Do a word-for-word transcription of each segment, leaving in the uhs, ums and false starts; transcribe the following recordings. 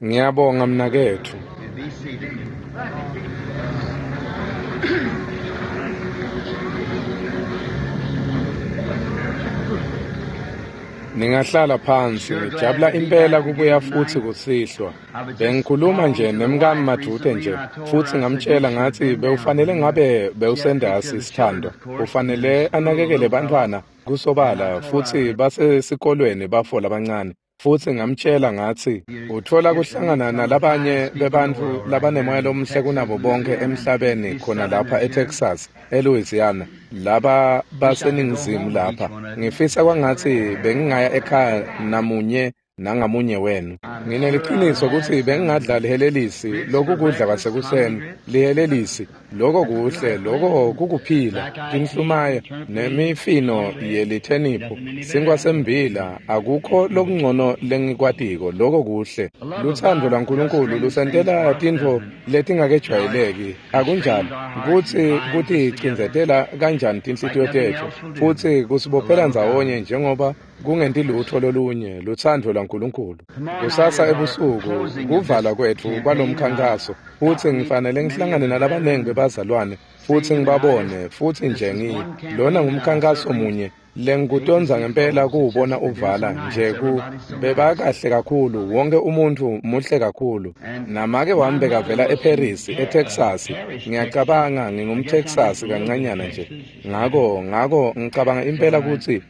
Ngiyabonga mnaketfu. Be seated. Ningahlala phansi, ngijabula impela kubuya futsi kusihlwa. Bengikhuluma nje nemkami madvute nje, futsi ngamtshela ngatsi bewufanele ngabe bewusendasi sithandwa. Ufanele anakekele bantfwana kusobala futsi basesikolweni bafo labancane. Futsi ngamtshela ngatsi utfola kuhlangana nalabanye bebantfu labanemoya lomuhle kunabo bonke emhlabeni khona lapha eTexas, eLouisiana, laba baseningizimu lapha. Ngifisa kwangatsi bengingaya ekhaya namunye nangamunye wenu. Ngineliciniso kutsi bengingadla lihelelisi lokukudla kwasekuseni, lihelelisi, loko kuhle, loko kukuphila, tinhlumaya nemifino yelitheniphu, sinkwa sembila, akukho lokungcono lengikwatiko, loko kuhle. Lutsandvo lwaNkulunkulu lusentela tintfo letingakejwayeleki, akunjalo? Kutsi kuticindzetela kanjani tinhlitiyo tetfu, futsi kusibophela ndzawonye njengoba kungenti lutfo lolunye, lutsandvo lwaNkulunkulu. Kusasa ebusuku kuvala kwetfu kwalomkhankaso, futsi ngifanele ngihlangane nalabanengi bebazalwane futsi ngibabone, futsi nje ngi lona ngumkhankaso munye lengikutonza ngempela kuwubona uvala nje ku bebakahle kakhulu, wonke umuntfu muhle kakhulu. Namake wami bekavela eParis, eTexas. Ngiyacabanga ngingumTexas kancanyana nje. Ngako ngako ngicabanga impela kutsi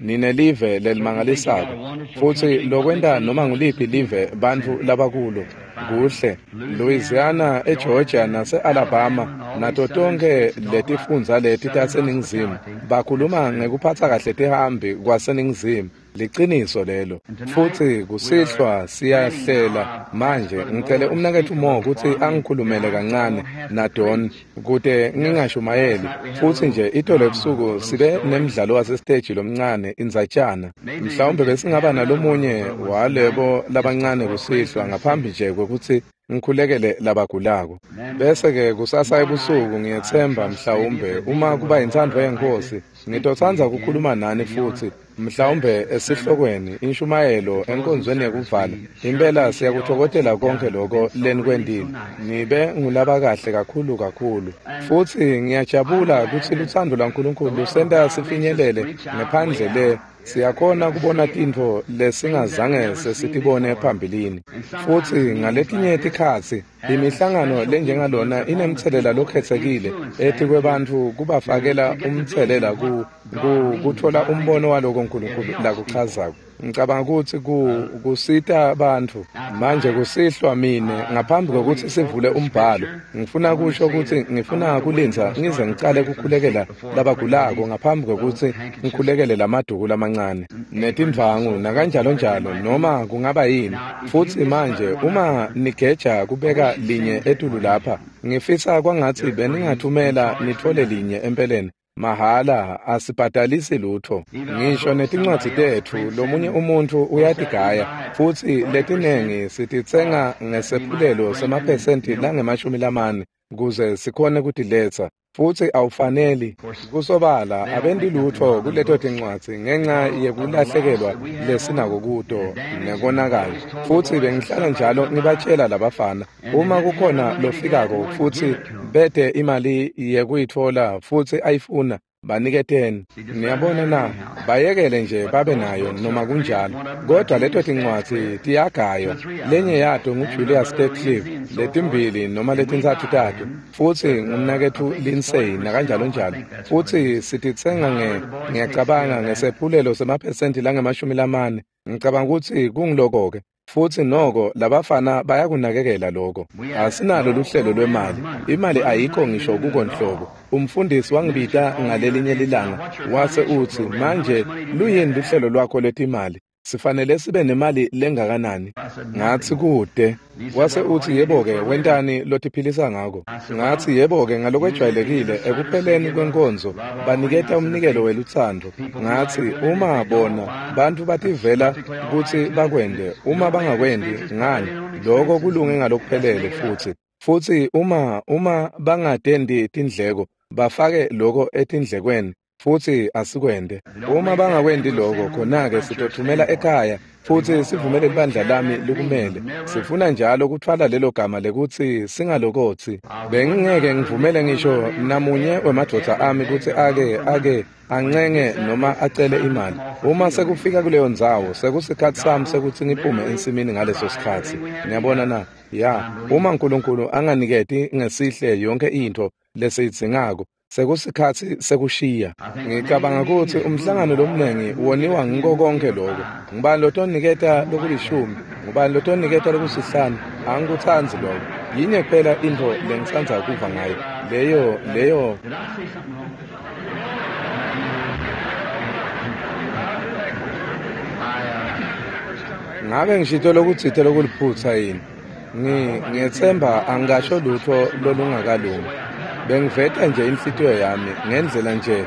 ninelive lelimangalisako, futsi lokwenta noma nguliphi live bantfu labakulo kuhle. Louisiana, eGeorgia nase-Alabama nato tonkhe letifundza leti taseNingizimu bakhuluma ngekuphatsa kahle tihambi kwaseNingizimu. Liciniso lelo. Futsi kusihlwa siyahlela manje. Ngicele umnaketfu Mo kutsi angikhulumele kancane naDon kute ngingashumayeli. Futsi nje itolo ebusuku sibe nemdlalo wasesiteji lomncane indzatjana. Mhlawumbe besingaba nalomunye walebo labancane kusihlwa ngaphambi nje kwekutsi ngikhulekele labagulako. Bese-ke kusasa ebusuku ngiyetsemba mhlawumbe uma kuba yintsandvo yeNkhosi ngitotsandza kukhuluma nani futsi mhlawumbe esihlokweni inshumayelo enkonzweni yekuvala. Impela siyakutfokotela konke loko lenikwentile. Nibe ngulabakahle kakhulu kakhulu. Futsi ngiyajabula kutsi lutsandvo lwaNkulunkulu lusenta sifinyelele ngephandle le. Siyakhona kubona tintfo lesingazange sesitibone phambilini. Futsi ngaletinye tikhatsi imihlangano lenjengalona inemtselela lokhetsekile etikwebantfu kubafakela umtselela ku kutfola umbono waloko uNkulunkulu lakuchazako. Ngicabanga kutsi kusita bantfu. Manje kusihlwa mine ngaphambi kwekutsi sivule umbhalo, ngifuna kusho kutsi ngifuna kulindza ngize ngicale kukhulekela labagulako ngaphambi kwekutsi ngikhulekele lamaduku lamancane netindvwangu nakanjalo njalo noma kungaba yini. Futsi manje uma nigeja kubeka linye etulu lapha, ngifisa kwangatsi beningathumela nitfole linye empeleni. Mahala, asibhadalisi lutfo. Ngisho netincwadzi tetfu lomunye umuntfu uyatigaya, futsi letinengi sititsenga ngesephulelo semaphesenti langemashumi lamane kuze sikhone kutiletsa. Futsi awufaneli kusobala abenti lutfo kuleto tincwadzi ngenca yekulahlekelwa lesinako kuto nekonakala. Futsi bengihlala njalo ngibatshela labafana, uma kukhona lofikako futsi bete imali yekuyitfola futsi ayifuna, baniketeni. Niyabona na, bayekele nje babe nayo noma kunjalo. Kodwa leto tincwadzi tiyagaywa. Lenye yato nguJulius Steckley, letimbili noma letintsatfu tato, futsi ngumnaketfu Lindsay nakanjalo njalo. Futsi sititsenga nge ngiyacabanga ngesephulelo semaphesenti langemashumi lamane. Ngicabanga kutsi kungiloko-ke. Futsi noko labafana bayakunakekela loko. Asinalo luhlelo lwemali. Imali ayikho ngisho kuko nhlobo. Umfundisi wangibita ngalelinye lilanga wase utsi, manje luyini luhlelo lwakho lwetimali? Sifanele sibe nemali lengakanani? Ngatsi kute. Wase utsi, yebo-ke, wentani lotiphilisa ngako? Ngatsi, yebo-ke, ngalokwejwayelekile ekupheleni kwenkonzo baniketa umnikelo welutsandvo. Ngatsi, uma bona bantfu bativela kutsi bakwente, uma bangakwenti, ngani, loko kulunge ngalokuphelele futsi. Futsi uma uma bangatendi tindleko, bafake loko etindlekweni. Futsi asikwente. Uma bangakwenti loko, khona-ke sitothumela ekhaya futsi sivumele libandla lami likumele. Sifuna njalo kutfwala lelo gama lekutsi singalokotsi. Bengingeke ngivumele ngisho namunye wemadvodza ami kutsi ake ake ancenge noma acele imali. Uma sekufika kuleyo ndzawo, sekusikhatsi sami sekutsi ngiphume ensimini ngaleso sikhatsi. Niyabona na? Ya, uma uNkulunkulu anganiketi ngesihle yonke intfo lesiyidzingako, sekusikhatsi sekushiya. Ngicabanga kutsi umhlangano lomnengi woniwa ngiko konke lokho. Ngubani lotoniketa lokulishumi? Ngubani lotoniketa lokusihlanu? Angikutsandzi lokho. Yinye kuphela intfo lengitsandza kuva ngayo. Leyo leyo Ngabe ngishito lokutsite lokuliphutsa yini? Ngi ngiyetsemba angisho lutho lolungakalungi. Bengiveta nje inhlitiyo yami ngendlela nje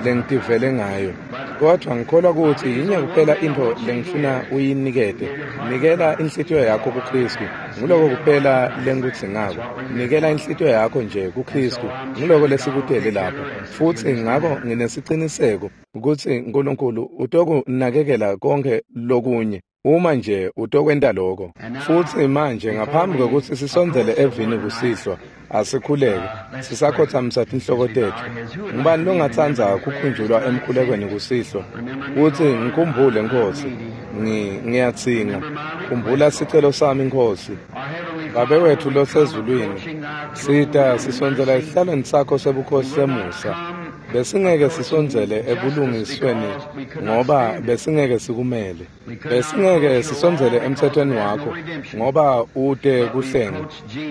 lengitivele ngayo. Kodwa ngikholwa kutsi yinye kuphela intfo lengifuna uyinikete. Nikela inhlitiyo yakho kuKristu. Nguloko kuphela lengikudzingako. Nikela inhlitiyo yakho nje kuKristu. Nguloko lesikutele lapha. Futsi ngako nginesiciniseko kutsi uNkulunkulu utokunakekela konke lokunye. Uma nje utokwenta lokho. Futsi manje ngaphambi kwekutsi sisondzele evini kusihlwa, asikhuleke. Sisakhothamisa tinhloko tetfu. Ngubani longatsandza kukhunjulwa emkhulekweni kusihlwa? Kutsi ngikhumbule Nkhosi. Ngi ngiyatsinga. Khumbula sicelo sami Nkhosi. Babe wetfu losezulwini, sita sisondzela esihlalweni sakho sebukhosi semusa. Besingeke sisondzele ebulungisweni ngoba besingeke sikumele. Besingeke sisondzele emthethweni wakho ngoba ute kuhlenga.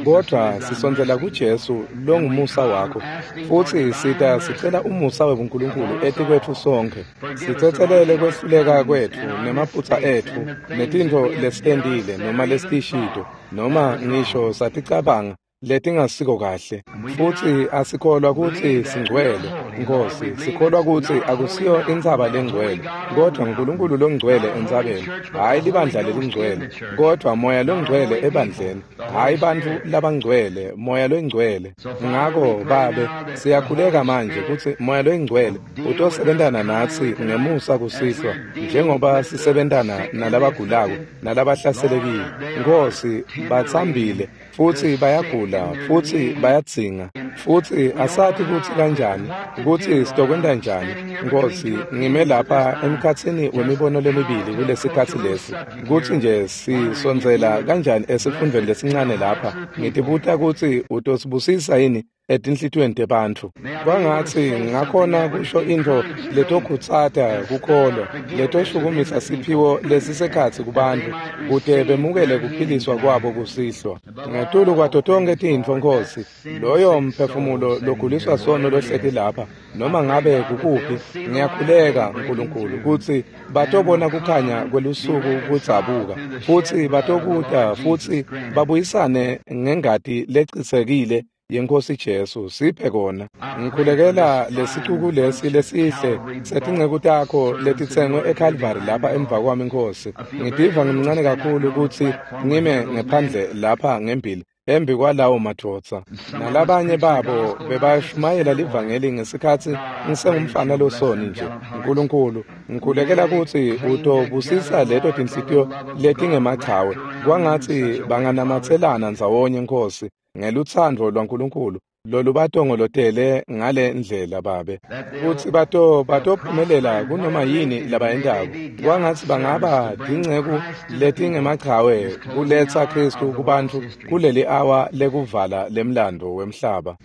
Kodwa sisondzela kuJesu longumusa wakho. Futsi sita sicela umusa webuNkulunkulu etikwetfu sonkhe. Sitsetselele kwehluleka kwetfu nemaphutsa etfu netintfo lesitentile noma lesitishito noma ngisho saticabanga letingasiko kahle. Futsi asikholwa kutsi singcwele, Nkhosi. Sikholwa kutsi akusiyo intsaba lengcwele, kodwa uNkulunkulu longcwele entsabeni, hhayi libandla lelingcwele, kodwa Moya longcwele ebandleni, hhayi bantfu labangcwele, Moya longcwele. Ngako Babe, siyakhuleka manje kutsi Moya longcwele utosebentana natsi ngemusa kusihlwa, njengoba sisebentana nalabagulako nalabahlaselekile. Nkhosi, batsambile futsi bayagula futsi bayadzinga, futsi asati kutsi kanjani, kutsi sitokwenta njani. Nkhosi, ngime lapha emkhatsini wemibono lemibili kulesikhatsi lesi, kutsi nje sisondzela kanjani esifundvweni lesincane lapha. Ngitibuta kutsi utosibusisa yini etinhlitiyweni tebantfu. Kwangatsi ngakhona kusho intfo letokhutsata kukholwa, letoshukumisa siphiwo lesisekhatsi kubantfu kute bemukele kuphiliswa kwabo kusihlwa. Ngetulu kwato tonkhe tintfo, Nkhosi, loyo mphefumulo loguliswa sono lohleti lapha, noma ngabe kukuphi, ngiyakhuleka Nkulunkulu kutsi batobona kukhanya kwelusuku kudzabuka, futsi batokuta futsi babuyisane ngengati lecitsekile yeNkhosi Jesu. Siphe kona. Ngikhulekela lesicuku lesi lesihle setinceku takho letitsengwe eCalvary lapha emva kwami Nkhosi. Ngitiva ngimncane kakhulu kutsi ngime ngephandle lapha ngembili embi kwalawo madvodza. Nalabanye babo bebashumayela livangeli ngesikhatsi ngisengumfana losoni nje. Nkulunkulu, ngikhulekela kutsi utobusisa leto tinhlitiyo letingemachawe. Kwangatsi banganamatselana ndzawonye Nkhosi ngelutsandvo lwaNkulunkulu lolubatongolotele ngale ndlela Babe, kutsi bato batophumelela kunoma yini labayentako. Kwangatsi bangaba tinceku letingemachawe kuletsa Kristu kubantfu kuleli awa lekuvala lemlando wemhlaba.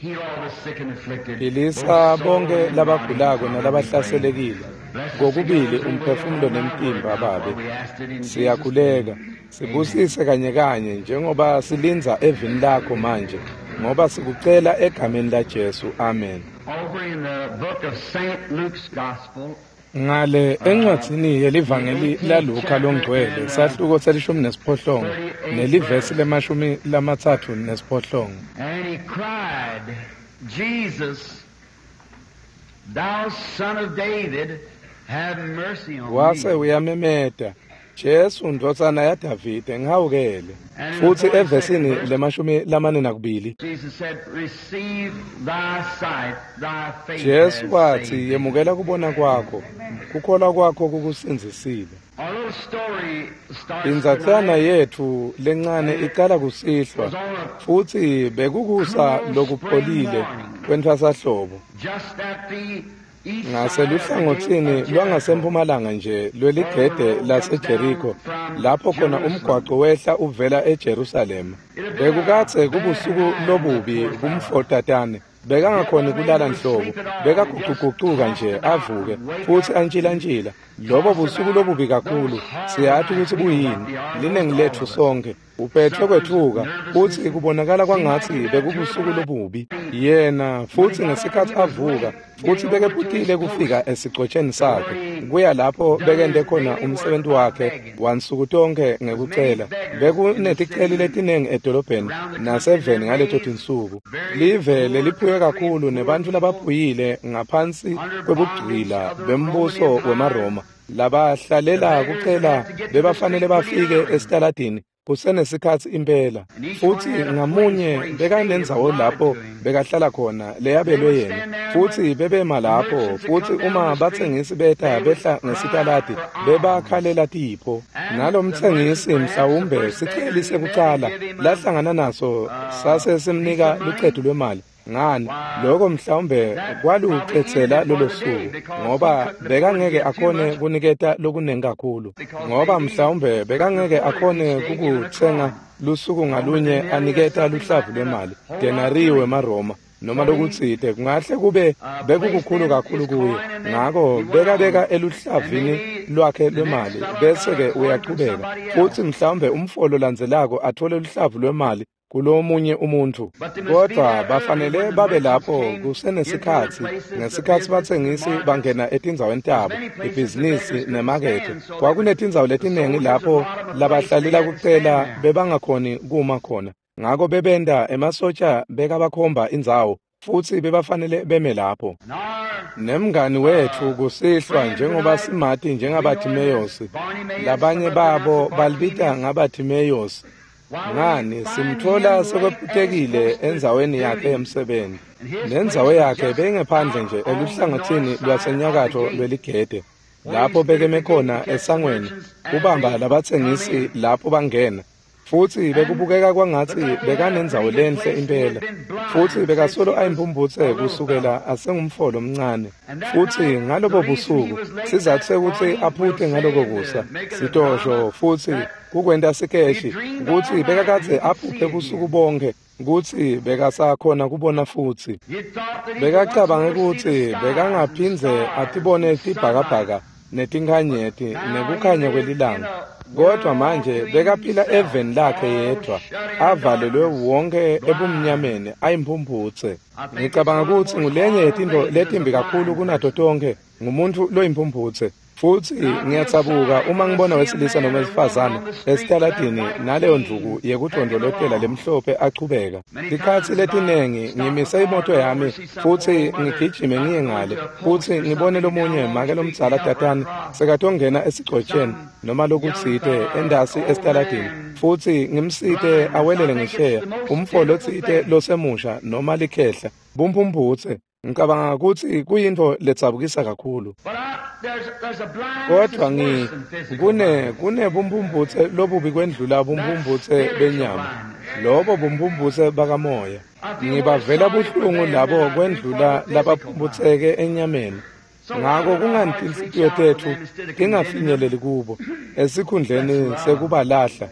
Philisa bonke labagulako nalabahlaselekile, kokubili umphefumulo nemtimba Babe. Siyakhuleka, sibusise kanye kanye njengoba silindza evini lakho manje, ngoba sikucela egameni la Jesu. Amen. Over in the book of Saint Luke's Gospel, Ngale encwadzini yelivangeli laLuka longcwele, sahluko selishumi nesiphohlongo nelivesi lemashumi lamatsatfu nesiphohlongo. And he cried, Jesus, thou son of David, have mercy on Wase me. uyamemeta, Jesu ndvodzana yaDavide ngihawukele. Futsi evesini lemashumi lamane nakubili Jesu watsi, yemukela kubona kwakho, kukholwa kwakho kukusindzisile. Indzatshana yetfu lencane icala kusihlwa, futsi bekukusa lokupholile kwentfwasahlobo. Ngaseluhlangotsini lwangasemphumalanga nje lweligede laseJeriko, lapho khona umgwaqo wehla uvela eJerusalema. Bekukadze kubusuku lobubi kumfotatane. Bekangakhoni kulala nhlobo, bekagucugucuka nje avuke futsi antshilantshila. Lobo busuku lobubi kakhulu, siyati kutsi buyini, linengi letfu sonkhe. Uphetfwe kwetfuka, futsi kubonakala kwangatsi bekubusuku lobubi. Yena futsi ngesikhatsi avuka, futsi bekephutile kufika esigcotsheni sakhe, kuya lapho bekente khona umsebenzi wakhe wansuku tonkhe ngekucela. Bekuneticeli letinengi edolobheni naseveni ngaleto tinsuku. Live leliphuye kakhulu nebantfu labaphuyile ngaphansi kwebugcila bembuso wemaRoma, labahlalela kucela bebafanele bafike esitaladini kusenesikhatsi impela. Futsi ngamunye bekanendzawo lapho bekahlala khona leyabelwe yena, futsi bebema lapho. Futsi uma batsengisi beta behla ngesitaladi, bebakhalela tipho. Nalomtsengisi mhlawumbe siceli sekucala lahlangana naso sase simnika lucetu lwemali. Ngani, lokho mhlawumbe kwalucedzela lolo suku, ngoba bekangeke akhone kuniketa lokunengi kakhulu, ngoba mhlawumbe bekangeke akhone kukutsenga lusuku ngalunye aniketa luhlavu lwemali, denari wemaRoma noma lokutsite, kungahle kube bekukukhulu kakhulu kuye. Ngako bekabeka eluhlavini lwakhe lwemali, bese-ke uyachubeka. Futsi mhlawumbe umfolo landzelako athole luhlavu lwemali kulomunye umuntfu. Kodvwa bafanele babe lapho kusenesikhatsi, ngesikhatsi batsengisi bangena etindzaweni tabo, ibhizinisi nemakethe. Kwakunetindzawo letinengi lapho labahlalela kucela bebangakhoni kuma khona. Ngako bebenta emasotja bekabakhomba indzawo, futsi bebafanele beme lapho. Nemngani wetfu kusihlwa, njengoba simati njengaBathimeyosi, labanye babo balibita ngaBathimeyosi. Ngani, simtfola sekwephutekile endzaweni yakhe yemsebenti. Nendzawo yakhe beyingephandle nje eluhlangotsini lwasenyakatfo lweligede, lapho bekeme khona esangweni kubamba labatsengisi lapho bangena. Futsi bekubukeka kwangatsi bekanendzawo lenhle impela, futsi bekasolo ayimphumputse kusukela asengumfolo omncane. Futsi ngalobo busuku, sizatfu sekutsi aphute ngaloko kusa, sitosho futsi kukwenta sikeshi, kutsi bekakadze aphuphe busuku bonke kutsi bekasakhona kubona futsi. Bekacabange kutsi bekangaphindze atibone tibhakabhaka netinkhanyeti nekukhanya kwelilanga. Kodwa manje bekaphila eveni lakhe yedvwa, avalelwe wonke ebumnyameni, ayimphumputse. Ngicabanga kutsi ngulenye yetintfo letimbi kakhulu kunato tonkhe, ngumuntfu loyimphumputse. Futsi ngiyatsabuka uma ngibona wesilisa noma wesifazane esitaladini naleyo ndvuku yekudondolotela lemhlophe achubeka. Tikhatsi letinengi ngimise imoto yami futsi ngigijime ngiye ngale, futsi ngibone lomunye make lomdzala tatane sekatongena esigcotsheni noma lokutsite endasi esitaladini, futsi ngimsite awelele ngesheya, umfo lotsite losemusha noma likhehla, bumphumputse. Ngicabanga kutsi kuyintfo letsabukisa kakhulu. Kodvwa ngi kune kunebumphumphutse lobubi kwendlula bumphumphutse benyama, lobo bumphumphutse bakamoya. Ngibavela buhlungu labo kwendlula labaphumputseke enyameni. Ngako kungani tinhlitiyo tetfu tingafinyeleli kubo esikhundleni sekubalahla?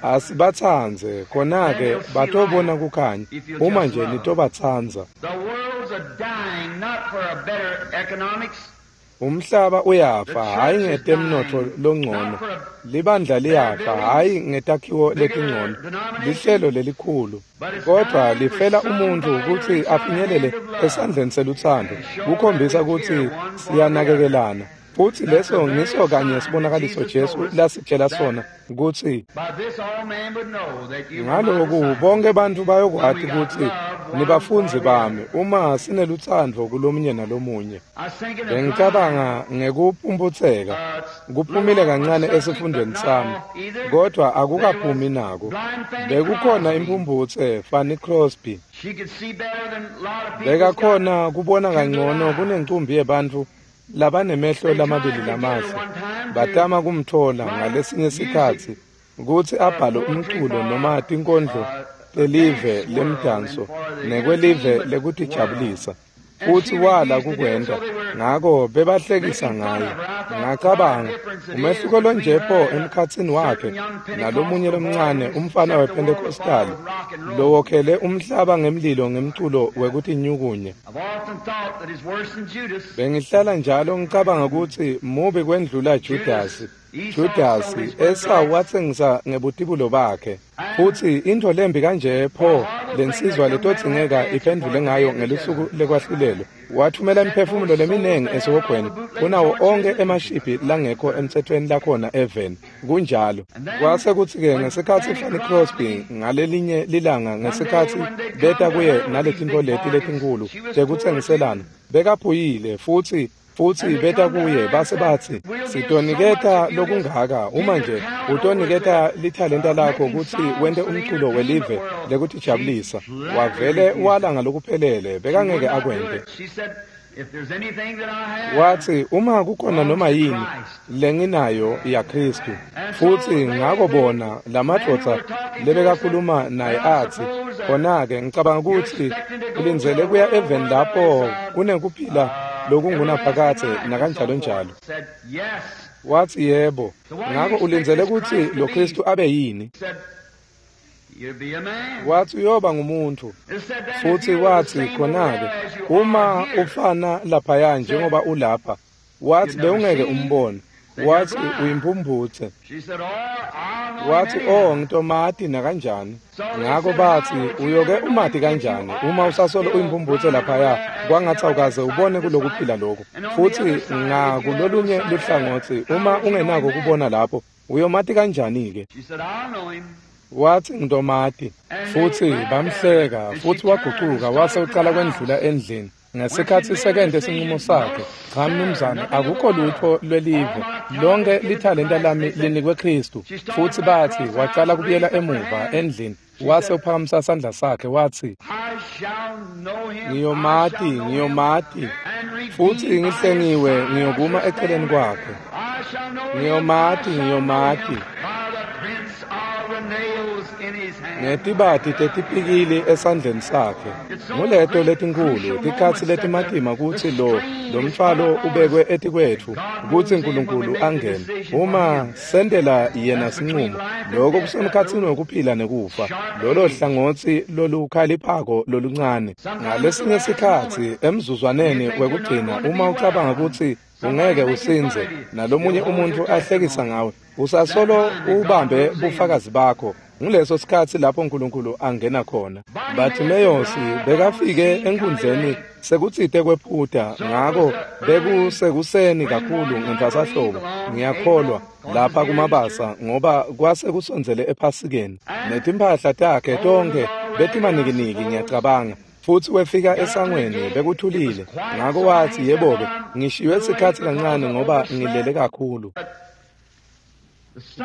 Asibatsandze, khona-ke batobona kukhanya, uma nje nitobatsandza. Umhlaba uyafa, hhayi ngetemnotfo longcono. Libandla liyafa, hhayi ngetakhiwo letingcono, lihlelo lelikhulu. Kodvwa lifela umuntfu kutsi afinyelele esandleni selutsandvo, kukhombisa kutsi siyanakekelana. Futsi leso ngiso kanye sibonakaliso Jesu lasitshela sona kutsi ngaloku bonke bantfu bayokwati kutsi nibafundzi bami uma sinelutsandvo kulomunye nalomunye. Bengicabanga ngekuphumputseka kuphumile kancane esifundweni sami, kodwa akukaphumi nako. Bekukhona imphumphutse Fanny Crosby, bekakhona kubona kangcono kunencumbi yebantfu labanemehlo lamabili lamahle. Batama kumthola ngalesinye sikhatsi kutsi abhale umculo noma tinkondlo telive lemdanso nekwelive lekutijabulisa, futsi wala kukwenta, ngako bebahlekisa ngaye. Ngacabanga, umehluko lonje pho emkhatsini wakhe nalomunye lomncane umfana wePentecostal lowokhele umhlaba ngemlilo ngemculo wekutinyukunya. Bengihlala njalo ngicabanga kutsi mubi kwendlula Judasi. Judasi Esau watsengisa ngebutibulo bakhe. Futsi intfo lembi kanje pho lensizwa letodzingeka iphendvule ngayo ngelusuku lekwahlulelwa. Wathumela imiphefumulo leminengi esihogweni kunawo onkhe emashibhi langekho emtsetfweni lakhona eveni. Kunjalo. Kwase kutsi-ke ngesikhatsi Fanny Crosby ngalelinye lilanga ngesikhatsi beta kuye naletintfo leti letinkhulu tekutsengiselana, bekaphuyile futsi futsi beta kuye base batsi, sitoniketa lokungaka uma nje utoniketa lithalenta lakho kutsi wente umculo welive lekutijabulisa. Wavele wala ngalokuphelele, bekangeke akwente. Watsi, uma kukhona noma yini lenginayo yaKhristu. Futsi ngako bona lamadvodza lebekakhuluma naye atsi, khona-ke ngicabanga kutsi ulindzele kuya eveni lapho kunekuphila lokungunaphakadze nakanjalo njalo. Watsi yebo. Ngako ulindzele kutsi lo Khristu abe yini? Watsi uyoba ngumuntfu. Futsi watsi khona-ke uma ufana laphaya njengoba ulapha, watsi bewungeke umbone. Watsi uyimphumphutse. Watsi, oh, ngitomati nakanjani. Ngako batsi, uyoke umati kanjani uma usasolo uyimphumphutse laphaya, kwangatsi awukaze ubone kulokuphila lokhu. Futsi ngakulolunye luhlangotsi, uma ungenako kubona lapho, uyomati kanjani-ke? Watsi ngitomati. Futsi bamhleka, futsi wagucuka wase ucala kwendlula endlini. Ngesikhatsi sekente sinqumo sakhe, cha mnumzane, akukho lutfo lwelive, lonke lithalenta lami linikwe Khristu. Futsi batsi wacala kubuyela emuva endlini, wase uphakamisa sandla sakhe watsi, ngiyomati, ngiyomati, futsi ngihlengiwe ngiyokuma eceleni kwakhe. Ngiyomati, ngiyomati, ngetibati tetipikili esandleni sakhe. Nguleto letinkhulu tikhatsi letimatima kutsi lo lomtfwalo ubekwe etikwetfu kutsi Nkulunkulu angene. Uma sentela yena sinqumo, lokho kusemkhatsini wekuphila nekufa, lolo hlangotsi lolukhaliphako loluncane. Ngalesinye sikhatsi emzuzwaneni wekugcina, uma ucabanga kutsi ungeke usindze nalomunye umuntfu ahlekisa ngawe, usasolo ubambe bufakazi bakho. Nguleso sikhatsi lapho Nkulunkulu angena khona. Bartimeyosi bekafike enkundleni sekutsite kwephuta, ngako bekusekuseni kakhulu ngentfwasahlobo, ngiyakholwa, lapha kumabasa, ngoba kwase kusondzele ephasikeni. Netimphahla takhe tonkhe betimanikiniki, ngiyacabanga. Futsi wefika esangweni bekuthulile. Ngako watsi, yebo-ke, ngishiywe sikhatsi kancane ngoba ngilele kakhulu.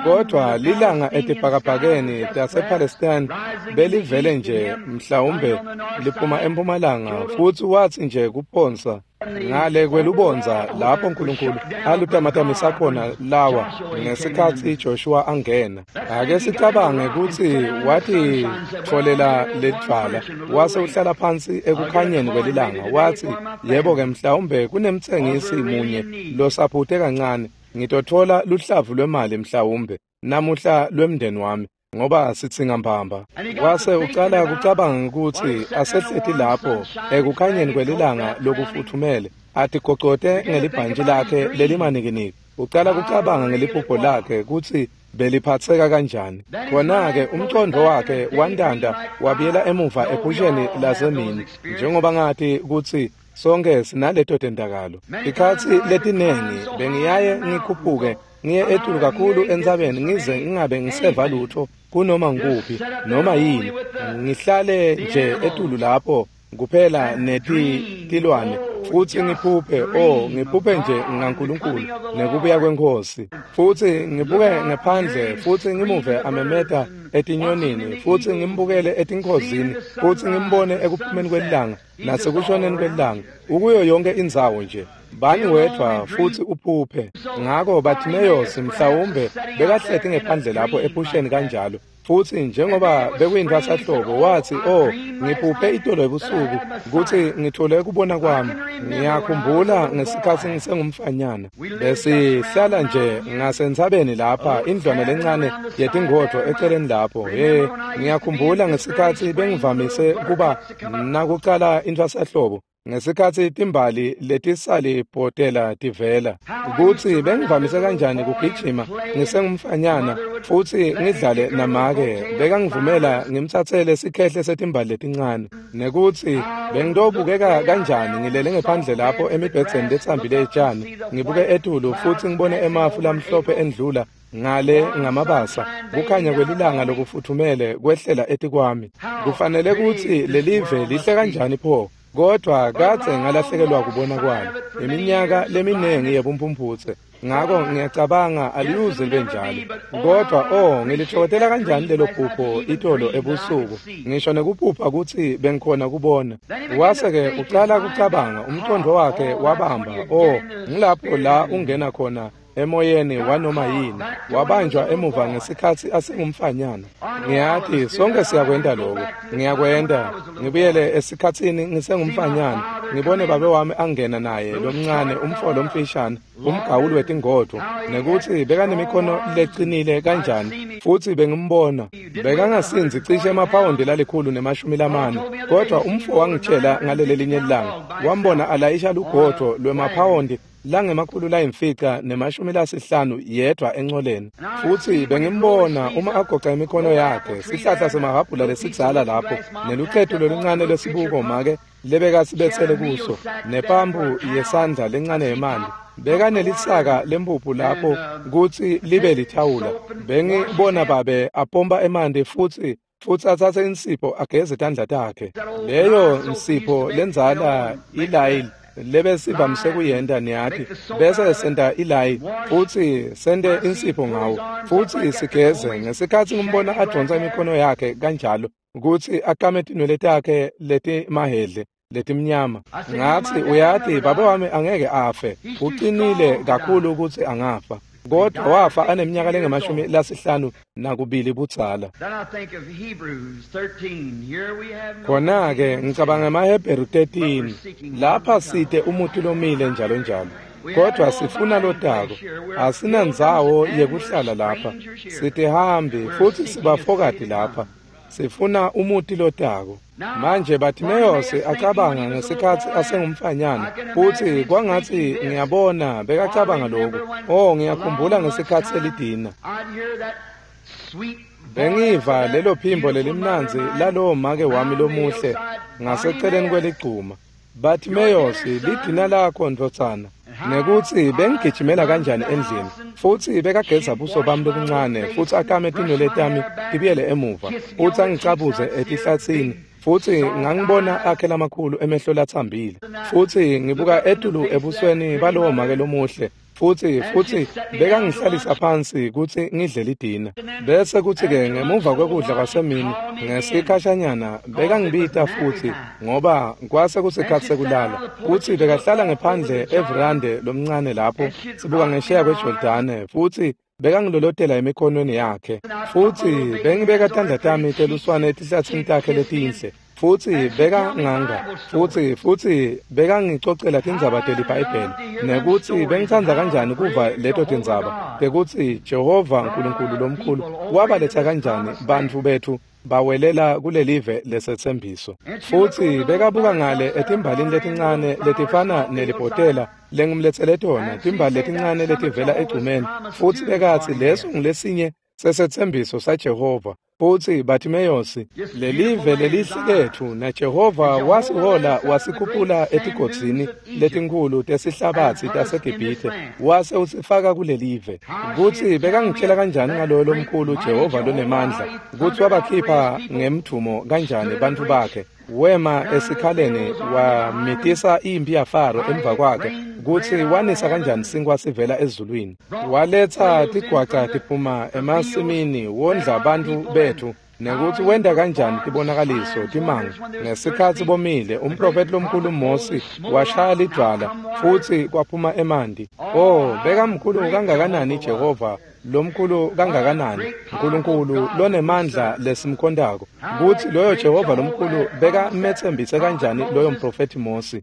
Kodwa lilanga etibhakabhakeni tasePalestine belivele nje mhlawumbe liphuma empumalanga, futsi watsi nje kuphonsa ngale kwelubondza lapho Nkulunkulu alutamatamisa khona lawa ngesikhatsi Joshua angena. Ake sicabange kutsi watitfolela ledvwala wase uhlala phansi ekukhanyeni kwelilanga. Watsi, yebo-ke, mhlawumbe kunemtsengisi munye losaphute kancane, ngitotfola luhlavu lwemali mhlawumbe namuhla lwemndeni wami, ngoba sitsinga mbamba. Wase ucala kucabanga kutsi asehleti lapho ekukhanyeni kwelilanga lokufuthumele, atigocote ngelibhantji lakhe lelimanikiniki. Ucala kucabanga ngeliphupho lakhe kutsi beliphatseka kanjani. Khona-ke umcondo wakhe wantanta wabuyela emuva ephusheni lasemini, njengoba ngati kutsi Sonke sinaleto tendakalo. Ikhatsi letinengi bengiyaye ngikhuphuke ngiye etulu kakhulu entsabeni ngize ngingabe ngiseva lutho kunoma ngikuphi noma yini. Ngihlale nje etulu lapho kuphela neti tilwane futsi ngiphuphe oh ngiphuphe nje ngaNkulunkulu nekubuya kweNkhosi futsi ngibuke ngephandle futsi ngimuve amemeta etinyonini futsi ngimbukele etinkhozini futsi ngimbone ekuphumeni kwelilanga nasekushoneni kwelilanga ukuyo yonke indzawo nje bani wedvwa futsi uphuphe. Ngako Bartimaeus mhlawumbe bekahleti ngephandle lapho ephusheni kanjalo futsi njengoba bekuyintfwasahlobo wathi oh ngiphuphe itolo ebusuku kutsi ngithole kubona kwami. Ngiyakhumbula ngesikhatsi ngisengumfanyana besihlala nje ngasentsabeni lapha indlwane lencane yetingodvo eceleni lapho. He ngiyakhumbula ngesikhatsi bengivamise kuba nakucala intfwasahlobo ngesikhatsi timbali letisalibhotela tivela kutsi bengivamise kanjani kugijima ngisengumfanyana futsi ngidlale namake bekangivumela ngimtsatsele sikhehle setimbali letincane nekutsi bengitobukeka kanjani ngilele ngephandle lapho emibhedzeni letsambile etjani ngibuke etulu futsi ngibone emafu lamhlophe endlula ngale ngamabasa kukhanya kwelilanga lokufuthumele kwehlela etikwami. Kufanele kutsi lelive lihle kanjani pho, kodwa kadze ngalahlekelwa kubona kwalo iminyaka leminengi yebumphumphutse. Ngako ngiyacabanga aliyuze libe njalo, kodwa oh ngilithokozela kanjani lelo phupho itolo ebusuku ngisho nekuphupha kutsi bengikhona kubona. Wase-ke ucala kucabanga umqondo wakhe wabamba oh ngilapho la ungena khona emoyeni wanoma yini wabanjwa emuva ngesikhatsi asengumfanyana. Ngiyati sonke siyakwenta lokho, ngiyakwenta ngibuyele esikhatsini ngisengumfanyana ngibone babe wami angena naye lomncane umfo lomfishane umgawuli wetingodvo nekutsi bekanemikhono lecinile kanjani futsi bengimbona bekangasinzi cishe emaphawondi lalikhulu nemashumi lamane, kodwa umfo wangitshela ngaleli linye ilanga wambona alayisha lugodvo lwemaphawondi langemakhulu layimfica nemashumi lasihlanu yedwa encoleni. Futsi bengimbona uma agoca imikhono yakhe sihlahla semahhabhula lesidzala lapho nelucetu loluncane lwesibuko make lebekasibetsele kuso nepampu yesandla lencane yemanti bekanelisaka lempuphu lapho kutsi libe lithawula. Bengibona babe apompa emanti futsi futsi atsatse insipho ageze tandla takhe. Leyo nsipho lendzala ilayili lebesivamise kuyenta niyati bese senta ilayi futsi sente insipho ngawo futsi sigeze. Ngesikhatsi ngimbona adonsa imikhono yakhe kanjalo kutsi akame tinwele takhe letimahedle letimnyama ngathi uyati babe wami angeke afe, uqinile kakhulu ukuthi angafa, kodwa wafa aneminyaka lengemashumi lasihlanu nakubili budzala. Khona-ke ngicabanga emaHebheru thirteen lapha site umuti lomile njalo njalo, kodwa sifuna lotako. Asinandzawo yekuhlala lapha, sitihambi futsi sibafokati lapha, sifuna umuti lotako. Manje Bartimaeus acabanga ngesikhatsi asengumfanyana futsi kwangatsi ngiyabona bekacabanga lokhu oh ngiyakhumbula ngesikhatsi selidina bengiva lelo phimbo lelimnandzi lalowo make wami lomuhle ngaseceleni kweligcuma. Bartimaeus lidina lakho ndvodzana, nekutsi bengigijimela kanjani endlini futsi bekageza buso bami lobuncane futsi akame tinwele tami tibuyele emuva futsi angicabuze etihlatsini futsi ngangibona akhe lamakhulu emehlo latsambile futsi ngibuka etulu ebusweni balowo make lomuhle futsi futsi bekangihlalisa phansi kutsi ngidle lidina. Bese kutsi-ke ngemuva kwekudla kwasemini ngesikhashanyana bekangibita futsi ngoba kwase kusikhatsi sekulala kutsi bekahlala ngephandle everande lomncane lapho sibuka ngesheya kweJordane futsi bekangilolotela emikhonweni yakhe futsi bengibeka tandla tami teluswane etihlatsini takhe letinhle futsi bekanganga futsi futsi bekangicocela tindzaba teliBhayibheli nekutsi bengitsandza kanjani kuva leto tindzaba tekutsi Jehova Nkulunkulu lomkhulu wabaletsa kanjani bantfu bethu bawelela kulelive lesetsembiso. Futsi bekabuka ngale etimbalini letincane letifana nelibhotela lengimletsele tona, timbali letincane letivela egcumeni, futsi bekatsi leso ngulesinye sesetsembiso saJehova Futsi Bartimeyosi, lelive lelihle letfu, naJehova wasihola wasikhuphula etigodzini letinkhulu tesihlabatsi taseGibhithe, wase usifaka kulelive. Kutsi bekangitshela kanjani ngaloyo lomkhulu Jehova lonemandla, kutsi wabakhipha ngemdvumo kanjani bantfu bakhe, wema esikhaleni wamitisa imphi yaFaro emva kwakhe, kutsi wanisa kanjani sinkwa sivela ezulwini, waletsa tigwaca tiphuma emasimini, wondla bantfu betfu, nekutsi wenta kanjani tibonakaliso timanga ngesikhatsi bomile. Umprofeti lomkhulu Mosi washaya lidvwala futsi kwaphuma emanti. Oh, bekamkhulu kangakanani Jehova, lomkhulu kangakanani Nkulunkulu lonemandla lesimkhontako, kutsi loyo Jehova lomkhulu bekametsembise kanjani loyo mprofethi Mosi.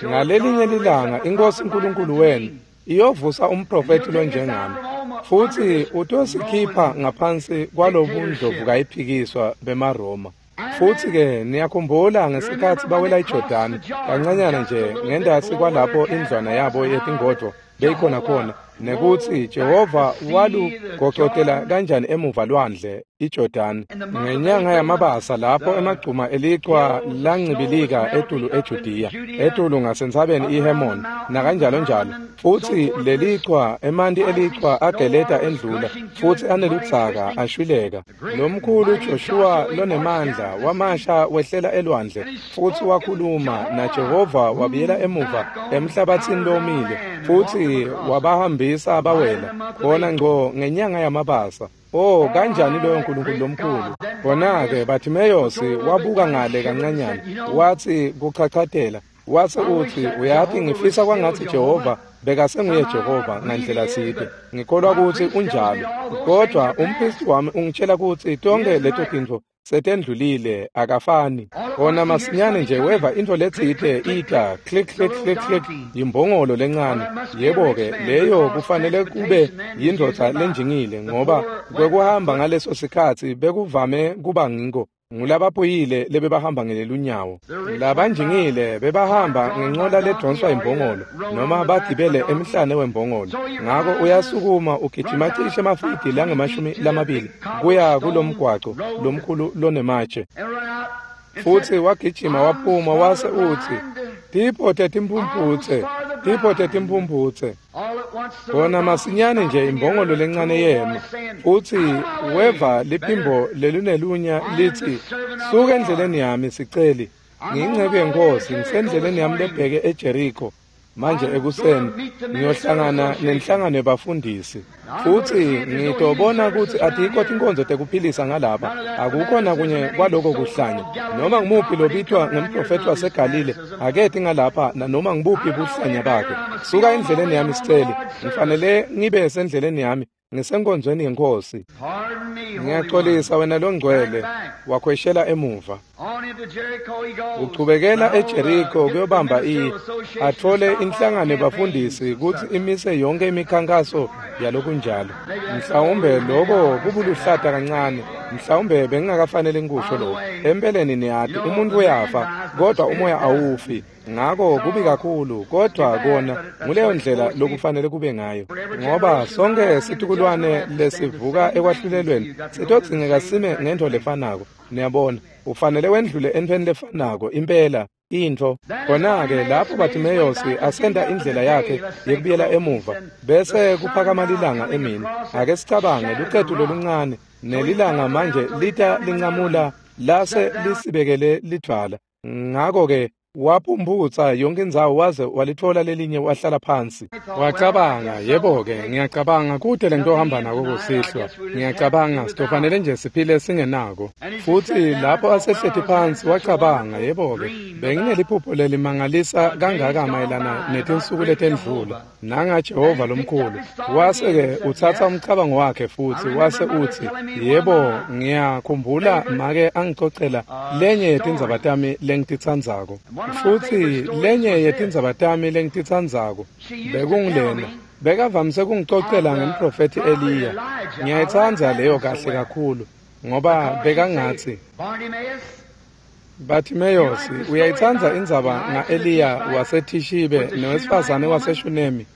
Ngalelinye lilanga iNkosi Nkulunkulu wenu iyovusa umprofethi lonjengami, futsi utosikhipha ngaphansi kwalobundlovu kayiphikiswa bemaRoma. Futsi-ke niyakhumbula ngesikhatsi bawela iJordani kancanyana nje ngendasi kwalapho indlwana yabo yetingodvo beyikhona khona, nekutsi Jehova walugocotela kanjani emuva lwandle iJordani ngenyanga yamabasa, lapho emagcuma elichwa lancibilika etulu eJudiya, etulu ngasentsabeni iHermon nakanjalo njalo. Futsi lelichwa, emanti elichwa ageleta endlula futsi aneludzaka ashwileka. Lomkhulu Joshua lonemandla wamasha wehlela elwandle futsi wakhuluma naJehova, wabuyela emuva emhlabatsini lomile futsi wabahambisa bawela khona ngco ngenyanga yamabasa. Oh, kanjani loyo Nkulunkulu lomkhulu! Khona-ke Bartimeyosi wabuka ngale kancanyana, watsi kuchachatela, wase utsi, uyati, ngifisa kwangatsi Jehova bekasenguye Jehova ngandlela tsite. Ngikholwa kutsi unjalo, kodvwa umphristi wami ungitshela kutsi tonkhe leto tintfo setendlulile, akafani. Khona masinyane nje weva intfo letsite ita click click click click, yimbongolo lencane. Yebo-ke, leyo kufanele kube yindvodza lenjingile, ngoba kwekuhamba ngaleso sikhatsi bekuvame kuba ngiko ngulabaphuyile lebebahamba ngelunyawo. Labanjingile bebahamba ngenqola ledonswa imbongolo noma bagibele emhlane wembongolo. Ngako uyasukuma ugijima cishe emafidi langemashumi lamabili kuya kulomgwaco lomkhulu lonematshe. Futsi wagijima waphuma wase utsi, tipho tetimphumphutse, tipho tetimphumphutse. Khona masinyane nje imbongolo lencane yema, futsi weva liphimbo lelinelunya litsi, suka endleleni yami siceli, ngiyinceku yeNkosi, ngisendleleni yami lebheke eJeriko. Manje ekuseni ngiyohlangana nenhlangano yebafundisi, futsi ngitobona kutsi atikho tinkonzo tekuphilisa ngalapha, akukho nakunye kwaloko kuhlanya. Noma ngimuphi lobitwa ngemprofethi waseGalile aketi ngalapha nanoma ngibuphi buhlanya bakhe. Suka endleleni yami siceli, ngifanele ngibe sendleleni yami, ngisenkonzweni yeNkosi. Ngiyaxolisa wena longcwele, wakhweshela emuva. Uchubekela eJeriko kuyobamba i athole inhlangano yebafundisi kutsi imise yonke imikhankaso yalokunjalo. Mhlawumbe loko kubuluhlata kancane, mhlawumbe bengingakafanele ngikusho lokho. Empeleni niyati umuntu uyafa, kodwa umoya awufi. Ngako kubi kakhulu, kodwa kona nguleyo ndlela lokufanele kube ngayo, ngoba sonke situkulwane lesivuka ekwahlulelweni sitodzingeka sime ngentfo lefanako. Niyabona, ufanele wendlule entfweni lefanako impela intfo. Khona-ke lapho Bartimeyosi asenta indlela yakhe yekubuyela emuva, bese kuphakama lilanga emini. Ake sicabange lucetu loluncane nelilanga manje lita lincamula lase lisibekele lidvwala. Ngako-ke waphumputsa yonke indzawo waze walitfola lelinye wahlala phansi. Wacabanga, yebo-ke, ngiyacabanga kute lento ohamba nako kusihlwa. Ngiyacabanga sitofanele nje siphile singenako. Futsi lapho asehleti phansi wacabanga, yebo-ke, bengineliphupho lelimangalisa kangaka mayelana netinsuku letendlula nangaJehova lomkhulu. Wase-ke utsatsa umcabango wakhe futsi wase utsi, yebo, ngiyakhumbula make angicocela lenye yetindzaba tami lengititsandzako. Futsi lenye yetindzaba tami lengititsandzako bekungilena. Bekavamise kungicocela ngemprofethi Eliya. Ngiyayitsandza leyo kahle kakhulu, ngoba bekangatsi, Bartimaeus, uyayitsandza indzaba nga-Eliya waseThishibe nowesifazane waseShunemi?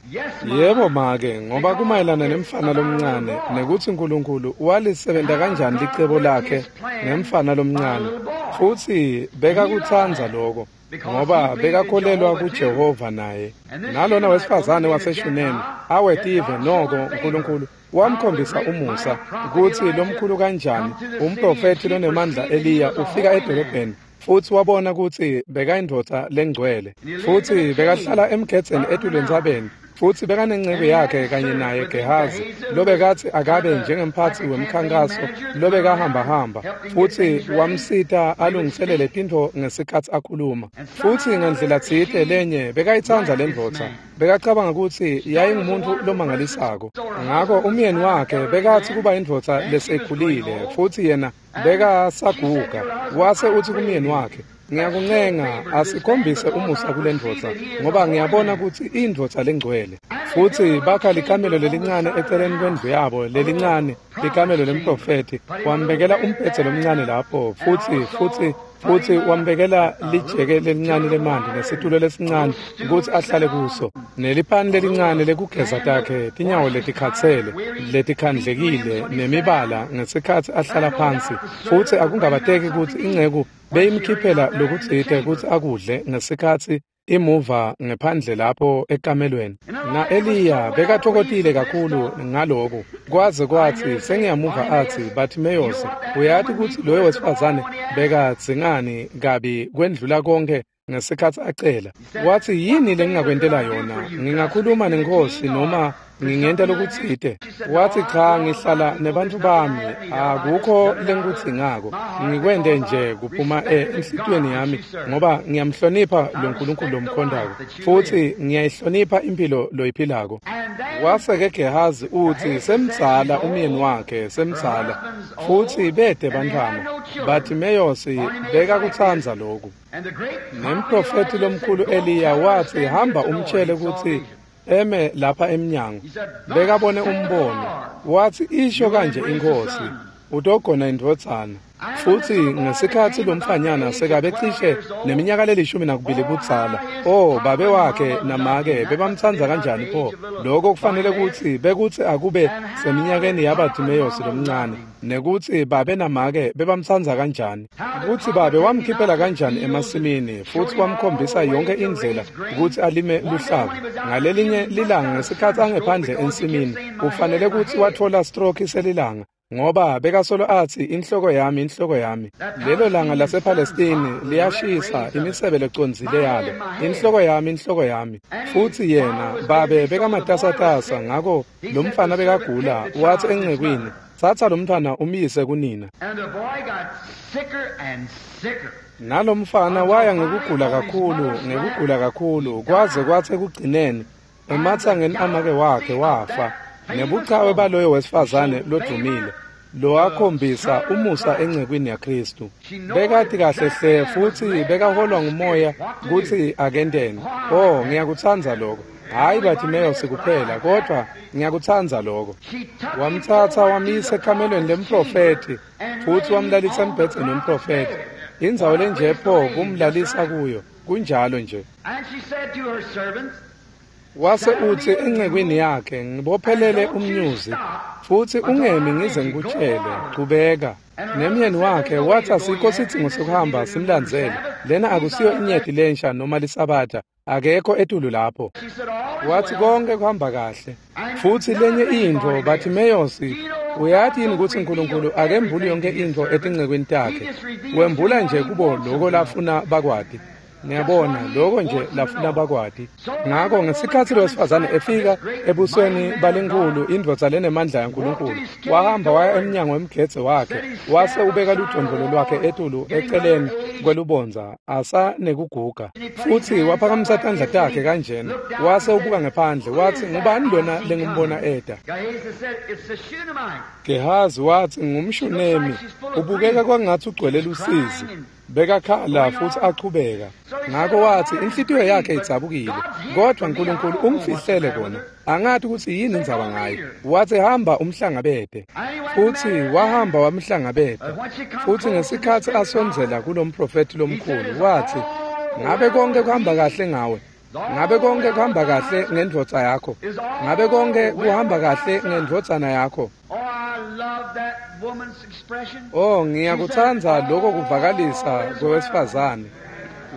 Yebo make, ngoba kumayelana nemfana lomncane nekutsi Nkulunkulu walisebenta kanjani licebo lakhe ngemfana lomncane. Futsi bekakutsandza loko, ngoba bekakholelwa kuJehova naye. Nalona wesifazane waseShunemi awetive noko Nkulunkulu wamkhombisa umusa kutsi lomkhulu kanjani umprofethi lonemandla Eliya ufika edolobheni futsi wabona kutsi bekayindvodza lengcwele futsi bekahlala emgedzeni etulu entsabeni futsi bekanenceku yakhe kanye naye Gehazi lobekatsi akabe njengemphatsi wemkhankaso lobekahambahamba futsi wamsita alungiselele tintfo ngesikhatsi akhuluma. Futsi ngendlela tsite lenye bekayitsandza lendvodza, bekacabanga kutsi yayingumuntu lomangalisako. Ngako umyeni wakhe bekatsi kuba indvodza lesekhulile futsi yena bekasaguga. Wase utsi kumyeni wakhe, ngiyakuncenga asikhombise umusa kulendvodza ngoba ngiyabona kutsi indvodza lengcwele. Futsi bakha likamelo lelincane eceleni kwendlu yabo lelincane, likamelo lemprofethi, wambekela umbhedze lomncane lapho futsi futsi futsi wambekela lijeke lelincane lemanti nesitulo lesincane kutsi ahlale kuso nelipani lelincane lekugeza takhe tinyawo letikhatsele letikhandlekile nemibala ngesikhatsi ahlala phansi. Futsi akungabateki kutsi inceku beyimkhiphela lokutsite kutsi akudle ngesikhatsi imuva ngephandle lapho ekamelweni. Na-Eliya bekatfokotile kakhulu ngaloku kwaze kwatsi sengiyamuva atsi, Bartimaeus, uyati kutsi loyo wesifazane bekadzingani kabi kwendlula konke ngesikhatsi acela. Watsi, yini lengingakwentela yona? Ngingakhuluma nenkhosi noma ngingenta lokutsite? Watsi, cha, ngihlala nebantfu bami, akukho lengikudzingako, ngikwente nje kuphuma enhlitiyweni yami ngoba ngiyamhlonipha lo Nkulunkulu lomkhondako futsi ngiyayihlonipha impilo loyiphilako. Wase-ke Gehazi utsi semdzala umyeni wakhe semdzala futsi bete bantfwana. Bartimaeus bekakutsandza loku. Nemprofethi lomkhulu Eliya watsi, hamba umtshele kutsi eme lapha emnyango. Bekabone umbono. Watsi, isho kanje inkhosi, utogona indvodzana. Futsi ngesikhatsi lomfanyana sekabe cishe neminyaka lelishumi nakubili budzala, oh, babe wakhe namake bebamtsandza kanjani pho. Lokho kufanele kutsi bekutsi akube seminyakeni yaBartimaeus lomncane, nekutsi babe namake bebamtsandza kanjani, kutsi babe wamkhiphela kanjani emasimini futsi wamkhombisa yonke indlela kutsi alime luhlavu. Ngalelinye lilanga ngesikhatsi angephandle ensimini, ufanele kutsi watfola stroke selilanga ngoba bekasolo atsi, inhloko yami, inhloko yami. Lelo langa lasePalestini liyashisa imisebe lecondzile yalo, inhloko yami, inhloko yami. Futsi yena babe bekamatasatasa, ngako lomfana bekagula. Watsi encekwini, tsatsa lomntfwana umyise kunina. Nalomfana waya ngekugula kakhulu, ngekugula kakhulu, kwaze kwatsi ekugcineni ematsangeni amake wakhe wafa. Nebuchawe baloyo wesifazane lodumile lowakhombisa umusa encekwini yaKhristu. Bekati kahle hle futsi bekaholwa ngumoya kutsi akenteni. Oh, ngiyakutsandza lokho. Hhayi Bartimaeus kuphela, kodwa ngiyakutsandza lokho. Wamtsatsa wamyisa ekamelweni lemprofethi futsi wamlalisa embhedzeni wemprofethi. Indzawo lenje pho kumlalisa kuyo, kunjalo nje. Wase utsi encekwini yakhe, ngibophelele umnyuzi futsi ungemi ngize ngikutshele, chubeka. Nemyeni wakhe watsi asikho sidzingo sokuhamba simlandzele, lena akusiyo inyeti lensha noma lisabatha, akekho etulu lapho. Watsi konke kuhamba kahle. Futsi lenye intfo, Bartimaeus, uyati yini kutsi Nkulunkulu akembuli yonke intfo etincekwini takhe, wembula nje kubo loko lafuna bakwati. Ngiyabona lokho nje lafuna bakwati. Ngako ngesikhatsi lowesifazane efika ebusweni balenkhulu indvodza lenemandla yaNkulunkulu, wahamba waya emnyango wemgedze wakhe, wase ubeka ludvondvolo lwakhe etulu eceleni kwelubondza asanekuguga. Futsi waphakamisa tandla takhe kanjena, wase ubuka ngephandle, watsi, ngubani lona lengimbona eta? Gehazi watsi, ngumShunemi, ubukeka kwangatsi ugcwele lusizi. Bekakhala futsi achubeka. Ngako wathi inhlitiyo yakhe idzabukile, kodwa Nkulunkulu ungifihlele kona, angathi kutsi yini indzaba ngaye. Wathi hamba umhlangabete, futsi wahamba wamhlangabeta. Futsi ngesikhatsi asondzela kulomprofethi lomkhulu, wathi, ngabe konke kuhamba kahle ngawe? Ngabe konke kuhamba kahle ngendvodza yakho? Ngabe konke kuhamba kahle ngendvodzana yakho? Oh, ngiyakutsandza lokho kuvakalisa kwewesifazane.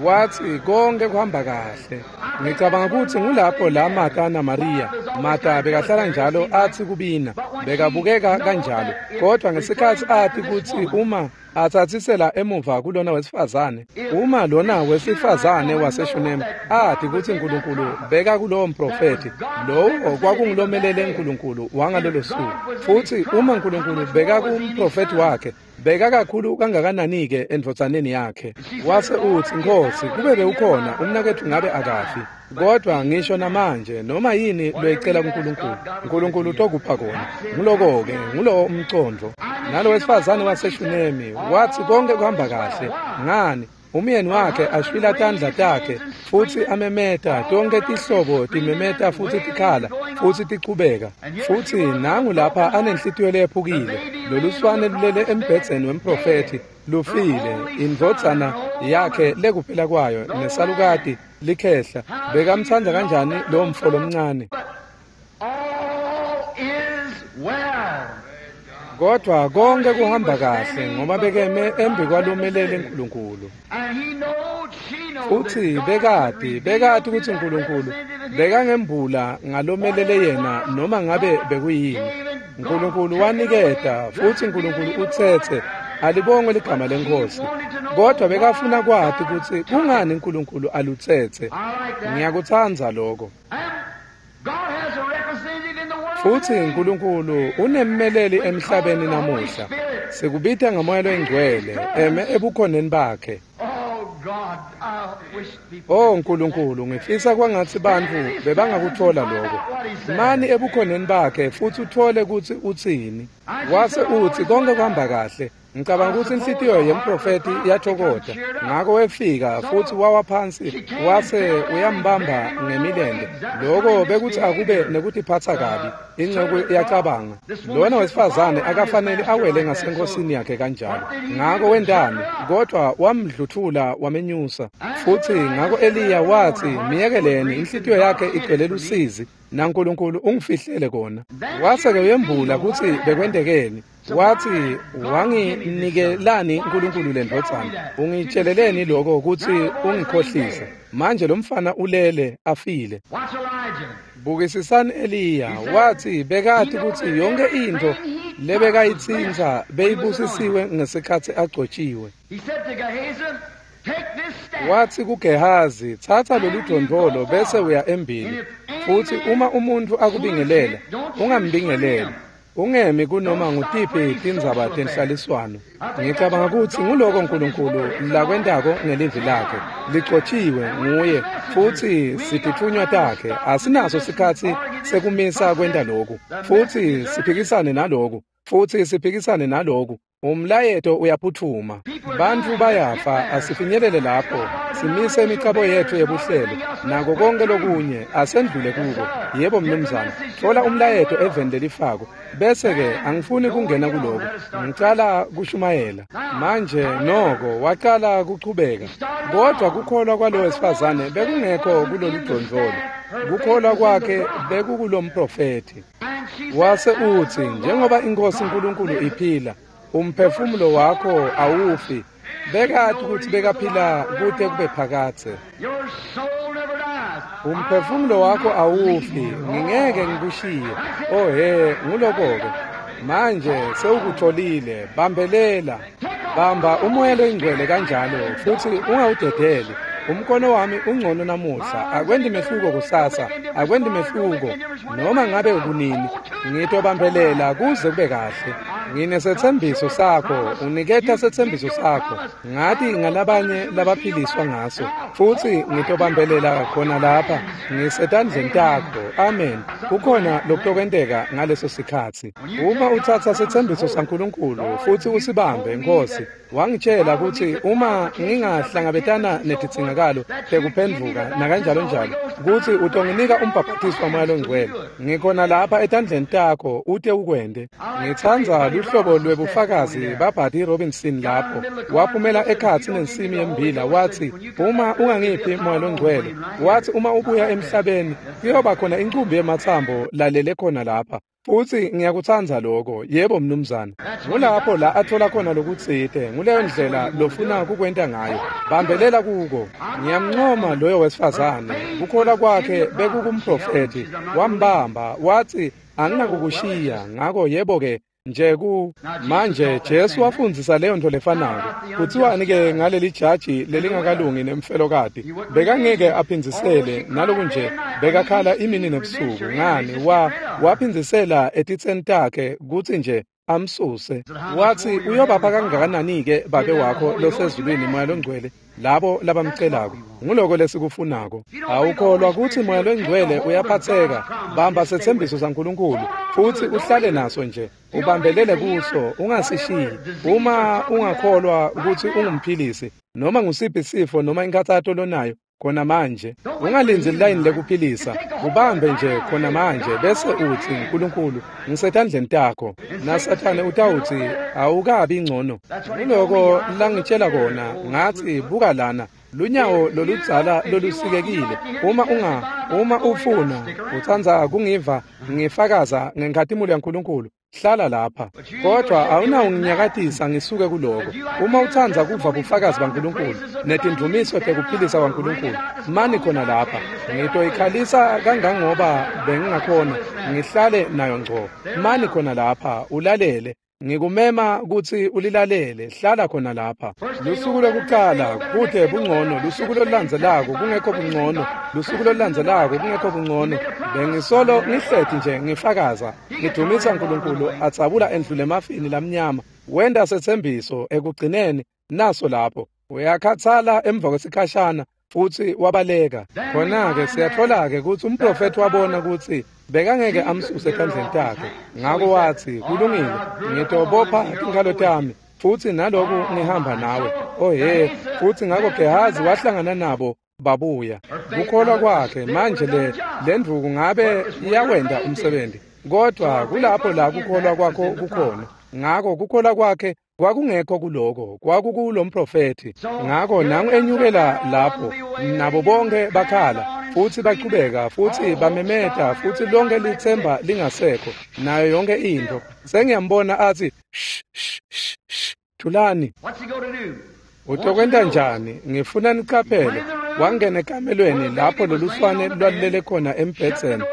Wathi konke kuhamba kahle. Ngicabanga ukuthi ngulapho la Martha na Maria. Martha bekahlala njalo athi kubina, bekabukeka kanjalo. Kodwa ngesikhatsi athi kutsi uma atsatsisela emuva kulona wesifazane, uma lona wesifazane waseShunemi athi kutsi Nkulunkulu beka kulowo mprofethi, lowo kwakungulomelele Nkulunkulu wangalolo suku. Futsi uma Nkulunkulu beka kumprofethi wakhe, beka kakhulu kangakanani-ke endvodzaneni yakhe. Wase utsi, Nkhosi, kube bewukhona umnaketfu ngabe akafi. Kodwa ngisho namanje noma yini loyicela kuNkulunkulu, Nkulunkulu utokupha kona. Nguloko-ke, ngulowo umcondvo. Nalo wesifazane waseShunemi wathi konke kuhamba kahle. Ngani? Umyeni wakhe ashwila tandla takhe futsi amemeta, tonke tihlobo timemeta futsi tikhala futsi tichubeka. Futsi nangu lapha anenhlitiyo leyephukile, loluswane lulele embhedzeni wemprofethi, lufile, indvodzana yakhe lekuphela kwayo nesalukati likhehla. Bekamtsandza kanjani lowo mfo lomncane? Kodwa konke kuhamba kahle ngoba bekeme embi kwalomelele Nkulunkulu. Futsi bekati, bekati kutsi Nkulunkulu bekangembula ngalomelele yena noma ngabe bekuyini. Nkulunkulu waniketa futsi Nkulunkulu utsetse, alibongwe ligama leNkhosi. Kodwa bekafuna kwati kutsi kungani Nkulunkulu alutsetse. Ngiyakutsandza lokho. Futsi Nkulunkulu unemmeleli emhlabeni namuhla. Sikubita ngaMoya loyiNgcwele eme ebukhoneni bakhe. Oh Nkulunkulu, ngifisa kwangatsi bantfu bebangakutfola lokho. Mani ebukhoneni bakhe futsi uthole kutsi utsini. Wase utsi konke kuhamba kahle. Ngicabanga kutsi inhlitiyo yemprofethi yathokoda. Ngako wefika futsi wawa phansi wase uyambamba ngemilente. Lokho bekutsi akube nekutiphatsa kabi. Inceku yacabanga, lona wesifazane akafanele awele ngasenkosini yakhe kanjalo. Ngako wentani? Kodwa wamdluthula wamenyusa. Futsi ngako Eliya wathi, miyekeleni, inhlitiyo yakhe igcwele lusizi, naNkulunkulu ungifihlele kona. Wase-ke uyembula kutsi bekwentekeni. Wathi, wanginikelani Nkulunkulu lendvodzana? Ungitsheleleni lokho kutsi ungikhohlise? Manje lo mfana ulele afile. Bukisisani Eliya, wathi bekati kutsi yonke intfo lebekayitsintsa beyibusisiwe ngesikhatsi agcotjiwe. Wathi kuGehazi, tsatsa lolu dvondvolo bese uya embili. Futsi uma umuntfu akubingelela, ungambingeleli. Ungemi kunoma ngutiphi tindzaba tenhlaliswano. Ngicabanga kutsi nguloko Nkulunkulu lakwentako ngelivi lakhe. Ligcotjiwe nguye futsi sititfunywa takhe. Asinaso sikhatsi sekumisa kwenta loku. Futsi siphikisane naloku. Futsi siphikisane naloku. Umlayeto uyaphutfuma. Bantfu bayafa, asifinyelele lapho. Simise imicabo yetfu yebuhlelo nako konke lokunye asendlule kuko. Yebo mnumzane, thola umlayeto eveni lelifako. Bese-ke angifuni kungena kuloko. Ngicala kushumayela. Manje noko wacala kuchubeka. Kodwa kukholwa kwalo wesifazane bekungekho kulolu dvondvolo. Kukholwa kwakhe bekukulomprofethi. Wase utsi, njengoba iNkhosi Nkulunkulu iphila, umphefumulo wakho awufi. Bekati kutsi bekaphila kute kube phakadze. Umphefumulo wakho awufi, ngingeke ngikushiye. Oh he, nguloko-ke. Manje sewukutholile, bambelela. Bamba uMoya loyiNgcwele kanjalo futsi ungawudedeli. Umkhono wami ungcono namuhla, akwendi mehluko kusasa, akwendi mehluko noma ngabe kunini. Ngitobambelela kuze kube kahle. Nginesetsembiso sakho, uniketa setsembiso sakho. Ngathi ngalabanye labaphiliswa ngaso, futsi ngitobambelela khona lapha, ngisetandleni takho. Amen. Kukhona lokutokwenteka ngaleso sikhatsi. Uma utsatsa setsembiso saNkulunkulu futsi usibambe, Nkosi, Wangitshela kutsi uma ngingahlangabetana netidzingakalo tekuphendvuka nakanjalo njalo, kutsi utonginika umbhaphathiso waMoya loNgcwele. Ngikhona lapha etandleni takho ute ukwente. Ngitsandza luhlobo lwebufakazi baBuddy Robinson lapho. Waphumela ekhatsi nensimi yembila watsi, uma ungangiphi Moya loNgcwele, wathi uma ubuya emhlabeni kuyoba khona incumbi yematsambo lalele khona lapha. Futsi ngiyakutsandza lokho. Yebo mnumzane. Ngulapho la athola khona lokutsite. Nguleyo ndlela lofuna kukwenta ngayo. Bambelela kuko. Ngiyamncoma loyo wesifazane. Kukholwa kwakhe bekukumprofethi. Wambamba wathi anginakukushiya. Ngako yebo ke nje ku manje Jesu wafundzisa leyo nto lefanako. Kutsiwani ke ngaleli jaji lelingakalungi nemfelokati? Bekangeke aphindzisele naloku nje bekakhala imini nebusuku. Ngani wa waphindzisela etitseni takhe kutsi nje amsuse. Wathi uyobapha kangakanani ke babe wakho losezulwini Moya loNgcwele labo labamcelako. Nguloko lesikufunako. Awukholwa kutsi Moya loNgcwele uyaphatseka. Bamba setsembiso saNkulunkulu futsi uhlale naso nje, ubambelele kuso, ungasishiyi. Uma ungakholwa kutsi ungumphilisi noma ngusiphi sifo noma inkhatsato lonayo khona manje, ungalindzi lilayini lekuphilisa, ubambe nje khona manje bese utsi Nkulunkulu ngisetandleni takho. NaSathane utawutsi awukabi ngcono. Nguloko langitshela kona, ngathi buka lana lunyawo loludzala lolusikekile. Uma unga uma ufuna utsandza kungiva ngifakaza ngenkhatimulo yaNkulunkulu, hlala lapha. Kodwa awunawunginyakatisa ngisuke kuloko. Uma utsandza kuva bufakazi baNkulunkulu netindvumiso tekuphilisa kwaNkulunkulu, mani khona lapha. Ngitoyikhalisa kangangoba bengingakhona, ngihlale nayo ngco. Mani khona lapha ulalele. Ngikumema kutsi ulilalele. Hlala khona lapha. Lusuku lokuqala kute bungcono, lusuku lolulandzelako kungekho bungcono, lusuku lolulandzelako kungekho bungcono. Bengisolo ngihleti nje ngifakaza, ngidumisa Nkulunkulu atsabula endlule emafini lamnyama. Wenta setsembiso ekugcineni naso lapho. Uyakhathala emva kwesikhashana futsi wabaleka. Khona-ke siyatfola-ke kutsi umprofethi wabona kutsi bekangeke amsuse etandleni takhe. Ngako watsi, kulungile, ngitobopha tinkhalo tami futsi naloku ngihamba nawe. Oh he, futsi ngako Gehazi wahlangana nabo babuya. Kukholwa kwakhe manje le lendvuku ngabe iyawenta umsebenzi, kodwa kulapho la kukholwa kwakho kukhona. Ngako kukholwa kwakhe kwakungekho kuloko, kwakukulomprofethi. Ngako nangu enyukela lapho, nabo bonke bakhala futsi bachubeka futsi bamemeta futsi lonke litsemba lingasekho nayo yonke into. Sengiyambona athi sh sh sh sh, thulani. Utokwenta njani? Ngifuna niqaphele. Wangena ekamelweni lapho loluswane lwalulele khona embhedzeni,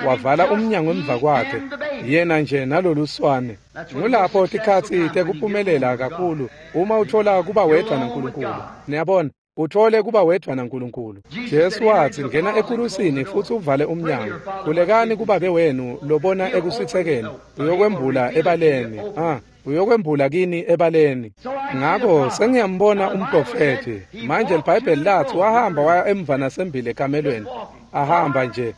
wavala umnyango emva kwakhe, yena nje naloluswane. Ngulapho tikhatsi tekuphumelela kakhulu uma uthola kuba wedvwa naNkulunkulu. Niyabona, uthole kuba wedvwa naNkulunkulu. Jesu watsi, ngena ekurusini futsi uvale umnyango. Khulekani kubabe wenu lobona ekusitsekeni, uyokwembula ebaleni. Ah, uyokwembula kini ebaleni. Ngako sengiyambona umprofethi. Manje iBhayibheli lathi wahamba waya emva nasembili ekamelweni. Ahamba nje.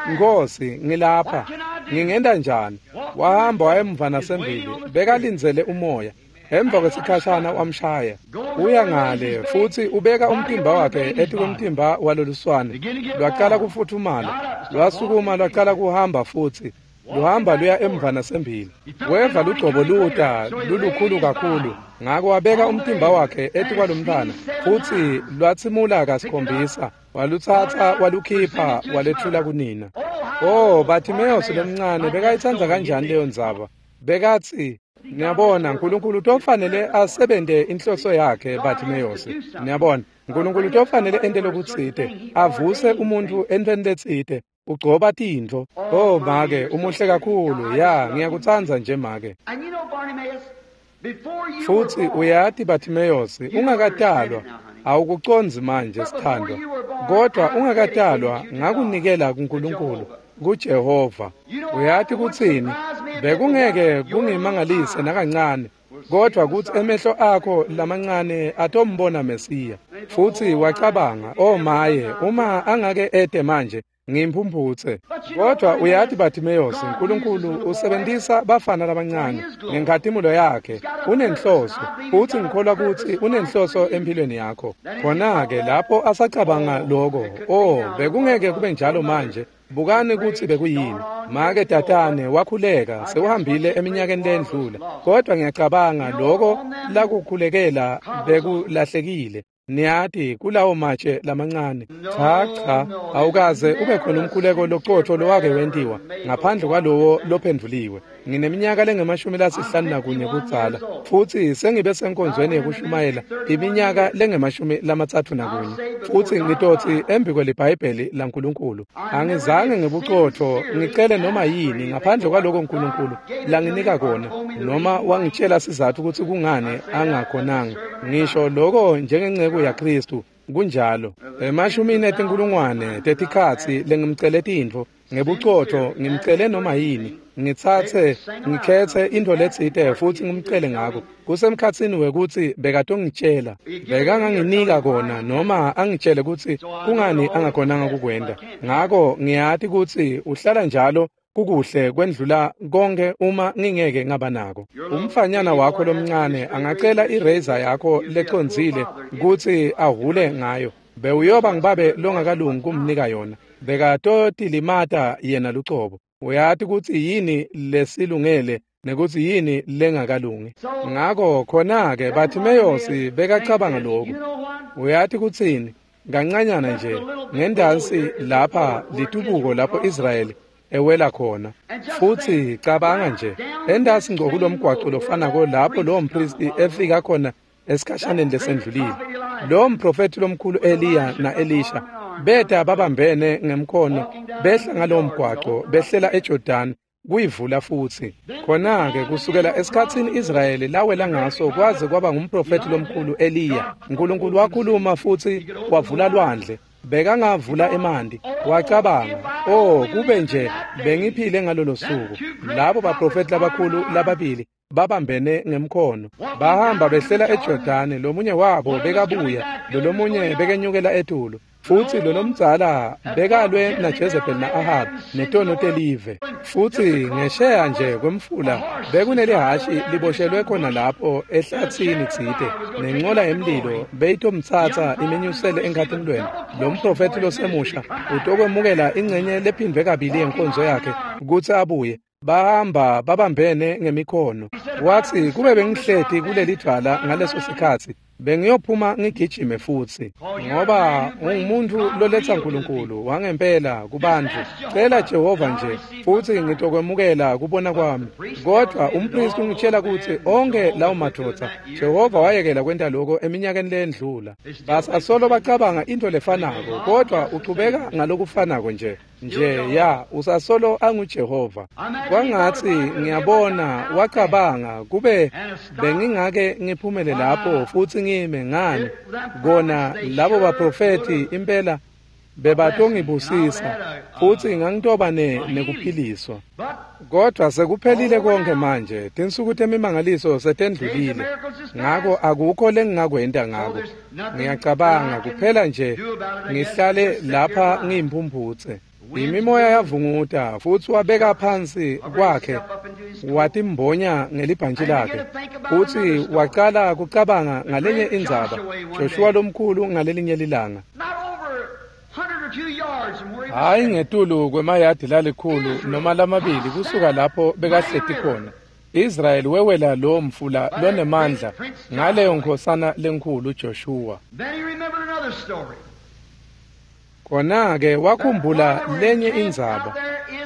Nkosi, ngilapha. Ngingenta njani? Wahamba waya emva nasembili, bekalindzele umoya. Emva kwesikhashana wamshaya. Uya ngale futsi ubeka umtimba wakhe etikwemtimba waloluswane. Lwaqala kufuthumala, lwasukuma lwaqala kuhamba futsi. Luhamba luya emva nasembili. Weva lugcobo luta lulukhulu kakhulu. Ngako wabeka umtimba wakhe etikwalomntfwana futsi lwatsimula kasikhombisa. Walutsatsa walukhipha walethula kunina. Oh, Bartimeus lomncane bekayitsandza kanjani leyo ndzaba. Bekatsi, niyabona, Nkulunkulu utofanele asebente inhloso yakhe Bartimeus. Niyabona, Nkulunkulu utofanele ente lokutsite, avuse umuntfu entweni letsite. Ugcoba tintfo. Oh make, umuhle kakhulu. Ya, ngiyakutsandza nje make. Futsi uyati Bartimeus, ungakatalwa, awukucondzi manje sithandwa, kodwa ungakatalwa ngakunikela kuNkulunkulu, kuJehova. Uyati kutsini? Bekungeke kungimangalise nakancane, kodwa kutsi emehlo akho lamancane atombona Mesiya. Futsi wacabanga, oh maye, uma angake ete manje Ngimphumphutse. Kodwa uyathi Bartimaeus, uNkulunkulu usebenzisa bafana labancane ngenkhatimulo yakhe. Unenhloso, futhi ngikholwa ukuthi unenhloso empilweni yakho. Khona-ke lapho asacabanga lokho, oh, bekungeke kube njalo manje. Bukani ukuthi bekuyini. Make tatane wakhuleka sewuhambile eminyakeni lendlula, kodwa ngiyacabanga lokho lakukhulekela bekulahlekile. Niyati kulawo matshe lamancane. Cha cha, awukaze ube khona umkhuleko loqotho lowake wentiwa ngaphandle kwalowo lophendvuliwe. Ngineminyaka lengemashumi lasihlanu nakunye kudzala, futhi sengibe senkonzweni yekushumayela iminyaka lengemashumi lamatsatfu nakunye, futhi ngitothi embi kweliBhayibheli laNkulunkulu angizange ngebuqotho ngicele noma yini ngaphandle kwaloko uNkulunkulu langinika kona, noma wangitshela sizathu ukuthi kungani angakhonanga. Ngisho lokho njengenceku yaKristu kunjalo. Emashumini etinkulungwane tetikhatsi lengimcele tintfo ngebuqotho, ngimcele noma yini, ngitsatse ngikhethe into letsite futhi ngimcele ngako. Kusemkhatsini wekuthi bekatongitshela, bekanganginika kona noma angitshele kutsi kungani angakhonanga kukwenta. Ngako ngiyati kutsi uhlala njalo kukuhle kwendlula konke uma ngingeke ngaba nako. Umfanyana wakho lomncane angacela i-razor yakho lecondzile kutsi ahule ngayo, bewuyoba ngibabe longakalungi kumnika yona. Bekatotilimata yena lucobo. Uyati kutsi yini lesilungele nekutsi yini lengakalungi. Ngako khona-ke Bartimaeus bekacabanga lokhu. Uyati kutsini? Kancanyana nje ngendansi lapha litubuko lapho Israyeli ewela khona. Futhi cabanga nje, endasi ngco kulomgwaco lofanako lapho lowo mpristi efika khona esikhashaneni lesendlulile. Lo mprofethi lomkhulu Eliya na-Elisha beta babambene ngemkhono behla ngalowo mgwaco behlela eJordan kuyivula futhi. Khona-ke kusukela esikhatsini Israyeli lawela ngaso kwaze kwaba ngumprofethi lomkhulu Eliya, uNkulunkulu wakhuluma futhi wavula lwandle. Bekangavula emanti. Wacabanga, oh, kube nje bengiphile ngalolo suku. Labo baprofethi labakhulu lababili babambene ngemkhono bahamba behlela eJordani. Lomunye wabo bekabuya, lolomunye bekenyukela etulu. Futhi lolomdzala bekalwe naJezebel na-Ahab netono telive. Futhi ngesheya nje kwemfula bekunelihashi liboshelwe khona lapho ehlathini tsite, nenqola yemlilo beyitomtsatsa imenyusele enkhatimulweni. Lo mprofethi losemusha utokwemukela ingcenye lephindvwe kabili yenkonzo yakhe kutsi abuye. Bahamba babambene ngemikhono. Wathi, kube bengihleti kuleli dvwala ngaleso sikhatsi, bengiyophuma ngigijime futhi, ngoba ungumuntu loletsa uNkulunkulu wangempela kubantfu. Cela Jehova nje futhi ngitokwemukela kubona kwami. Kodwa umpristi ungitshela kutsi onke lawo madvodza Jehova wayekela kwenta lokho eminyakeni lendlula. Basasolo bacabanga into lefanako, kodwa uchubeka ngalokufanako nje nje ya usasolo anguJehova. Kwangathi ngiyabona wacabanga, kube bengingake ngiphumele lapho futhi ngime ngani kona labo baprofethi impela bebatongibusisa futhi ngangitoba nekuphiliswa. Kodwa sekuphelile konke manje, tinsuku temimangaliso setendlulile, ngako akukho lengingakwenta ngako. Ngiyacabanga kuphela nje ngihlale lapha ngiyimphumphutse. Imimoya yavunguta futhi wabeka phansi kwakhe watimbonya ngelibhantshi lakhe, futhi waqala kucabanga ngalenye indzaba, Joshua lomkhulu ngalelinye lilanga. Hayi ngetulu kwemayadi lalikhulu noma lamabili kusuka lapho bekahleti khona, Israyeli wewela lo mfula lonemandla ngaleyo nkhosana lenkhulu Joshua. Khona-ke wakhumbula lenye indzaba,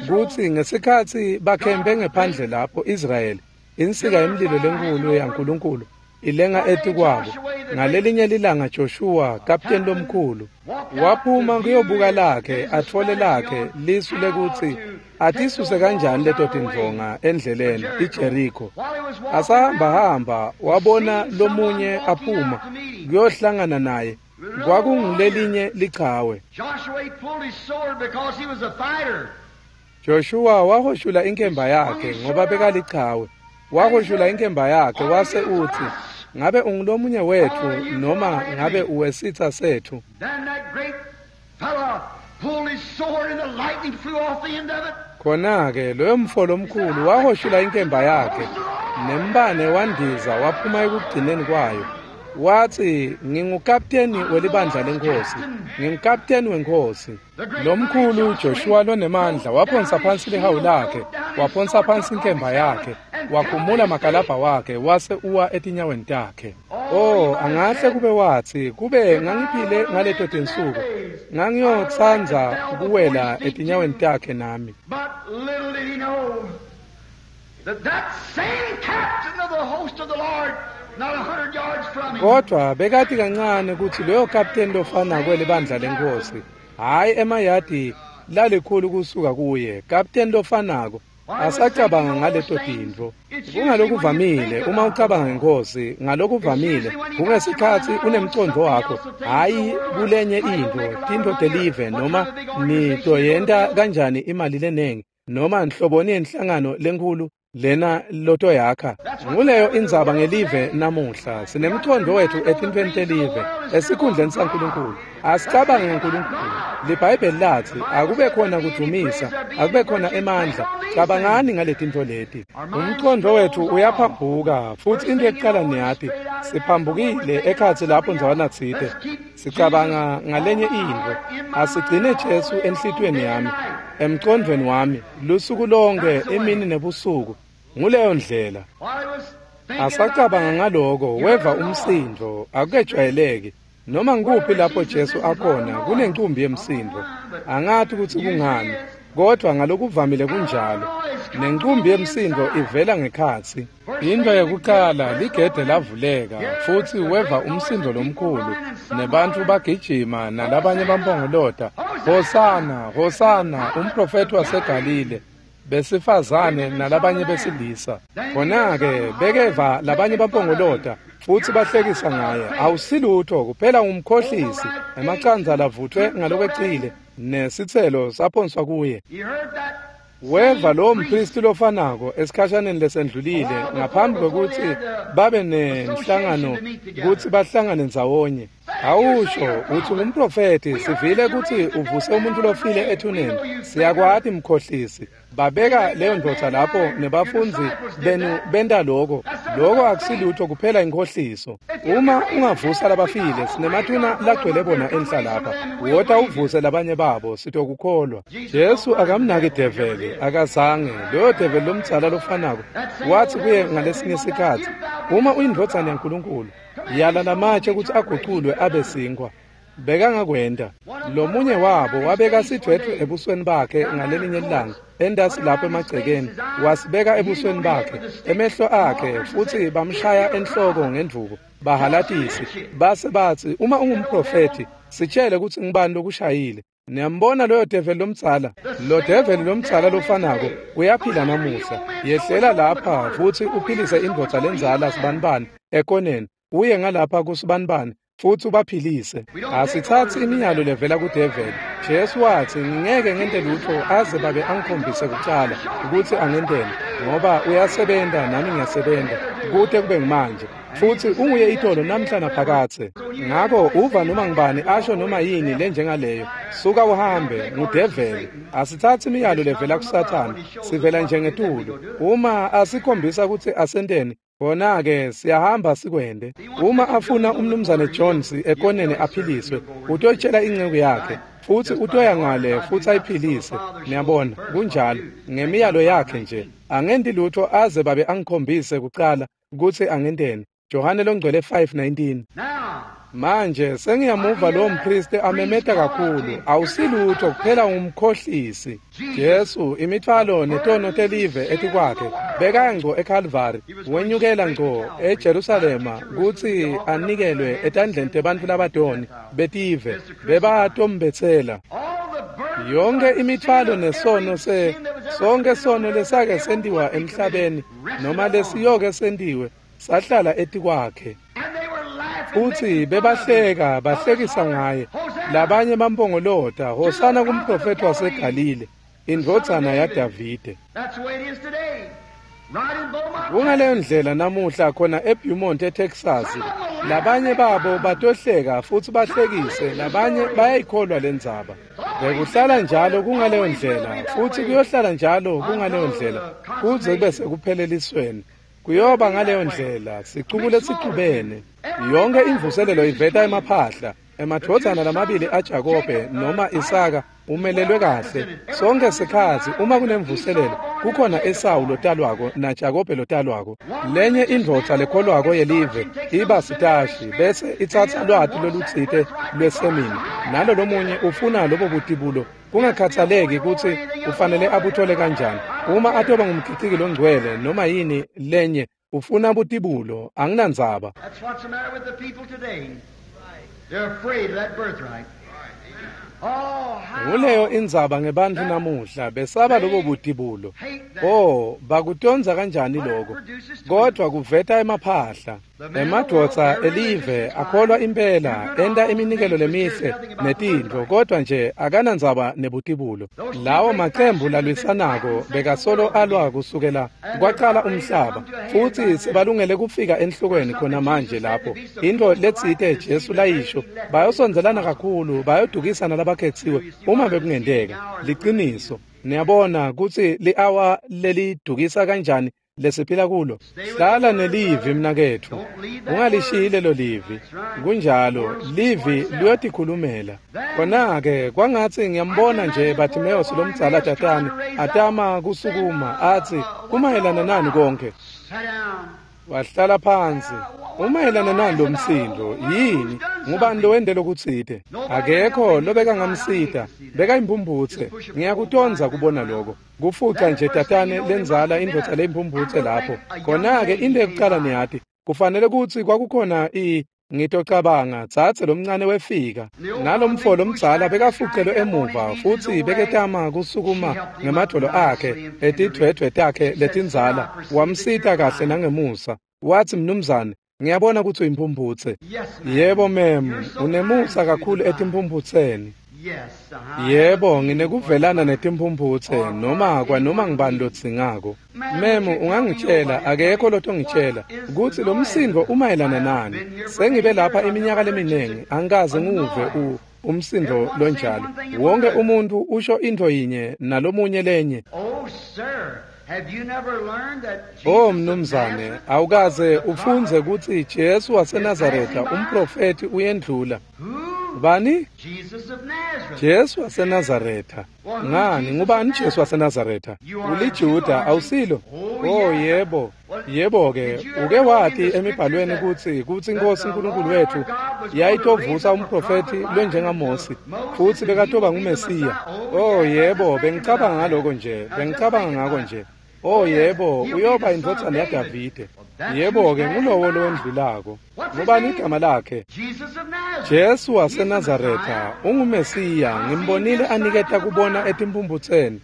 kutsi ngesikhatsi bakhempe ngephandle lapho Israyeli, insika yemlilo lenkulu yaNkulunkulu ilenga etikwabo. Ngalelinye lilanga Joshua, kapteni lomkhulu, waphuma kuyobuka lakhe atfole lakhe lisu lekutsi atisuse kanjani leto tindvonga endleleni iJericho. Asahambahamba wabona lomunye aphuma kuyohlangana naye. Kwakungulelinye lichawe. Joshua wahoshula inkemba yakhe ngoba bekalichawe. Wahoshula inkemba yakhe wase uthi, ngabe ungulomunye wethu noma ngabe uwesitha sethu? pulled his sword and the lightning flew off the end of it. Khona-ke loyo mfo lomkhulu wahoshula inkemba yakhe nembane wandiza waphuma ekugcineni kwayo. Wathi, ngingukapteni welibandla lenkosi, ngingukapteni wenkosi. Lomkhulu Joshua lonemandla waphonsa phansi lihawu lakhe, waphonsa phansi inkemba yakhe, wakhumula makalabha wakhe wase uwa etinyaweni takhe. Oh, angahle kube wathi, kube ngangiphile ngaleto tinsuku, ngangiyotsandza kuwela etinyaweni takhe nami. But little did he know that that same captain of the host of the Lord, not a hundred yards from him, Kodwa bekati kancane kutsi loyo kapteni lofana kwelibandla lenkosi, hhayi emayadi lalikhulu kusuka kuye, kapteni lofanako asacabanga ngaleto tintfo. Kungalokuvamile uma ucabanga ngenkosi, ngalokuvamile kungesikhatsi unemcondvo wakho, hhayi kulenye intfo, tintfo telive noma nitoyenta kanjani imali lenengi noma nhloboni yenhlangano lenkhulu lena lotoyakha. Nguleyo indzaba ngelive namuhla. Sinemcondvo wetfu etintfweni telive esikhundleni saNkulunkulu. Asicabange ngaNkulunkulu. LiBhayibheli latsi akube khona kudvumisa, akube khona emandla. Cabangani ngaletintfo leti. Umcondvo wetfu uyaphambuka futsi into yekucala niyati siphambukile ekhatsi lapho ndzawana tsite. Sicabanga ngalenye intfo. Asigcine Jesu enhlitiyweni yami, emcondvweni wami, lusuku lonke, imini nebusuku. Nguleyo ndlela. while he was thinking Asacabanga about ngaloko, weva umsindvo, akukejwayeleki. Noma ngikuphi lapho Jesu akhona kunencumbi yemsindvo. Angati kutsi kungani, kodwa ngalokuvamile kunjalo. Nencumbi yemsindvo ivela ngekhatsi. Into yekuqala ligede lavuleka futsi weva umsindvo lomkhulu nebantfu bagijima nalabanye bampongolota, Hosana, Hosana, umprofeti waseGalile. Besifazane nalabanye besilisa. Khona-ke bekeva labanye bampongolota futsi bahlekisa ngaye. Awusilutho kuphela ngumkhohlisi, emacandza lavutfwe ngalokwecile nesitselo saphonswa kuye. He heard that Weva lowo mpristi lofanako esikhashaneni lesendlulile ngaphambi kwekutsi babe nenhlangano kutsi bahlangane ndzawonye. Awusho utsi ngumprofethi, sivile kutsi uvuse umuntfu lofile ethuneni. Siyakwati mkhohlisi. Babeka leyo ndvodza lapho nebafundzi benu benta loko. Loko akusilutho kuphela inkhohliso. Uma ungavusa labafile, sinemathuna lagcwele bona enhla lapha. Wota uvuse labanye babo, sitokukholwa. Jesu akamnaki develi, akazange. Loyo develi lomdzala lofanako wathi kuye ngalesinye sikhatsi, uma uyindvodzana yaNkulunkulu, yala lamatshe kutsi aguculwe abe sinkhwa. Bekangakwenta. Lomunye wabo wabeka sidvwedvwe ebusweni bakhe ngalelinye ilanga, entasi lapho emagcekeni, wasibeka ebusweni bakhe, emehlo akhe, futsi bamshaya enhloko ngendvuku, bahalatisi. Base batsi, uma ungumprofethi, sitshele kutsi ngubani lokushayile. Niyambona loyo develi lomdzala? Lo develi lomdzala lofanako uyaphila namuhla. Yehlela lapha futsi uphilise indvodza lendzala sibanibani ekoneni, uye ngalapha kusibanibani futsi ubaphilise. Asitsatsi imiyalo levela kudeveli. Jesu watsi, ngeke ngente lutfo aze babe angikhombise kucala kutsi angenteni, ngoba uyasebenta nami ngiyasebenta kute kube ngimanje. Futsi unguye itolo namhla naphakadze. Ngako uva noma ngubani asho noma yini lenjengaleyo, suka uhambe, ngudeveli. Asitsatsi imiyalo levela kuSathane, sivela nje ngetulu. Uma asikhombisa kutsi asenteni, khona-ke siyahamba sikwente. Uma afuna umnumzane Jones ekoneni aphiliswe, utoyitshela inceku yakhe, futsi utoya ngale futsi ayiphilise. Niyabona, kunjalo, ngemiyalo yakhe nje. Angenti lutfo aze babe angikhombise kucala kutsi angenteni. Johane longcwele five nineteen. Now, Manje sengiyamuva lowo mpristi amemeta kakhulu, awusilutho kuphela ngumkhohlisi. Jesu imithwalo netono telive etikwakhe, bekaya ngco eKalvari, wenyukela ngco eJerusalema kutsi anikelwe etandleni tebantfu labadoni betive, bebatombetsela. all the burdens Yonke of imithwalo sin, nesono every se sin that was ever sonke committed sono on lesake earth, sentiwa every emhlabeni rested noma upon. lesiyoke sentiwe sahlala etikwakhe. And they were laughing, Futsi making fun of him. bebahleka bahlekisa Others ngaye. hollered, Hosanna Labanye bampongolota, to the Hosana prophet of kumprofethi Galilee, waseGalile, the son of indvodzana David. yaDavide. That's the way it is today. Right in Beaumont, Kungaleyo Texas. ndlela namuhla khona eBeaumont eTexas. Some of them will laugh and Labanye make babo fun of him. batohleka futsi Some bahlekise, believe the labanye story. bayayikholwa lendzaba. Bekuhlala njalo kungaleyo ndlela, futhi kuyohlala njalo kungaleyo ndlela kuze kube sekuphelelisweni. Kuyoba ngaleyo ndlela, sicuku lesicubene. Yonke imvuselelo iveta emaphahla. Emadvodzana lamabili aJakobe noma Isaka umelelwe kahle. Sonke sikhatsi uma kunemvuselelo kukhona Esawu lotalwako naJakobe lotalwako. Lenye indvodza lekholwako yelive iba sitashi bese itsatsa lwati lolutsite lwesemini, nalo lomunye ufuna lobo butibulo kungakhathaleki kutsi ufanele abuthole kanjani. Uma atoba ngumkhiciki longcwele noma yini lenye, ufuna butibulo, anginandzaba. That's what's the matter with the people today. They're afraid of that birthright. Oh, how Nguleyo indzaba ngebantfu namuhla, besaba lobo butibulo. Oh, bakutondza kanjani lokho? Kodwa kuveta emaphahla. Emadvodza elive akholwa impela, enta iminikelo lemihle netintfo, kodwa nje akanandzaba nebutibulo. Lawo macembu lalwisanako bekasolo alwa kusukela kwacala umhlaba, futsi sebalungele kufika enhlokweni khona manje lapho. Intfo letsite Jesu layisho, bayosondzelana kakhulu, bayodukisana labakhetsiwe uma bekungenteka. Liciniso. Niyabona kutsi li-awa lelidukisa kanjani lesiphila kulo. Hlala nelivi mnaketfu, ungalishiyi lelo livi. Kunjalo, livi liyotikhulumela. Khona-ke kwangatsi ngiyambona nje Bartimeus lomdzala tatane atama kusukuma atsi, kumayelana nani konke? Sit down. Wahlala phansi. Umayelana nani lo msindo? Yini? Ngubani lowente lokutsite? Akekho lobekangamsita. Bekayimphumphutse. Ngiyakutondza kubona lokho. Kufuca nje tatane lenzala indvodza leyimphumphutse lapho. Khona-ke into yekucala niyati, kufanele kutsi kwakukhona i ngitocabanga dzadze lomncane wefika. Nalomfo lomdzala bekafucelwe emuva futsi beketama kusukuma ngemadvolo akhe etidvwedvwe takhe letindzala. Wamsita kahle nangemusa. Watsi, mnumzane, ngiyabona kutsi uyimphumphutse. Yes, ma'am. Yebo mem, unemusa kakhulu etimphumphutseni. Yes. uh-huh. Yebo, nginekuvelana netimphumphutse noma kwanoma ngibani lodzingako. Mem, ungangitshela, akekho lotongitshela kutsi lo msindvo umayelana nani. Sengibe lapha iminyaka leminingi, angikaze ngiwuve u umsindvo lonjalo. Wonke umuntu usho intfo yinye nalomunye lenye. Oh, sir, have you never learned that Jesus Oh of mnumzane, Nazareth, awukaze the ufundze prophet, kutsi Jesu waseNazaretha umprofeti uyendlula. who? Bani? Jesus of Nazareth. Jesu waseNazaretha. Ngani, ngubani Jesu waseNazaretha? UliJuda, awusilo? Oh yebo. Yebo-ke, uke wati emibhalweni kutsi kutsi iNkhosi uNkulunkulu wethu yayitovusa umprofethi lonjengaMosi, futsi bekatoba nguMesiya. Oh yebo, bengicabanga ngaloko nje, bengicabanga ngako nje. Oh yebo, uyoba indvodzana yaDavide. Yebo-ke, ngulowo lowendlulako. Ngubani igama lakhe? Jesus of Nazareth. Jesu waseNazaretha unguMesiya, ngimbonile aniketa kubona etimphumphutseni.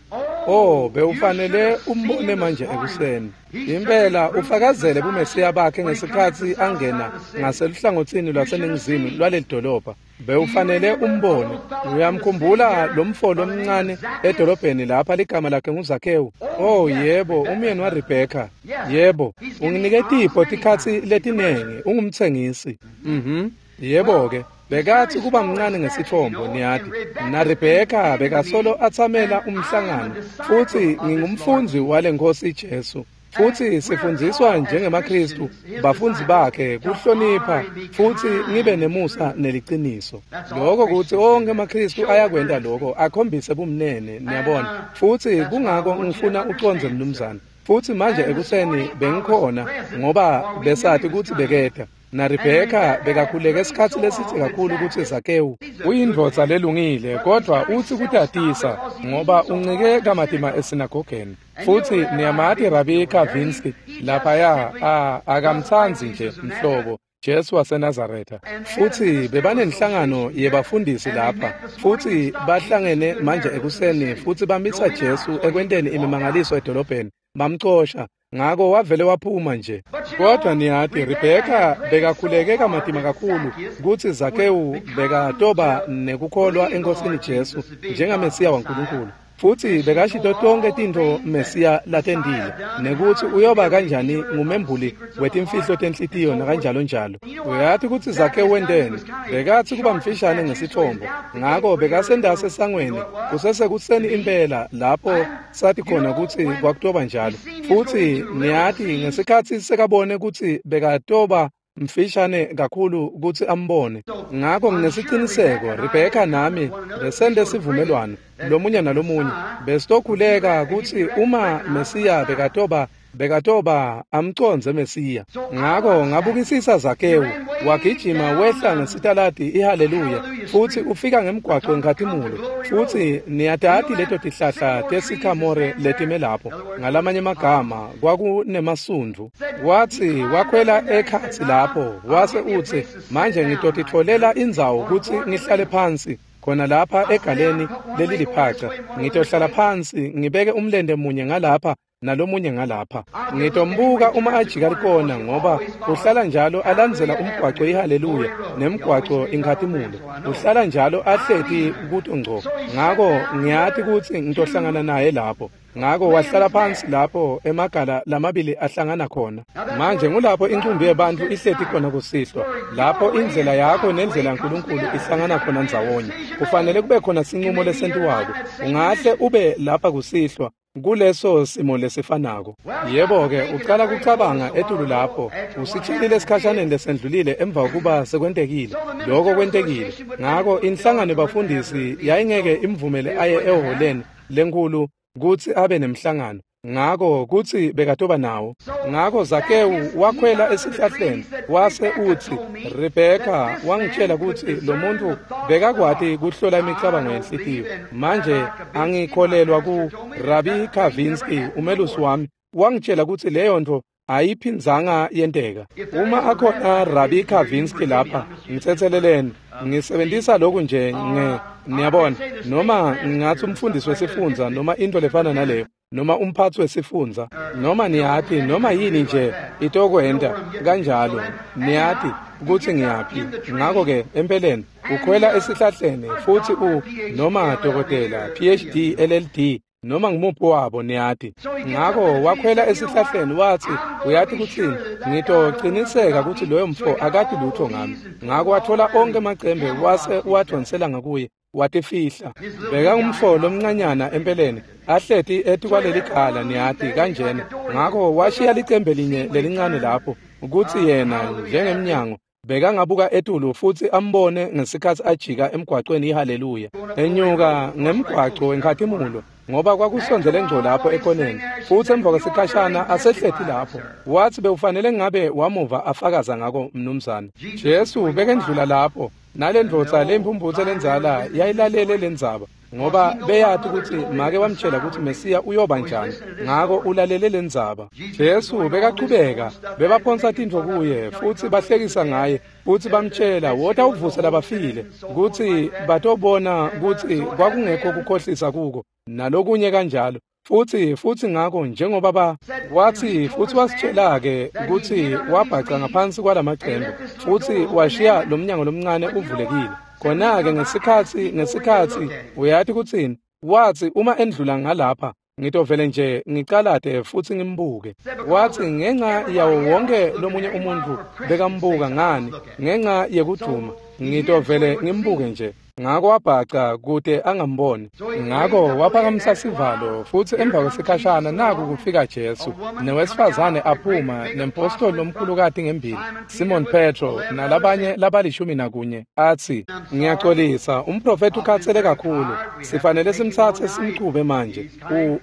Oh, bewufanele umbone manje ekuseni. Impela ufakazele buMesiya bakhe ngesikhatsi angena ngaseluhlangotsini lwaseningizimu lwaleli dolobha. Bewufanele umbone. Uyamkhumbula lomfo lomncane edolobheni lapha ligama lakhe nguZakhewu? Oh yebo, umyeni waRebheka. Yebo, unginike tipho tikhatsi letinengi, ungumtsengisi. Mhm. Yebo-ke, bekathi kuba mncane ngesithombo niyati. NaRebheka bekasolo atsamela umhlangano, futsi ngingumfundzi wale Nkosi Jesu. Futsi sifundziswa njengemaKhristu, bafundzi bakhe, kuhlonipha futsi ngibe nemusa neliciniso. Lokho kutsi onkhe emaKhristu ayakwenta lokho, akhombise bumnene, niyabona. Futsi kungako ngifuna ucondze mnumzane. Futsi manje ekuseni bengikhona ngoba besati kutsi beketa. NaRebheka bekakhuleke isikhatsi lesitsi kakhulu kutsi Zakewu uyindvodza lelungile, kodwa utsi kutatisa ngoba uncike kamatima esinagogeni. Futsi niyamati Rabi Kavinsky laphaya, a akamtsandzi nje mhlobo Jesu waseNazaretha. Futsi bebanenhlangano yebafundisi lapha, futsi bahlangene manje ekuseni futsi bamisa Jesu ekwenteni imimangaliso edolobheni, bamcosha. Ngako wavele waphuma nje. Kodwa niyati, Rebheka bekakhuleke kamatima kakhulu kutsi Zakewu bekatoba nekukholwa eNkosini Jesu njengaMesiya waNkulunkulu. Futsi bekashito tonke tintfo Mesiya latendile nekutsi uyoba kanjani ngumembuli wetimfihlo tenhlitiyo nakanjalo njalo. Uyati kutsi Zakewu wenteni? Bekatsi kuba mfishane ngesitfombo, ngako bekasendase esangweni kusesekuseni impela lapho sathi khona kutsi kwakutoba njalo. Futsi niyati ngesikhatsi sekabone kutsi bekatoba mfishane kakhulu kutsi ambone. Ngako nginesiciniseko Rebheka nami besente sivumelwano lomunye nalomunye besitokhuleka kutsi uma Mesiya bekatoba bekatoba amcondze Mesiya. Ngako ngabukisisa Zakewu wagijima wehla ngesitaladi iHaleluya futsi ufika ngemgwaco eNkhatimulo. Futsi niyatati leto tihlahla tesikhamore letime lapho, ngalamanye amagama kwakunemasundvu. Watsi wakhwela ekhatsi lapho wase utsi, manje ngitotitfolela indzawo kutsi ngihlale phansi khona lapha egaleni leliliphaca. Ngitohlala phansi ngibeke umlente munye ngalapha nalomunye ngalapha. Ngitombuka uma ajika likona, ngoba uhlala njalo alandzela umgwaco iHaleluya nemgwaco iNkhatimulo. Uhlala njalo ahleti kuto ngco. Ngako ngiyati kutsi ngitohlangana naye lapho. Ngako wahlala phansi lapho emagala lamabili ahlangana khona. Manje ngulapho incumbi yebantfu ihleti khona kusihlwa, lapho indlela yakho nendlela yaNkulunkulu ihlangana khona ndzawonye. Kufanele kube khona sinqumo lesentiwako. Ungahle ube lapha kusihlwa kuleso simo lesifanako. Yebo-ke, ucala kucabanga etulu lapho usitshelile esikhashaneni lesendlulile emva kokuba sekwentekile. Lokho kwentekile. Ngako inhlangano yebafundisi yayingeke imvumele aye ehholeni lenkhulu kutsi abe nemhlangano. Ngako kutsi bekatoba nawo. Ngako Zakewu wakhwela esihlahleni wase utsi, Rebheka wangitshela kutsi lo muntu bekakwati kuhlola imicabango yenhlitiyo. Manje angikholelwa ku Rabi Kavinsky umelusi wami wangitshela kutsi leyo nto ayiphindzanga yenteka. Uma akhona Rabi Kavinsky lapha, ngitsetseleleni, ngisebentisa lokhu nje nge niyabona, noma ngingathi umfundisi wesifundza noma into lefana naleyo, noma umphatsi wesifundza, noma niyati noma yini nje itokwenta kanjalo, niyati kutsi ngiyaphi. Ngako-ke empeleni ukhwela esihlahleni futsi u noma dokotela P H D L L D noma ngumuphi wabo, niyati. Ngako wakhwela esihlahleni watsi, uyati kutsini, ngitociniseka kutsi loyo mfo akati lutho ngami. Ngako wathola onke emacembe wase uwadvonsela ngakuye watifihla. Bekangumfo lomncanyana empeleni ahleti etikwaleli gala, niyati kanjena. Ngako washiya licembe linye lelincane lapho kutsi yena njengemnyango bekangabuka etulu futsi ambone ngesikhatsi ajika emgwacweni iHaleluya enyuka ngemgwaco weNkhatimulo, ngoba kwakusondzele ngco lapho ekoneni. Futsi emva kwesikhashana asehleti lapho watsi bewufanele ngabe wamuva afakaza ngako mnumzane. Jesu bekendlula lapho nalendvodza lempumphutse lendzala yayilalele lendzaba, ngoba beyati kutsi make wamtshela kutsi Mesiya uyoba njani. Ngako ulalele lendzaba. Jesu bekachubeka, bebaphonsa tintfo kuye futsi bahlekisa ngaye futsi bamtshela, wota uvuse labafile, kutsi batobona kutsi kwakungekho kukhohlisa kuko nalokunye kanjalo. Futsi futsi ngako njengoba ba watsi futsi wasitshela-ke kutsi wabhaca ngaphansi kwalamacembe futsi washiya lomnyango lomncane uvulekile. Khona-ke ngesikhatsi ngesikhatsi uyati kutsini, watsi uma endlula ngalapha ngitovele nje ngicalate futsi ngimbuke. Watsi ngenxa yawo wonke lomunye umuntu bekambuka ngani, ngenxa yekuduma ngitovele ngimbuke nje. Ngako wabhaca kute angamboni. Ngako waphakamisa sivalo futsi emva kwesikhashana naku kufika Jesu newesifazane aphuma nempostoli lomkhulukati ngembili, Simon Petro nalabanye labalishumi nakunye, atsi, ngiyaxolisa, umprofeti ukhatsele kakhulu, sifanele simtsatse simchube manje.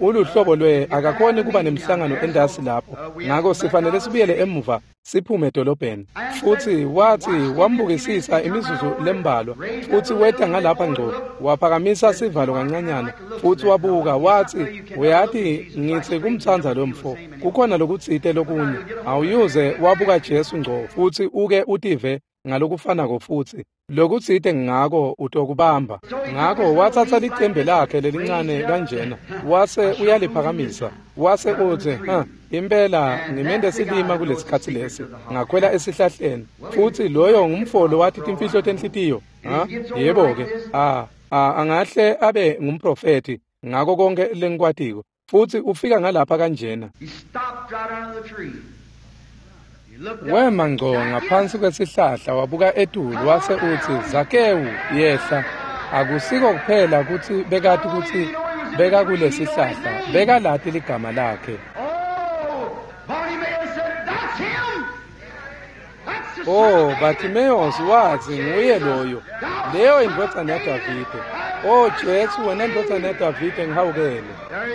Uluhlobo lwe akakhoni kuba nemhlangano entasi lapho, ngako sifanele sibuyele emuva siphume edolobheni. Futsi watsi wambukisisa imizuzu lembalwa futsi weta ngalapha ngco waphakamisa sivalo kancanyana futsi wabuka watsi, uyati ngitsi kumtsandza lo mfo, kukhona lokutsite lokunye. Awuyuze wabuka Jesu ngco futsi uke utive ngalokufanako futsi lokutsite ngako utokubamba. Ngako watsatsa licembe lakhe lelincane kanjena wase uyaliphakamisa wase utsi, ha, impela ngimende silima kulesikhatsi lesi, ngakhwela esihlahleni. Futsi loyo ngumfolo wathi timfihlo tenhlitiyo. Ha, yebo-ke, ah, angahle abe ngumprofeti. ngako konke lengikwatiko, futsi ufika ngalapha kanjena. Wema ngco ngaphansi kwesihlahla wabuka etulu wase utsi, Zakewu, yehla. Akusiko kuphela kutsi bekati kutsi bekakulesihlahla, bekalati ligama lakhe. Oh, Bartimaeus watsi nguye loyo, leyo indvodzana yaDavide. Oh Jesu, wena ndvodzana yaDavide, ngihawukele.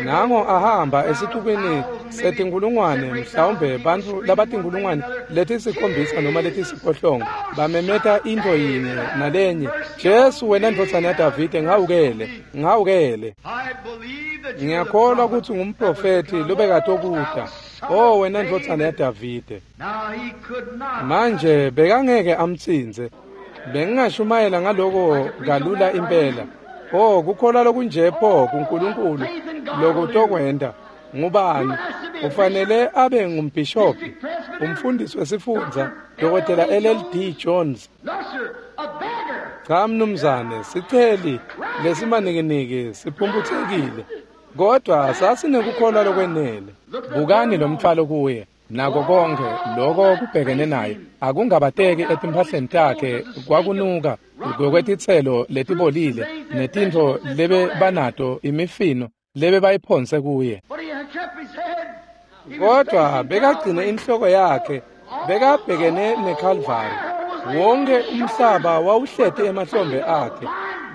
Nango ahamba esixukwini setinkulungwane, mhlawumbe bantfu labatinkulungwane letisikhombisa noma letisiphohlongo, bamemeta intfo yinye nalenye, Jesu, wena ndvodzana yaDavide, ngihawukele, ngihawukele. Ngiyakholwa kutsi ngumprofethi lobekatokuta. Oh, wena ndvodzana yaDavide. Manje bekangeke amtsintse. Bengingashumayela ngaloko kalula impela. Oh, kukholwa lokunje pho kuNkulunkulu lokutokwenta. Ngubani? Ufanele abe ngumbhishobhi, umfundisi wesifundza, Dokotela L L D Jones. Cha mnumzane, siceli lesimanikiniki siphumphutsekile, kodwa sasinekukholwa lokwenele. Bukani lo mtfwalo kuye, nako konke loko kubhekene naye. Akungabateki etimphahleni takhe kwakunuka ngokwetitselo letibolile netintfo lebe banato, imifino lebe bayiphonse kuye. Kodwa bekagcine inhloko yakhe, bekabhekene neKalvari. Wonke umhlaba wawuhleti emahlombe akhe,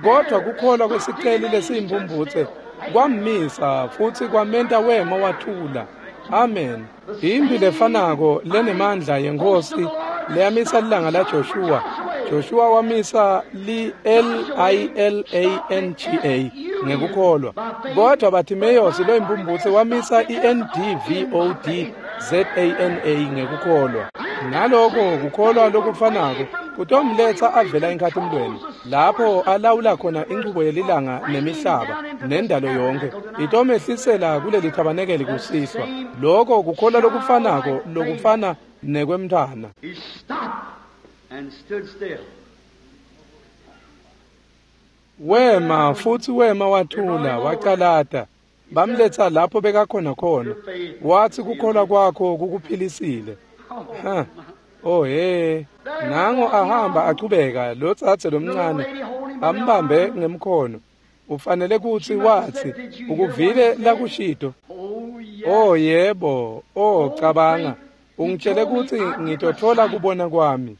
kodwa kukholwa kwesiceli lesiyimphumphutse kwammisa futsi kwamenta wema wathula. Amen. Imphi lefanako lenemandla yeNkhosi leyamisa lilanga la Joshua. Joshua wamisa li L I L A N G A ngekukholwa, kodwa Bartimaeus loyimphumphutse wamisa i N D V O D Z A N A ngekukholwa. Naloko kukholwa lokufanako kutomletsa avela enkhatimlweni, lapho alawula khona inchubo yelilanga nemihlaba nendalo yonke, itomehlisela kuleli thabanekeli kusihlwa. Loko kukholwa lokufanako lokufana nekwemntfwana. Wema futsi wema wathula wacalata. Bamletsa lapho bekakhona khona. Watsi kukholwa kwakho kukuphilisile. Ha. Oh he, nango ahamba achubeka lo tsatse lomncane ambambe ngemkhono. Ufanele kutsi watsi ukuvile lakushito. Oh yebo, oh cabanga, ungitshele kutsi ngitotfola kubona kwami.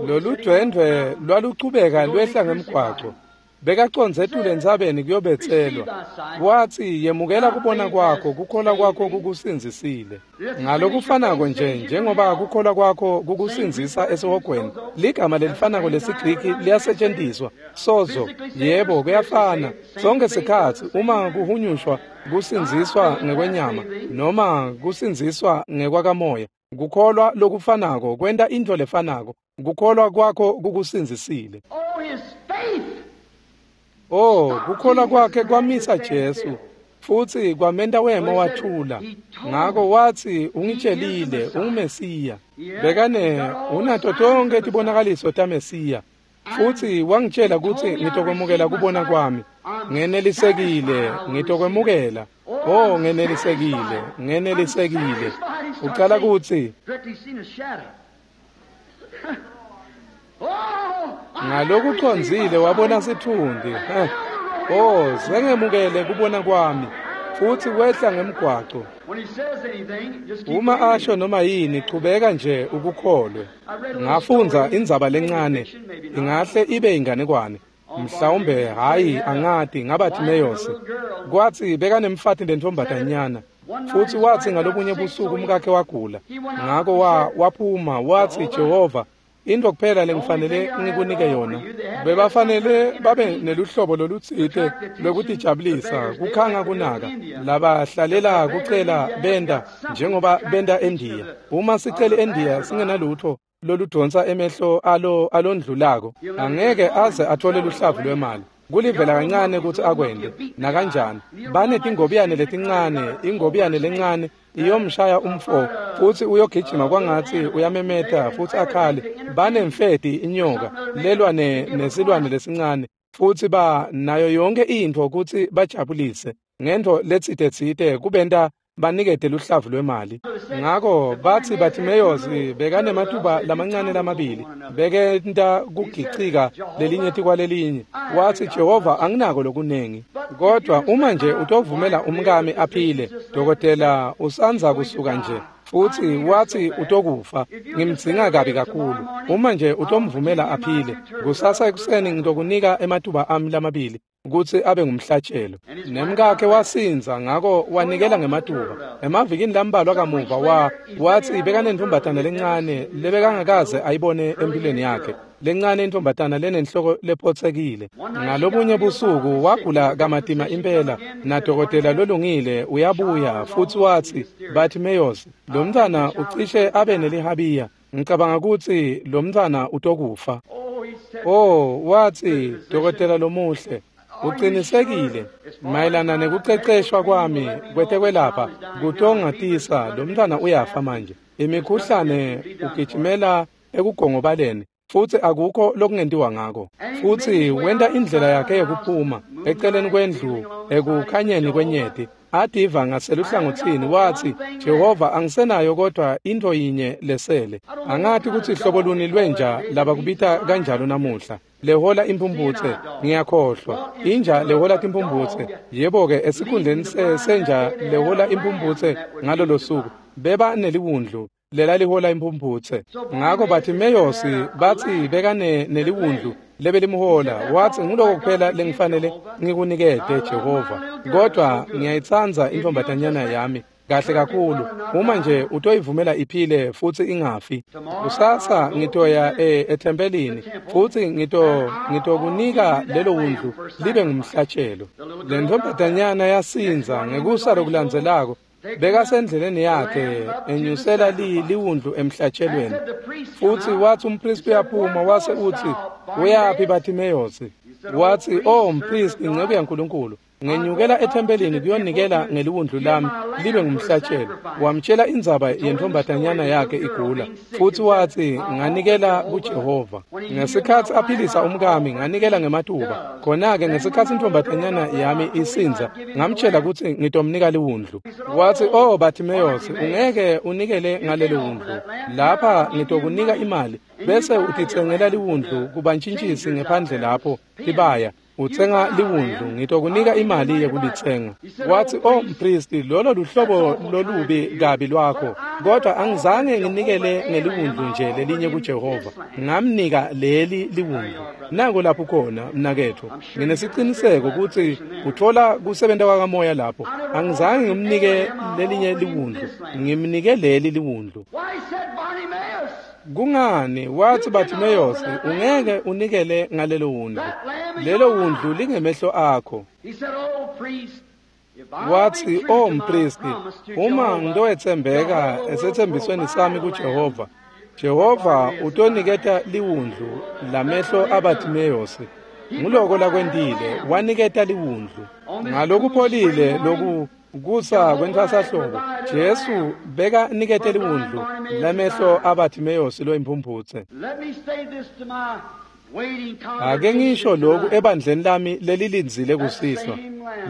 Lolu dwendwe lwaluchubeka lwehla ngemgwaco. Bekacondze etulu entsabeni kuyobetselwa. Watsi yemukela kubona kwakho, kukholwa kwakho kukusindzisile. Ngalokufanako nje njengoba kukholwa kwakho kukusindzisa esihogweni, ligama lelifanako lesiGriki liyasetshenziswa, sozo. Yebo, kuyafana. Sonke sikhatsi uma kuhunyushwa kusindziswa ngekwenyama noma kusindziswa ngekwakamoya, kukholwa lokufanako kwenta intfo lefanako. Kukholwa kwakho kukusindzisile. Oh, kukholwa kwakhe kwamisa Jesu futsi kwamenta wema wathula. Ngako watsi ungitshelile unguMesiya. Bekane unato tonke tibonakaliso taMesiya, futsi wangitshela kutsi ngitokwemukela kubona kwami. Ngenelisekile, ngitokwemukela. Oh, ngenelisekile, ngenelisekile. Ucala kutsi ngalokucondzile wabona sitfunti. Oh, sengemukele kubona kwami. Futsi wehla ngemgwaco. Uma asho noma yini, chubeka nje ukukholwe. Ngafundza indzaba lencane, ingahle ibe inganekwane, mhlawumbe hayi angati, ngaBartimaeus. Kwatsi bekanemfati lentombatanyana, futsi watsi ngalobunye busuku umkakhe wagula. Ngako wa waphuma watsi, Jehova, intfo kuphela lengifanele ngikunike yona. Bebafanele babe neluhlobo lolutsite lwekutijabulisa, kukhanga kunaka labahlalela kucela benda njengoba benda eNdiya. Uma sicele eNdiya singenalutho loludonsa emehlo alo alondlulako, angeke aze athole luhlavu lwemali. Kulivela kancane kutsi akwente nakanjani. Banetingobiyane letincane, ingobiyane lencane iyomshaya umfo futsi uyogijima kwangatsi uyamemeta futsi akhale. Banemfeti inyoka lelwane nesilwane lesincane Futsi ba nayo yonke intfo kutsi bajabulise ngentfo letsite-tsite kubenta banikete luhlavu lwemali. Ngako batsi Bartimaeus bekanematuba lamancane lamabili bekenta kugicika lelinye tikwalelinye. Watsi Jehova anginako lokunengi, kodwa uma nje utovumela umkami aphile, dokotela usandza kusuka nje futsi watsi utokufa, ngimdzinga kabi kakhulu. Uma nje utomvumela aphile, kusasa ekuseni ngitokunika ematuba ami lamabili kutsi abe ngumhlatshelo. Nemkakhe wasindza, ngako wanikela ngematuba. Emavikini lambalwa kamuva wa watsi bekanentombatana lencane lebekangakaze ayibone empilweni yakhe, lencane intombatana lenenhloko lephotsekile. Ngalobunye busuku wagula kamatima impela, nadokotela lolungile uyabuya futsi watsi Bartimaeus, lo mntfwana ucishe abe nelihabiya, ngicabanga kutsi lo mntfwana utokufa. Oh, watsi dokotela lomuhle, uqinisekile mayelana nekuceceshwa kwami kwetekwelapha kutongatisa lo mntfwana uyafa manje. Imikhuhlane ugijimela ekugongobaleni futsi akukho lokungentiwa ngako. Futsi wenta indlela yakhe yekuphuma eceleni kwendlu ekukhanyeni kwenyeti, ativa ngaseluhlangotsini. Watsi Jehova angisenayo kodwa intfo yinye lesele. Angati kutsi hlobo luni lwenja labakubita kanjalo namuhla lehola imphumphutse, ngiyakhohlwa inja lehola timphumphutse. Yebo-ke, esikhundleni senja lehola imphumphutse ngalolo suku beba neliwundlu lelalihola imphumphutse. Ngako Bartimaeus batsi bekane neliwundlu lebelimhola. Watsi nguloko kuphela lengifanele ngikunikete Jehova, kodwa ngiyayitsandza intombatanyana yami kahle kakhulu. Uma nje utoyivumela iphile futsi ingafi, kusasa ngitoya e ethempelini futsi ngito ngitokunika lelo wundlu libe ngumhlatshelo. Le ntombatanyana yasindza. Ngekusa lokulandzelako bekasendleleni yakhe enyusela li liwundlu emhlatshelweni. Futsi watsi umpristi uyaphuma wase utsi uyaphi Bartimaeus? Watsi oh mpristi, nceku yaNkulunkulu, ngenyukela ethempelini kuyonikela ngeliwundlu lami libe ngumhlatshelo. Wamtshela indzaba yentombatanyana yakhe igula, futsi watsi nganikela kuJehova. Ngesikhatsi aphilisa umkami nganikela ngematuba. Khona-ke ngesikhatsi intombatanyana yami isindza ngamtshela kutsi ngitomnika liwundlu. Watsi oh Bartimaeus, ungeke unikele ngalelo wundlu. Lapha ngitokunika imali bese utitsengela liwundlu kubantshintshisi ngephandle lapho tibaya. Utsenga liwundlu, ngitokunika imali yekulitsenga. Watsi oh mpristi, lolo luhlobo lolubi kabi lwakho, kodwa angizange nginikele ngeliwundlu nje lelinye kuJehova, ngamnika leli liwundlu. Nango lapho khona mnaketfu, nginesiciniseko kutsi uthola kusebenta kwakamoya lapho. Angizange ngimnike lelinye liwundlu, ngimnike leli liwundlu. Kungani? Watsi Bartimaeus, ungeke unikele ngalelo wundlu. Lelo wundlu lingemehlo akho. Watsi oh mpristi, uma ngitowetsembeka esetsembisweni sami kuJehova, Jehova utoniketa liwundlu lamehlo aBartimaeus. Nguloko lakwentile, waniketa liwundlu. Ngalokupholile loku kusa kwentfwasahlobo, Jesu beka nikete liwundlu lamehlo aBartimaeus loyimphumphutse. Ake ngisho lokhu ebandleni lami lelilindzile kusihlwa.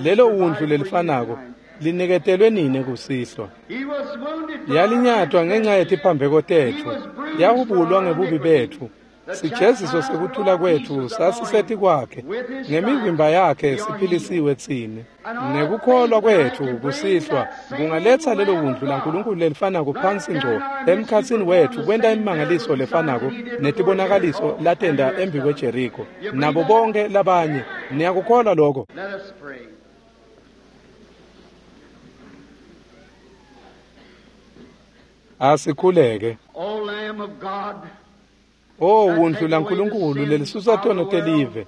Lelo wundlu lelifanako liniketelwe nini kusihlwa. Yalinyatwa ngenxa yetiphambeko tetfu, yahubulwa ngebubi betfu. Sijeziso sekuthula kwetfu sasiseti kwakhe, ngemivimba yakhe siphilisiwe tsine. Nekukholwa kwetfu kusihlwa kungaletsa lelo wundlu laNkulunkulu lelifanako phansi ngco emkhatsini wetfu, kwenta imimangaliso lefanako netibonakaliso latenta embi kweJeriko nabo bonke labanye. Niyakukholwa lokho? Asikhuleke. O wundlu laNkulunkulu lelisusa tono telive,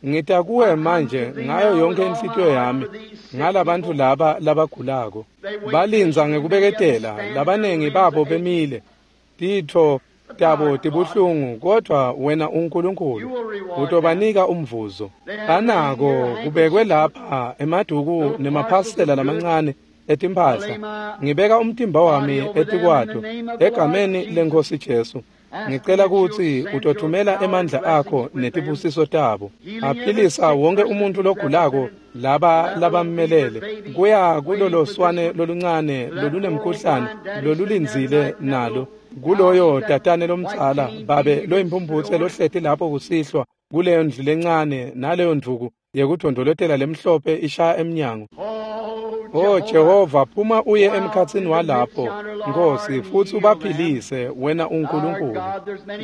ngita kuwe manje ngayo yonke inhlitiyo yami ngalabantfu laba labagulako. Balindza ngekubeketela, labanengi babo bemile, titfo tabo tibuhlungu, kodwa wena uNkulunkulu utobanika umvuzo. Banako kubekwe lapha emaduku nemaphasela lamancane etimphahla. Ngibeka umtimba wami etikwato egameni leNkhosi Jesu. Ngicela kutsi utothumela emandla akho netibusiso tabo. Aphilisa wonke umuntu logulako laba labammelele kuya kulolo swane loluncane lolunemkhuhlane lolulindzile nalo kuloyo tatane lomdzala babe loyimpumphutse lohleti lapho kusihlwa kuleyo ndlu lencane naleyo ndvuku yekudondolotela lemhlophe ishaya emnyango. Oh Jehova, phuma uye emkhatsini walapho Nkosi futsi ubaphilise wena uNkulunkulu.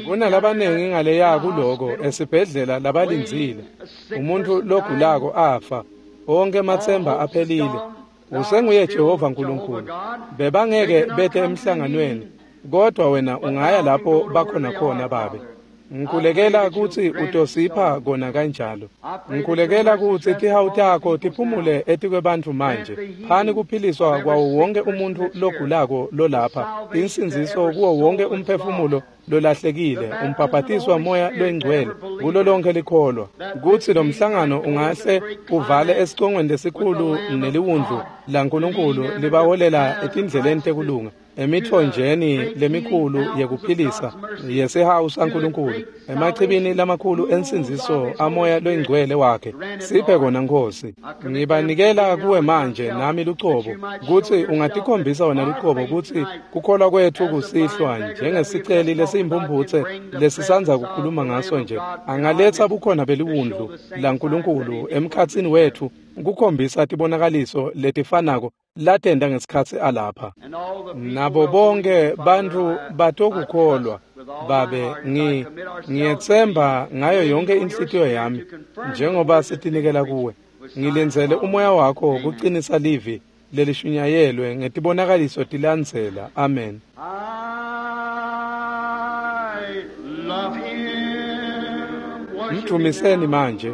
Kunalabanengi ngaleya kuloko esibhedlela labalindzile umuntu logulako afa onke matsemba aphelile. Usenguye Jehova Nkulunkulu. Bebangeke bete emhlanganweni kodwa wena ungaya lapho bakhona khona babe. Ngikhulekela kutsi utosipha kona kanjalo. Ngikhulekela kutsi tihawu takho tiphumule etikwebantfu manje. Phani kuphiliswa kwawo wonke umuntfu logulako lolapha, insindziso kuwo wonke umphefumulo lolahlekile, umbhabhatiswa moya loyingcwele kulo lonke likholwa. Kutsi lo mhlangano ungahle uvale esicongweni lesikhulu neliwundlu laNkulunkulu libaholela etindleleni tekulunga, emithonjeni lemikhulu yekuphilisa yesihawu saNkulunkulu, emachibini lamakhulu ensindziso amoya loyingcwele wakhe. Siphe kona Nkosi. Ngibanikela kuwe manje nami lucobo kutsi ungatikhombisa wena lucobo kutsi kukholwa kwetfu kusihlwa njengesiceli lesiyimphumphutse lesisandza kukhuluma ngaso nje angaletsa bukhona beliwundlu laNkulunkulu emkhatsini wetfu kukhombisa tibonakaliso letifanako latenda ngesikhatsi alapha. Nabo bonke bantfu batokukholwa babe. Ngi ngiyetsemba ngayo yonke inhlitiyo yami njengoba sitinikela kuwe. Ngilindzele umoya wakho kuqinisa livi lelishunyayelwe ngetibonakaliso tilandzela. Amen. I love him. Mdumiseni manje.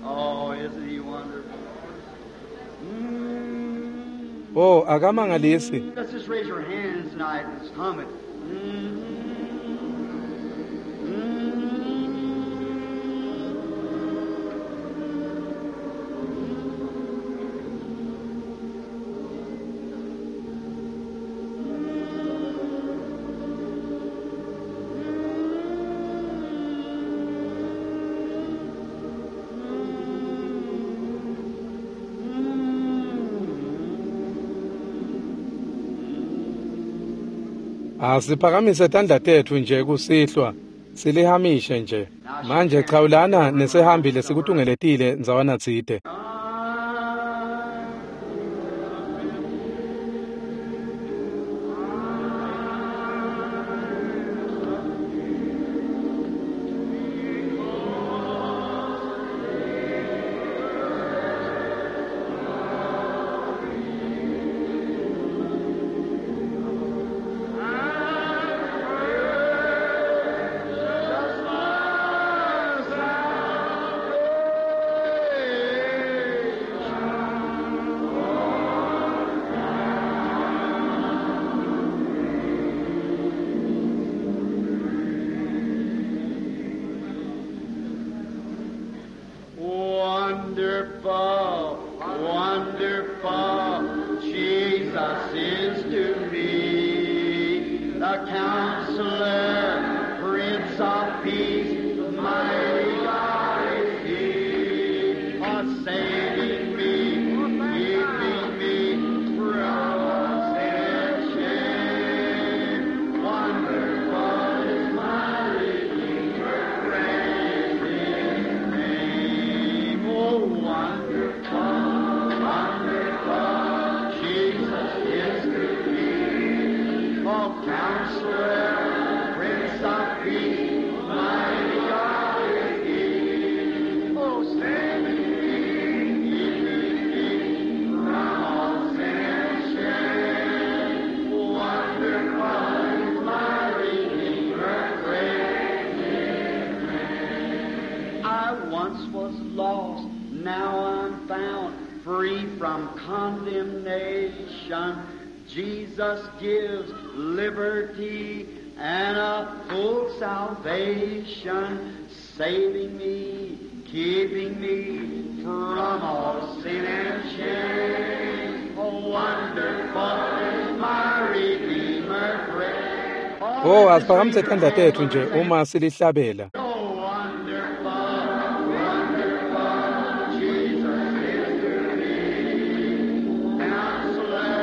Oh, isn't he wonderful? Mm. Oh, akamangalisi. Let's just raise our hands tonight and just hum it. Mm. Asiphakamise tandla tetfu nje kusihlwa silihamishe nje. Manje chawulana nesihambi lesikutungeletile ndzawana tsite. Just my salvation. from condemnation. Jesus gives liberty and a full salvation, saving me, keeping me from all sin and shame. Oh, wonderful is my Redeemer great. Oh, asiphakamise tandla tetfu nje uma silihlabela. Oh, wonderful, wonderful Jesus is to me. Counselor,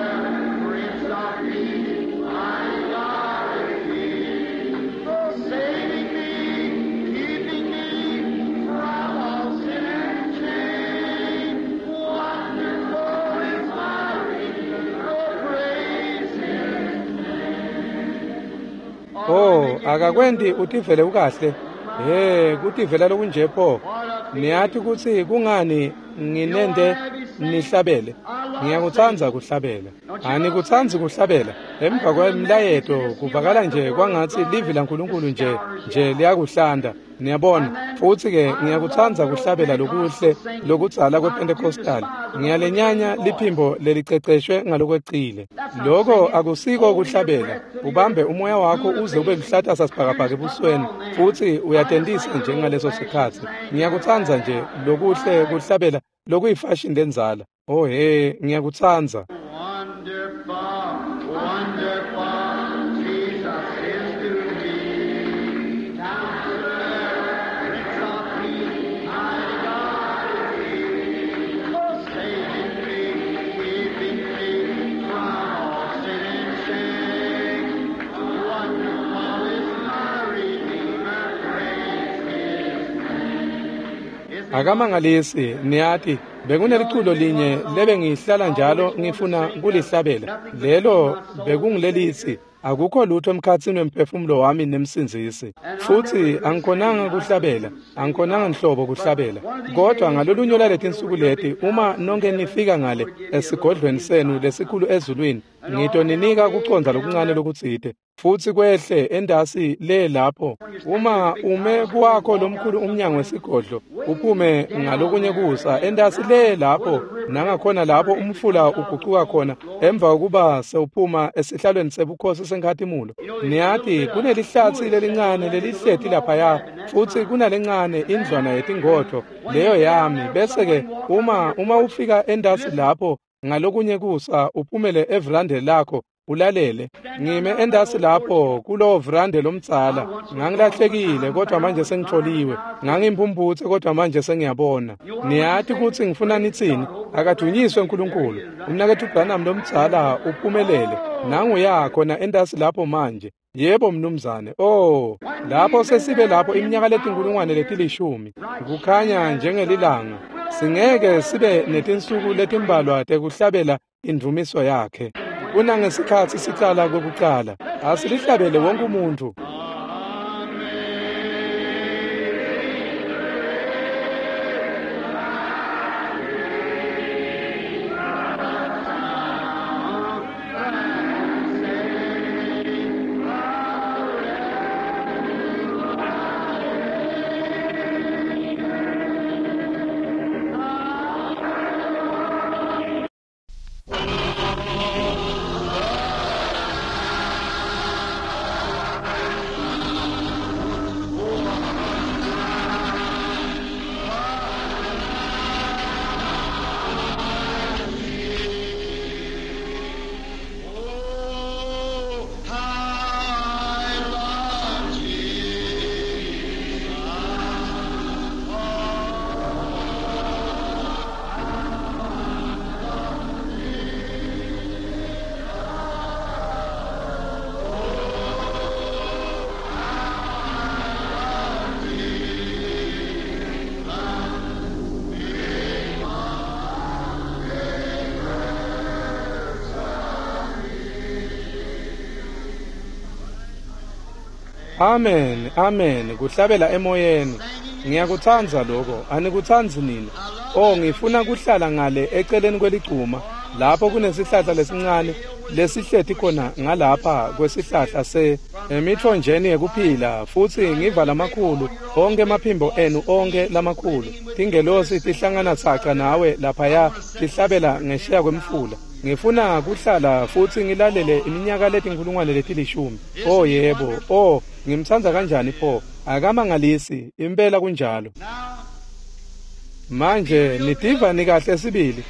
Prince of Peace, my God is He. Oh, saving me, keeping me from all sin and shame. Wonderful is my Redeemer, oh, praise His name. Oh, akakwenti utivele ukahle. Hey, kutivela lokunje pho. Niyati kutsi kungani nginente nihlabele. Ngiyakutsandza kuhlabela. Anikutsandzi kuhlabela. Emva kwemlayeto kuvakala nje kwangatsi livi laNkulunkulu nje nje liyakuhlanda. Niyabona, futsi ke ngiyakutsandza kuhlabela lokuhle lokudzala kwePentecostal. Ngiyalenyanya liphimbo leliceceshwe ngalokwecile. Loko akusiko kuhlabela. Ubambe umoya wakho uze ube luhlata sasibhakabhaka ebusweni futsi uyatentisa nje ngaleso sikhatsi. Ngiyakutsandza nje lokuhle kuhlabela lokuyifashion lendzala. Oh hey, ngiyakutsandza. Wonderful, wonderful, Jesus is to me. Counselor, Prince of Peace, my God is He. Oh, saving me, keeping me from all sin and shame. Wonderful is my Redeemer, praise His name. Isn't Akamangalisi niyati bekuneliculo linye lebe ngihlala njalo ngifuna kulihlabela. Lelo bekungilelitsi akukho lutho emkhatsini wemphefumulo wami nemsindzisi. Futsi angikhonanga kuhlabela, angikhonanga nhlobo kuhlabela. Kodwa ngalolunye lwaletinsuku leti uma nonke nifika ngale esigodlweni senu lesikhulu ezulwini, ngitoninika kucondza lokuncane lokutsite. Futsi kwehle endasi le lapho uma ume kuwakho lomkhulu umnyango wesigodlo uphume ngalokunye kusa endasi le lapho nangakhona lapho umfula ugucuka khona emva kokuba sewuphuma esihlalweni sebukhosi senkhatimulo. Niyati kunelihlatsi lelincane lelihleti laphaya futsi kunalencane indlwana yetingodvo leyo yami. Bese ke uma uma ufika endasi lapho ngalokunye kusa uphumele evrande lakho ulalele. Ngime endasi lapho kulowo vrande lomdzala. Ngangilahlekile kodwa manje sengitholiwe. Ngangimphumphutse kodwa manje sengiyabona. Niyati kutsi ngifuna nitsini? Akadunyiswe uNkulunkulu. Umnaketfu Branham lomdzala uphumelele. Nangu khona endasi lapho manje. Yebo mnumzane. Oh, lapho sesibe lapho iminyaka letinkulungwane letilishumi. Kukhanya njengelilanga. Singeke sibe netinsuku letimbalwa tekuhlabela indvumiso yakhe. Kunangesikhatsi sicala kokucala. Asilihlabele wonke umuntu. Oh, how I love Jesus. Amen, amen. Kuhlabela emoyeni. Ngiyakutsandza lokho. Anikutsandzi nina? Oh, ngifuna kuhlala ngale eceleni kweligcuma lapho kunesihlahla lesincane lesihleti khona ngalapha kwesihlahla se emitfonjeni yekuphila, futsi ngiva lamakhulu onke emaphimbo enu onke lamakhulu tingelosi tihlangana saca nawe laphaya tihlabela ngesheya kwemfula. Ngifuna kuhlala futsi ngilalele iminyaka letinkhulungwane letilishumi. Oh yebo, oh ngimtsandza kanjani pho, akamangalisi impela kunjalo. Manje nitiva nikahle sibili.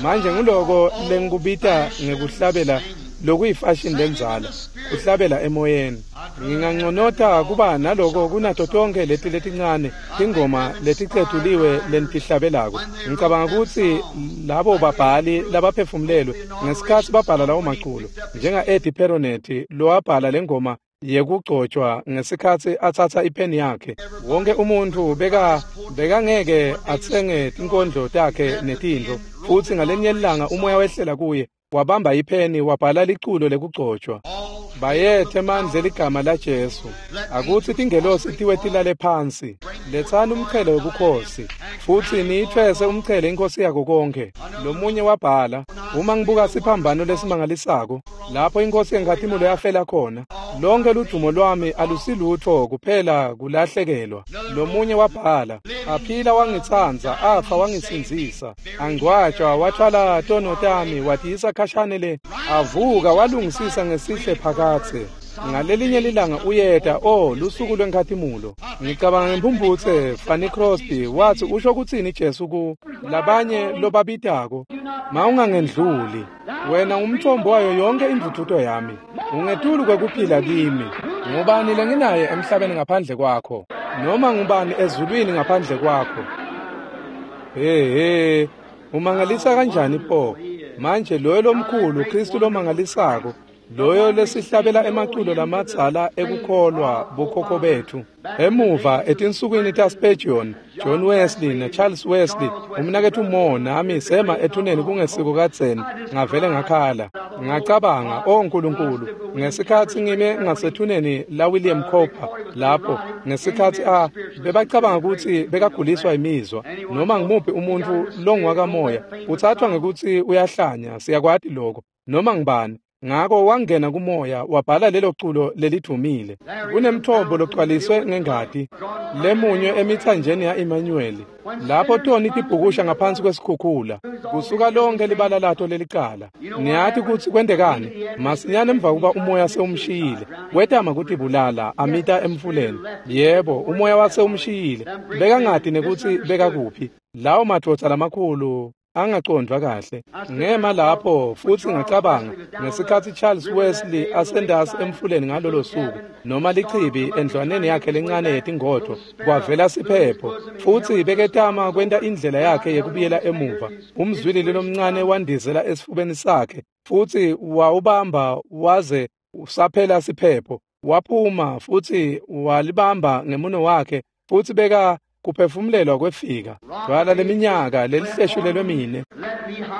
Manje nguloko lengikubita ngekuhlabela lokuyifashion lendzala, kuhlabela emoyeni. Nginganconota kuba naloko kunato tonke leti letincane tingoma leticetuliwe lentihlabelako. Ngicabanga kutsi labo babhali labaphefumulelwe ngesikhatsi babhala lawo maculo, njenga Eddie Peronet lowabhala lengoma yekugcotshwa ngesikhatsi atsatsa ipheni yakhe. Wonke umuntfu beka bekangeke atsenge tinkondlo takhe netintfo, futsi ngalenye ilanga umoya wehlela kuye wabamba ipheni wabhala liculo lekugcotshwa. Bayethe mandle ligama la Jesu, akutsi tingelosi tiwe tilale phansi. Letsani umchele webukhosi futsi niyithwese umchele inkosi yako konke. Lomunye wabhala, uma ngibuka siphambano lesimangalisako lapho inkosi yenkhatimulo yafela khona, lonke ludumo lwami alusilutho kuphela kulahlekelwa. Lomunye wabhala, aphila wangitsandza, afa wangisindzisa, angcwatshwa wathwala tono tami watiyisa khashane le, avuka walungisisa ngesihle phakatse. Ngalelinye lilanga uyeta, oh lusuku lwenkhatimulo. Ngicabanga ngemphumphutse Fanny Crosby wathi usho kutsini Jesu ku labanye lobabitako, mawungangendluli wena umthombo wayo yonke indvudvuto yami, ungetulu kwekuphila kimi. Ngubani lenginaye emhlabeni ngaphandle kwakho, noma ngubani ezulwini ngaphandle kwakho? He he, umangalisa kanjani pho manje loyo lomkhulu Kristu lomangalisako, loyo lesihlabela emaculo lamadzala ekukholwa bokhokho bethu emuva etinsukwini taSpurgeon, John Wesley naCharles Wesley, umnaketfu Moore nami sema ethuneni kungesiko kadzeni. Ngavele ngakhala, ngacabanga, oh Nkulunkulu, ngesikhatsi ngime ngasethuneni la William Cowper lapho ngesikhatsi a bebacabanga kutsi bekaguliswa imizwa, noma ngimuphi umuntfu longwakamoya utsathwa ngekutsi uyahlanya, siyakwati lokho, noma ngibani. Ngako wangena kumoya wabhala lelo culo lelidvumile. Kunemthombo logcwaliswe ngengati lemunywe emithanjeni ya-Emmanuel, lapho toni tibhukusha ngaphansi kwesikhukhula kusuka lonke libala lato lelicala. Niyati kutsi kwentekani masinyane emva kuba umoya sewumshiyile, wetama kutibulala amita emfuleni. Yebo, umoya wase umshiyile, bekangati nekutsi bekakuphi. Lawo madvodza lamakhulu angacondvwa kahle. Ngema lapho futsi ngacabanga ngesikhatsi Charles Wesley asendasi emfuleni ngalolo suku, noma lichibi endlwaneni yakhe lencane yetingodvo, kwavela siphepho futsi beketama kwenta indlela yakhe yekubuyela emuva. Umzwilili lomncane wandizela esifubeni sakhe futsi wawubamba waze usaphela siphepho. Waphuma futsi walibamba ngemuno wakhe futsi beka kuphefumulelwa kwefika. Dwala leminyaka lelihleshulelwe mine,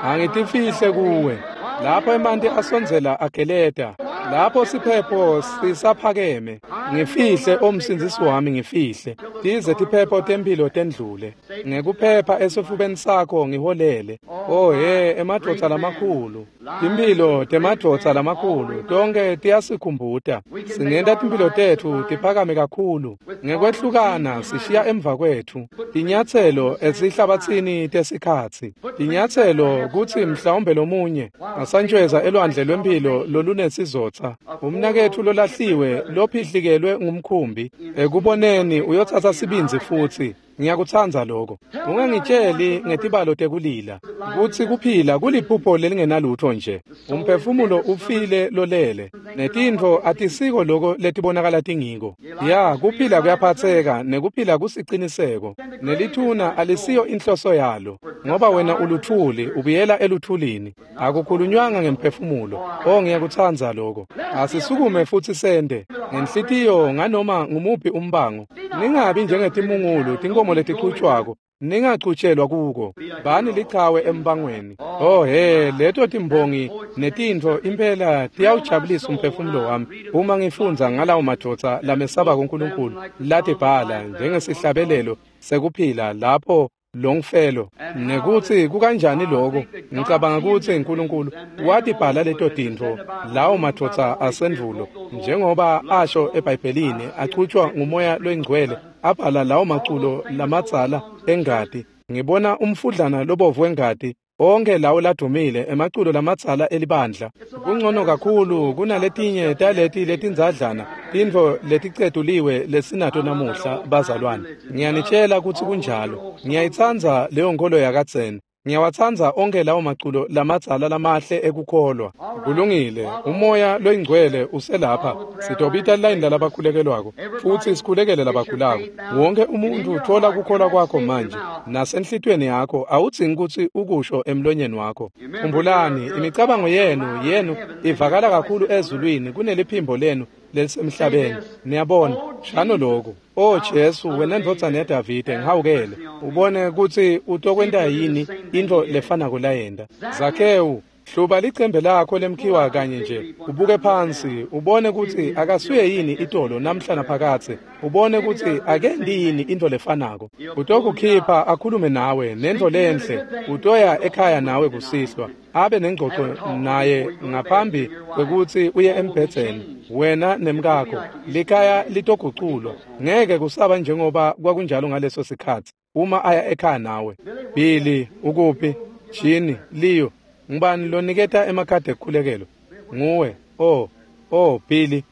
angitifihle kuwe. Lapho emanti asondzela ageleta, lapho siphepho sisaphakeme, ngifihle omsindzisi wami, ngifihle tize tiphepho temphilo tendlule. Ngekuphepha esifubeni sakho ngiholele. Oh he, emadvodza lamakhulu, timphilo temadvodza lamakhulu tonke tiyasikhumbuta. Singenta timphilo tetfu tiphakame kakhulu ngekwehlukana sishiya emva kwethu tinyatselo esihlabatsini tesikhatsi, tinyatselo kutsi mhlawumbe lomunye asantshweza elwandle lwemphilo lolunesizotsa. Umnaketfu lolahliwe lophihlikelwe ngumkhumbi ekuboneni uyotsatsa sibindzi futsi. Ngiyakutsandza lokho. Ungangitsheli ngetibalo tekulila kutsi kuphila kuliphupho lelingenalutho nje. Umphefumulo ufile lolele, netintfo atisiko loko letibonakala tingiko. Ya, kuphila kuyaphatseka nekuphila kusiciniseko, nelithuna alisiyo inhloso yalo, ngoba wena uluthuli ubuyela eluthulini. Akukhulunywanga ngemphefumulo. Oh, ngiyakutsandza lokho. Asisukume futsi sente ngenhlitiyo nganoma ngumuphi umbango. Ningabi njengetimungulu tinkomo letichutshwako, ningachutshelwa kuko. Bani lichawe embangweni. Oh he, leto timbongi netintfo impela tiyawujabulisa umphefumulo wami uma ngifundza ngalawo madvodza lamesaba kuNkulunkulu latibhala njengesihlabelelo sekuphila lapho Longfellow nekutsi kukanjani lokho. Ngicabanga kutsi uNkulunkulu watibhala leto tintfo lawo madvodza asendvulo njengoba asho eBhayibhelini achutjwa ngumoya loyingcwele abhala lawo maculo lamadzala engati. Ngibona umfudlana lobovu wengati onke lawo ladumile emaculo lamadzala elibandla. Kungcono kakhulu kunaletinye taleti letindzadlana tintfo leticetuliwe lesinato namuhla bazalwane. Ngiyanitshela kutsi kunjalo. Ngiyayitsandza leyo nkolo yakadzeni. Ngiyawatsandza onke lawo maculo lamadzala lamahle ekukholwa. Kulungile, umoya loyingcwele uselapha. Sitobita layini lalabakhulekelwako futsi sikhulekele labakhulako. Wonke umuntu uthola kukholwa kwakho manje nasenhlitiyweni yakho, awudzingi kutsi ukusho emlonyeni wakho. Khumbulani, imicabango yenu yenu ivakala kakhulu ezulwini kuneliphimbo lenu lelisemhlabeni. Niyabona, shano lokhu: O Jesu, wena ndvodzana yaDavide, ngihawukele. Ubone kutsi utokwenta yini intfo lefanako layenta. Zakhewu, hluba licembe lakho lemkhiwa kanye nje, ubuke phansi, ubone kutsi akasuye yini itolo namhla naphakadze, ubone kutsi akendi yini intfo lefanako. Utokukhipha akhulume nawe nentfo lenhle, utoya ekhaya nawe kusihlwa, abe nengcoco naye ngaphambi kwekutsi uye embhedzeni, wena nemkakho. Likhaya litoguculwa, ngeke kusaba njengoba kwakunjalo ngaleso sikhatsi uma aya ekhaya nawe. Billy, ukuphi? Jini, Leo, ngubani loniketa emakhadi ekukhulekelo? Nguwe. Oh, oh Billy.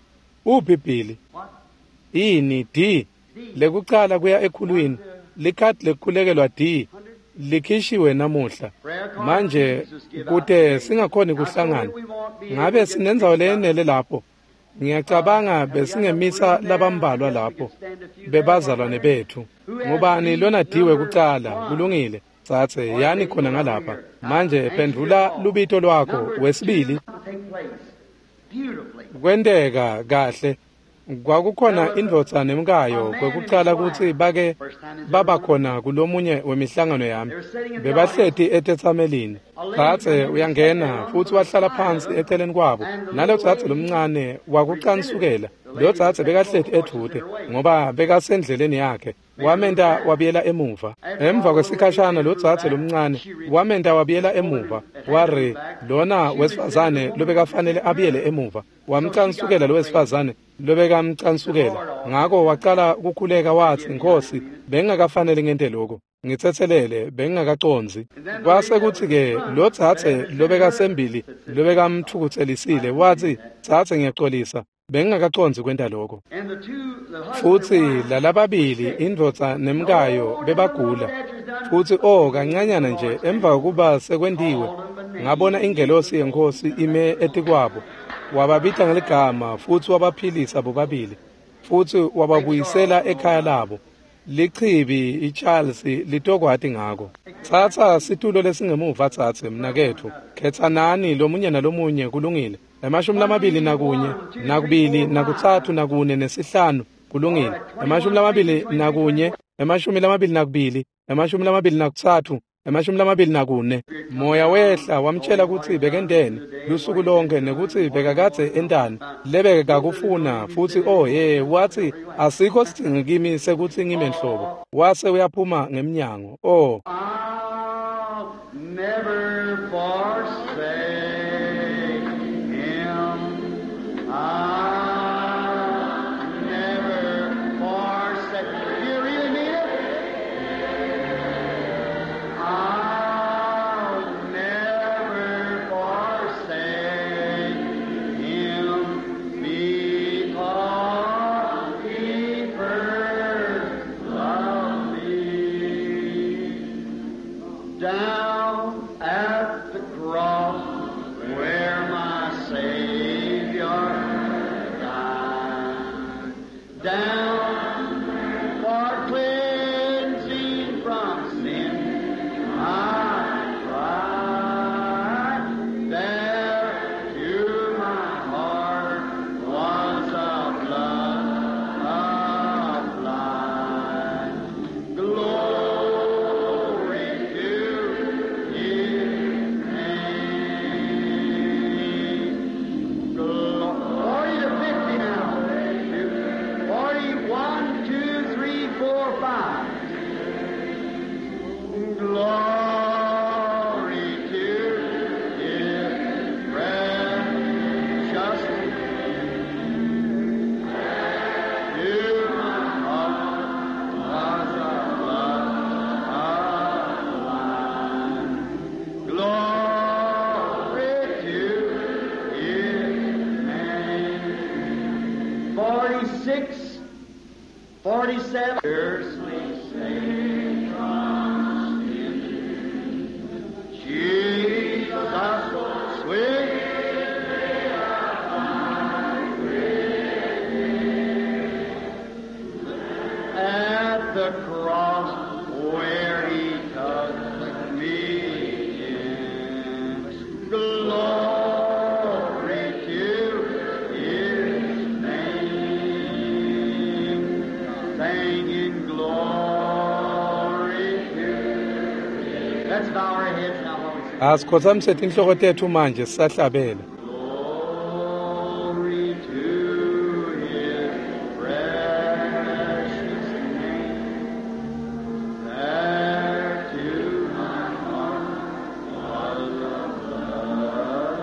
Uphi Billy? Ini D lekucala kuya ekhulwini. Likhadi lekukhulekelwa D likhishiwe namuhla. Manje kute singakhoni kuhlangana, ngabe sinendzawo leyenele lapho? Ngiyacabanga besingemisa labambalwa lapho bebazalwane bethu. Ngubani lona D wekucala? Kulungile tsatse, yani khona ngalapha. Manje phendvula lubito lwakho. Wesibili. Kwenteka kahle. Kwakukhona indvodza nemkayo kwekucala kutsi bake baba khona kulomunye wemihlangano yami. Bebahleti etetsamelini. Tsatse uyangena futsi wahlala phansi eceleni kwabo. Nalo tsatse lomncane wakucansukela. Lo tsatse bekahleti edvute ngoba bekasendleleni yakhe. Wamenta wabuyela emuva. Emva kwesikhashana lo tsatse lomncane wamenta wabuyela emuva. Ware lona wesifazane lobekafanele abuyele emuva. Wamcansukela lo wesifazane lobekamcansukela. Ngako wacala kukhuleka watsi, Nkhosi, bengingakafanele ngente lokho. Ngitsetselele, bengingakacondzi. Kwase kutsi-ke lo tsatse lobekasembili lobekamtfukutselisile watsi, tsatse, ngiyaxolisa, bengingakacondzi kwenta lokho. Futsi lalababili, indvodza nemkayo, bebagula. Futsi oh kancanyana nje emva kokuba sekwentiwe, ngabona ingelosi yeNkhosi ime etikwabo. Wababita ngeligama futsi wabaphilisa bobabili, futsi wababuyisela ekhaya labo. Lichibi iCharles litokwati ngako. Tsatsa situlo lesingemuva tsatse mnaketfu. Khetsanani lomunye nalomunye, kulungile. Emashumi lamabili nakunye, nakubili, nakutsatfu, nakune, nesihlanu, kulungile. Emashumi lamabili nakunye, emashumi lamabili nakubili, emashumi lamabili nakutsatfu, emashumi lamabili nakune. Moya wehla wamtshela kutsi bekenteni lusuku lonke nekutsi bekakadze entani lebekakufuna, futsi oh ye watsi asikho sidzingo kimi sekutsi ngime nhlobo. Wase uyaphuma ngemnyango. Oh, I'll never forsake him. I'll never forsake. Do you really mean it? I'll never forsake him because he first loved me. Down at the Forty-six, forty-seven. Fiercely saved from sin. Jesus, sweet. At the cross where he took me in. Glory to his name. Singing glory to his. Let's bow our heads now while we sing. Asikhothamise tinhloko tetfu manje sisahlabela. Glory to his precious name. There to my heart was the blood.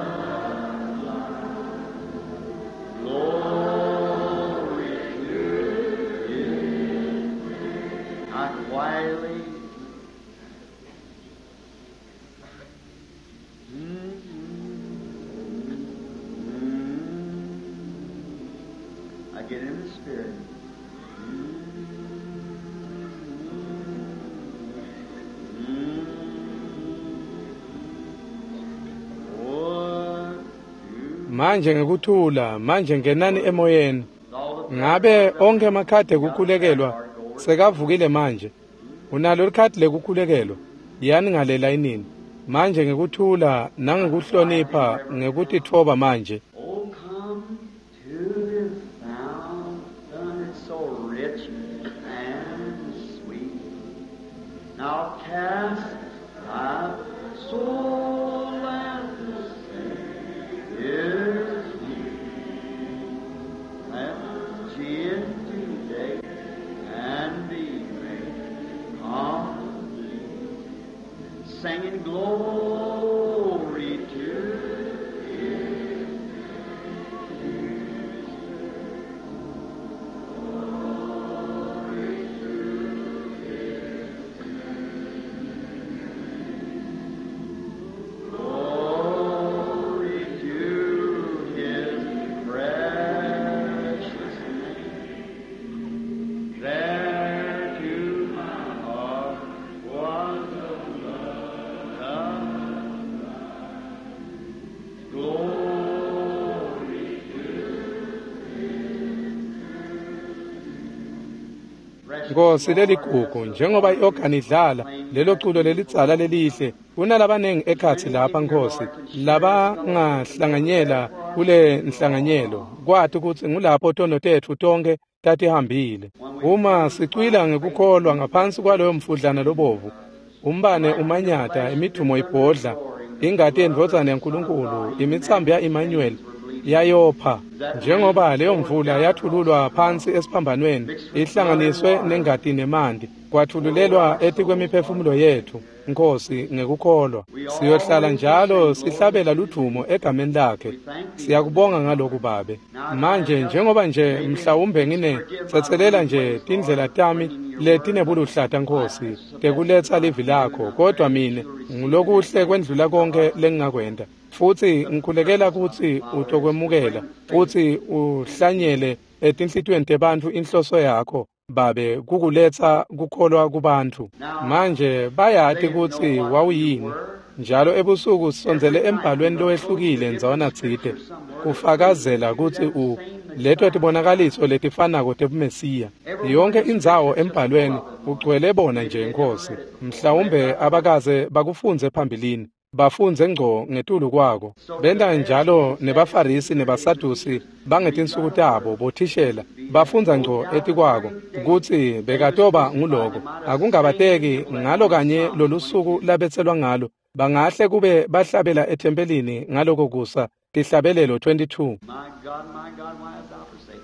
Glory to his name. I quietly. I get in the spirit. Manje ngekuthula, manje ngenani emoyeni. Ngabe onkhe emakhadi ekukhulekelwa sekavukile manje? Unalo likhadi lekukhulekelwa? Yani ngale layinini. Manje ngekuthula nangekuhlonipha ngekutitfoba manje. Oh, come to this fountain, it's so rich and sweet. Now cast thy soul at the Savior's feet. Let Jesus today and be made complete. Singing glory to His. Glory to His precious name. There to my heart was the blood of Christ. Glory to His precious Nkosi leligugu, njengoba i-organ idlala lelo culo lelidzala lelihle, kunalabanengi ekhatsi lapha Nkosi labangahlanganyela kule nhlanganyelo, kwati kutsi ngulapho tono tetfu tonkhe tatihambile. Uma sicwila ngekukholwa ngaphansi kwaloyo mfudlana lobovu, umbane umanyata, imidumo ibhodla, ingati yendvodzana yaNkulunkulu, imitsambo ya-Emmanuel yayopha, njengoba leyo mvula yathululwa phansi esiphambanweni, ihlanganiswe nengati nemanti, kwathululelwa etikwemiphefumulo yetfu, Nkosi, ngekukholwa. Siyohlala njalo sihlabela ludvumo egameni lakhe. Siyakubonga ngaloku Babe. Manje njengoba nje mhlawumbe ngine tsetselela nje tindlela tami letinebuluhlata Nkosi tekuletsa livi lakho, kodwa mine ngulokuhle kwendlula konke lengingakwenta. Futsi ngikhulekela kutsi utokwemukela futsi uhlanyele etinhlitiyweni tebantfu inhloso yakho Babe, kukuletsa kukholwa kubantfu. Manje bayati kutsi wawuyini. Njalo ebusuku sisondzele embhalweni lowehlukile ndzawana tsite kufakazela kutsi u leto tibonakaliso letifanako tebuMesiya. Yonke indzawo embhalweni ugcwele bona nje Nkosi. Mhlawumbe abakaze bakufundze phambilini, bafundze ngco ngetulu kwako. Benta njalo nebaFarisi nebaSadusi bangetinsuku tabo bothishela bafundza ngco etikwako kutsi bekatoba nguloko. Akungabateki ngalo kanye lolusuku labetselwa ngalo, bangahle kube bahlabela ethempelini ngaloko kusa tihlabelelo twenty-two. My God, my God, why hast thou forsaken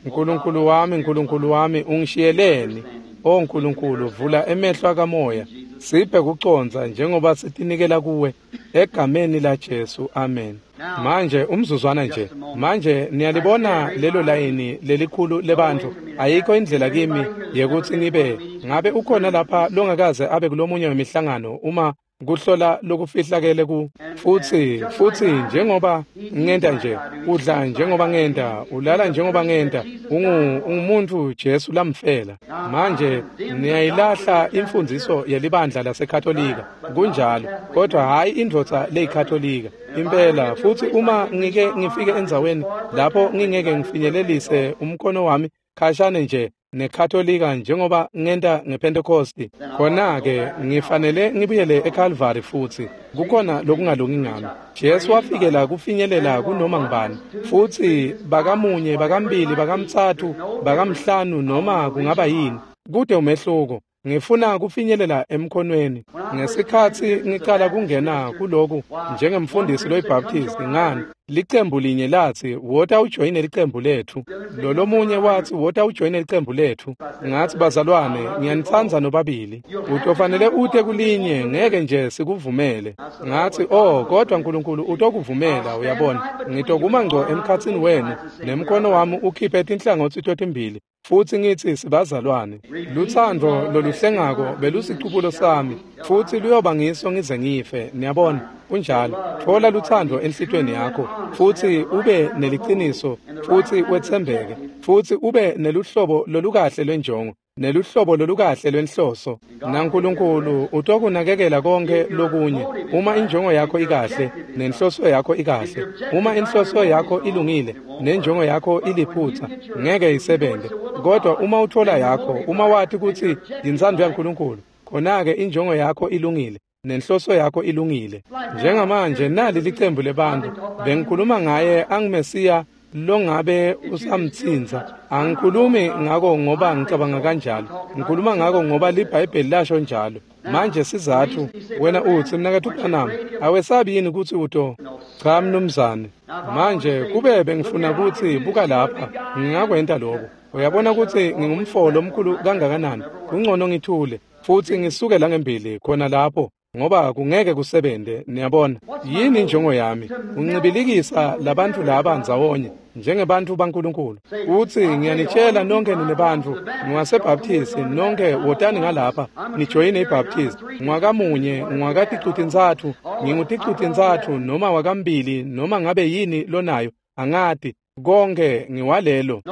me? Nkulunkulu wami, Nkulunkulu wami, ungishiyeleni? O Nkulunkulu, vula emehlo akamoya, siphe kucondza njengoba sitinikela kuwe egameni la Jesu, amen. Manje umzuzwana nje, manje niyalibona lelo layini lelikhulu lebantfu. Ayikho indlela kimi yekutsi ngibe ngabe ukhona lapha longakaze abe kulomunye wemihlangano uma Kuhlola lokufihlakele ku futsi futsi njengoba ngenta nje, udla njengoba ngenta, ulala njengoba ngenta, ungu ungumuntu Jesu lamfela. Manje niyayilahla imfundiso yelibandla laseKatolika, kunjalo, kodwa hayi indvodza leyiKatolika impela. Futsi uma ngike ngifike endzaweni lapho ngingeke ngifinyelelise umkhono wami khashane nje neKatolika njengoba ngenta ngePentecost, khona-ke ngifanele ngibuyele eCalvary futsi. Kukhona lokungalungi ngami. Jesu wafikela kufinyelela kunoma ngubani, futsi bakamunye, bakambili, bakamtsatfu, bakamhlanu, noma kungaba yini, kude umehluko. Ngifuna kufinyelela emkhonweni. Ngesikhatsi ngicala kungena kuloku njengemfundisi loyiBaptist, ngani, licembu linye latsi, wota ujoyine licembu lethu. Lolomunye watsi, wota ujoyine licembu lethu. Ngatsi, bazalwane, ngiyanitsandza nobabili. Utofanele ute kulinye, ngeke nje sikuvumele. Ngatsi, oh, kodwa Nkulunkulu utokuvumela, uyabona. Ngitokuma ngco emkhatsini wenu, nemkhono wami ukhiphe tinhlangotsi totimbili. Futsi ngitsi sibazalwane. Lutsandvo loluhlengako belusicubulo sami, futsi luyoba ngiso ngize ngife. Niyabona, kunjalo. Thola lutsandvo enhlitiyweni yakho, futsi ube neliciniso, futsi wetsembeke, futsi ube neluhlobo lolukahle lwenjongo, neluhlobo lolukahle lwenhloso. NaNkulunkulu utokunakekela konke lokunye. Uma injongo yakho ikahle, nenhloso yakho ikahle. Uma inhloso yakho ilungile, nenjongo yakho iliphutsa, ngeke isebente. Kodwa uma uthola yakho, uma wati kutsi yintsandvo yaNkulunkulu, khona-ke injongo yakho ilungile, nenhloso yakho ilungile. Njengamanje nali licembu lebantfu bengikhuluma ngaye angiMesiya longabe usamtsintsa. Angikhulumi ngako ngoba ngicabanga kanjalo, ngikhuluma ngako ngoba liBhayibheli lasho njalo. Manje sizatfu, wena utsi, mnaketfu Branham, awesabi yini kutsi uto? Cha mnumzane. Manje kube bengifuna kutsi buka lapha, ngingakwenta lokho. Uyabona kutsi ngingumfo lomkhulu kangakanani, kungcono ngithule futsi ngisuke la ngembili khona lapho, ngoba kungeke kusebente. Niyabona, yini injongo yami? Uncibilikisa labantfu laba ndzawonye njengebantfu baNkulunkulu. Utsi, ngiyanitshela nonke nine bantfu, ngiwaseBaptist, nonke wotani ngalapha nijoyine iBaptist. Ngwakamunye, ngwakaticutintsatfu, nginguticutintsatfu noma wakambili, noma ngabe yini lonayo, angati, konke ngiwalelo.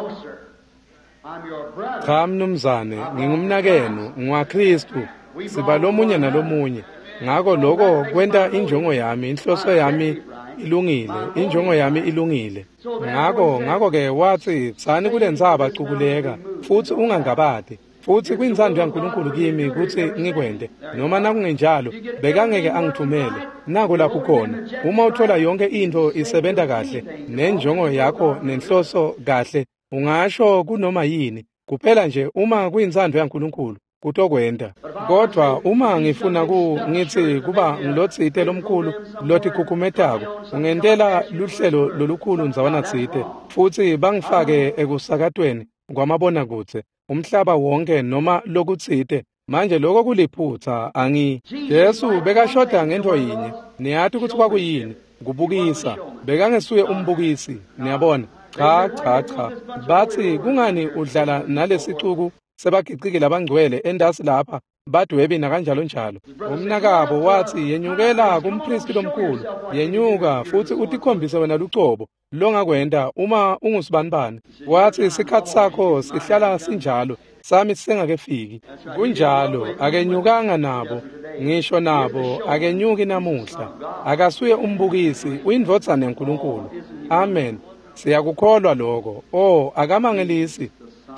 Cha mnumzane, ngingumnakenu, ngiwaKhristu, siba lomunye nalomunye. Ngako lokho kwenta injongo yami, inhloso yami ilungile, injongo yami ilungile. Ngako ngako-ke watsi, tsani kulentsaba cukuleka, futsi ungangabati. Futsi kuyintsandvo yaNkulunkulu kimi kutsi ngikwente, noma nakungenjalo bekangeke angithumele. Nako lapho khona. Uma uthola yonke intfo isebenta kahle, nenjongo yakho nenhloso kahle, ungasho kunoma yini, kuphela nje uma kuyintsandvo yaNkulunkulu kutokwenta. Kodwa uma ngifuna ku ngitsi kuba ngilotsite lomkhulu lotikhukhumetako, ungentela luhlelo lolukhulu ndzawana tsite, futsi bangifake ekusakatweni kwamabonakudze umhlaba wonke noma lokutsite. Manje lokho kuliphutsa. Angi Jesu bekashoda ngento yinye. Niyati kutsi kwakuyini? Kubukisa. Bekangesuye umbukisi. Niyabona? Cha cha cha. Batsi, kungani udlala nalesicuku sebagiciki labangcwele endasi lapha, badwebi nakanjalo njalo? Umnakabo watsi, yenyukela kumpristi lomkhulu, yenyuka futsi utikhombise wena lucobo longakwenta uma ungusibanibani. Watsi, sikhatsi sakho sihlala sinjalo, sami sisengakefiki. Kunjalo, akenyukanga nabo, ngisho nabo akenyuki namuhla. Akasuye umbukisi, uyindvodzana yaNkulunkulu. Amen. Siyakukholwa lokho. Oh, akamangelisi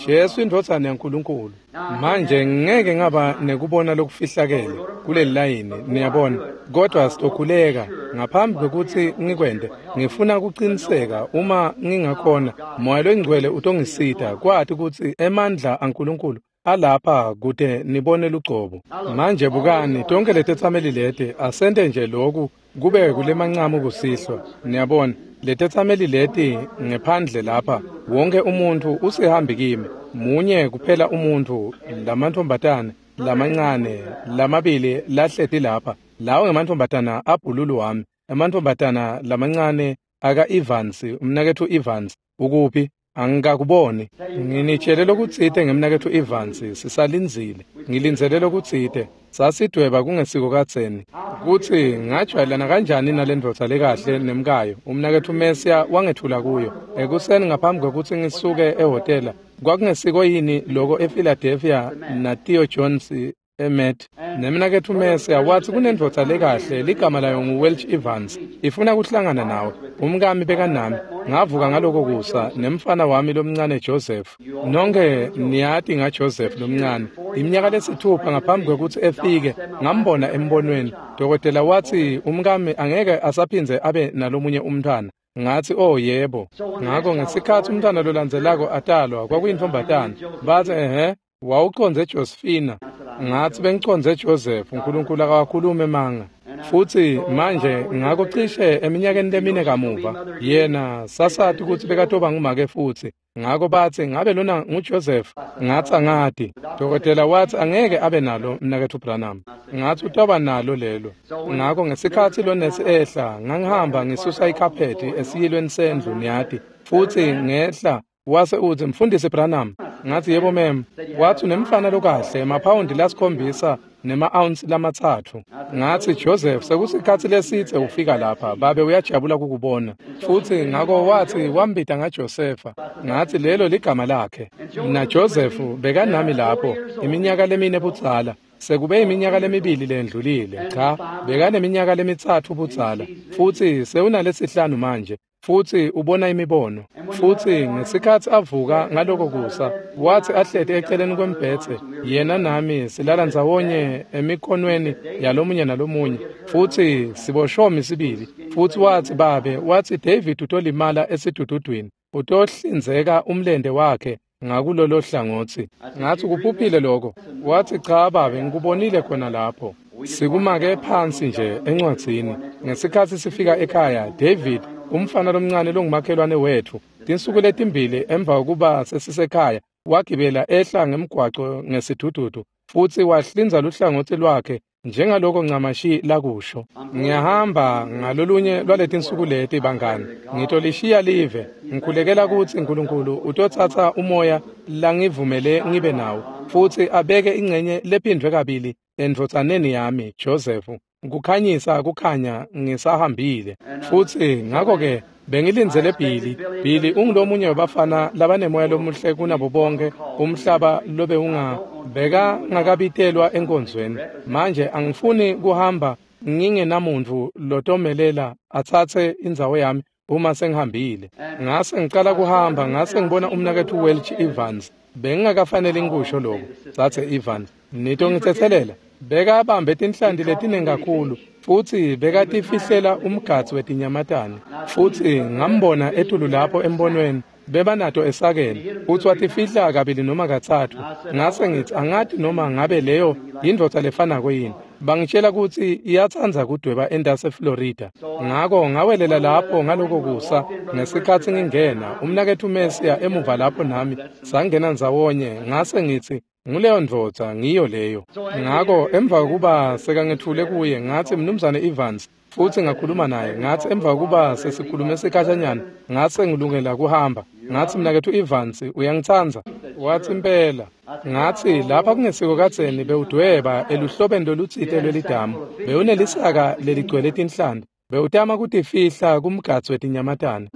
Jesu indvodzana yaNkulunkulu. Manje ngeke ngaba nekubona lokufihlakele kuleli layini, niyabona, kodwa sitokhuleka ngaphambi kwekutsi ngikwente. Ngifuna kuqiniseka uma ngingakhona, Moya loNgcwele utongisita kwati kutsi emandla aNkulunkulu alapha kute nibone lugcobo. Manje bukani, tonke letetsameli leti, asente nje loku kube kulemancamu kusihlwa. Niyabona, letetsameli leti ngephandle lapha, wonke umuntu usihambi kimi. Munye kuphela umuntu, lamantfombatana lamancane lamabili lahleti lapha, lawo ngemantfombatana abhululu wami, emantfombatana lamancane aka Evans, umnaketfu Evans. Ukuphi? Angikakuboni. Nginitshele lokutsite ngemnaketfu Evans, sisalindzile. Ngilindzele lokutsite. Sasidweba kungesiko kadzeni. Kutsi ngajwayelana kanjani nalendvodza lekahle nemkayo. Umnaketfu Mesiya wangethula kuyo. Ekuseni ngaphambi kwekutsi ngisuke ehhotela, kwakungesiko yini loko ePhiladelphia na Theo Jones eMet. Nemnaketfu Mesiya watsi kunendvodza lekahle ligama layo nguWelch Evans, ifuna kuhlangana nawe. Umkami bekanami. Ngavuka ngaloko kusa nemfana wami lomncane Joseph. Nonke niyati ngaJoseph lomncane. Iminyaka lesithupha ngaphambi kwekutsi efike ngambona embonweni. Dokotela watsi umkami angeke asaphindze abe nalomunye umntwana. Ngathi oh yebo. Ngakho ngesikhatsi umntwana lolandzelako atalwa kwakuyintfombatana. Batsi ehhe wawucondze Josephina. Ngathi bengicondze Joseph. uNkulunkulu akawakhulumi emanga. Futsi manje ngakho cishe eminyakeni lemine kamuva yena sasati kutsi bekatoba ngumake futsi. Ngakho batsi ngabe lona nguJoseph? Ngathi angati. Dokotela watsi angeke abe nalo mnaketfu Branham. Ngathi utoba nalo lelo. Ngakho ngesikhatsi lonesi ehla ngangihamba ngisusa ikhaphethi esiyilweni sendlu niyati. Futsi ngehla wase utsi mfundisi Branham. Ngathi yebo mem. Watsi unemfana lokahle emaphawundi lasikhombisa nema-ounce lamatsatfu. Ngathi Joseph sekusikhatsi lesitse ufika lapha, babe uyajabula kukubona. Futsi ngako watsi wambita ngaJosepha. Ngathi lelo ligama lakhe. Na Joseph bekanami lapho iminyaka lemine budzala. Sekube iminyaka lemibili lendlulile. Cha, bekaneminyaka lemitsatfu budzala. Futsi sewunalesihlanu manje. Futsi ubona imibono. Futsi ngesikhatsi avuka ngaloko kusa, watsi ahleti eceleni kwembhedze, yena nami silala ndzawonye emikhonweni yalomunye nalomunye. Futsi siboshomi sibili. Futsi watsi babe, watsi David utolimala esidududwini, utohlinzeka umlente wakhe ngakulolo hlangotsi. Ngathi kuphuphile lokho. Watsi cha babe, ngikubonile khona lapho. Sikumake phansi nje encwadzini. Ngesikhatsi sifika ekhaya, David umfana lomncane longumakhelwane wethu, tinsuku letimbili emva kokuba sesisekhaya, wagibela ehla ngemgwaco ngesidududu futsi wahlinza luhlangotsi lwakhe njengaloko ncamashi lakusho. Ngiyahamba ngalolunye lwaletinsuku leti bangani, ngitolishiya live. Ngikhulekela kutsi uNkulunkulu utotsatsa umoya langivumele ngibe nawo futsi abeke ingcenye lephindvwe kabili endvodzaneni yami Joseph, kukhanyisa kukhanya ngisahambile. Futsi ngakho-ke bengilindzele Billy. Billy ungulomunye webafana labanemoya lomuhle kunabo bonke umhlaba lobe unga beka ngakabitelwa enkonzweni. Manje angifuni kuhamba ngingenamuntu lotomelela atsatse indzawo yami uma sengihambile. Ngase ngicala kuhamba ngase ngibona umnaketfu Welch Evans. Bengingakafanele ngikusho lokho. Tsatse Evans, nitongitsetselela. Bekabambe tinhlanti letinengi kakhulu futsi bekatifihlela umgadzi wetinyamatane. Futsi ngambona etulu lapho embonweni bebanato esakeni futsi watifihla kabili noma katsatfu. Ngase ngitsi angati noma ngabe leyo yindvodza lefanako yini. Bangitshela kutsi iyatsandza kudweba entasi eFlorida. Ngako ngawelela lapho ngaloko kusa ngesikhatsi ngingena umnaketfu Mesiya emuva lapho nami sangena ndzawonye. Ngase ngitsi nguleyo ndvodza ngiyo leyo. Ngako emva kokuba sekangethule kuye ngathi mnumzane Evans, futsi ngakhuluma naye. Ngathi emva kokuba sesikhulume sikhashanyana ngase ngilungela kuhamba. Ngathi mnaketfu Evans uyangitsandza? Watsi impela. Ngathi lapha kungesiko kadzeni bewudweba eluhlobeni lolutsite lwelidamu, bewunelisaka leligcwele tinhlanti, bewutama kutifihla kumgadzi wetinyamatane.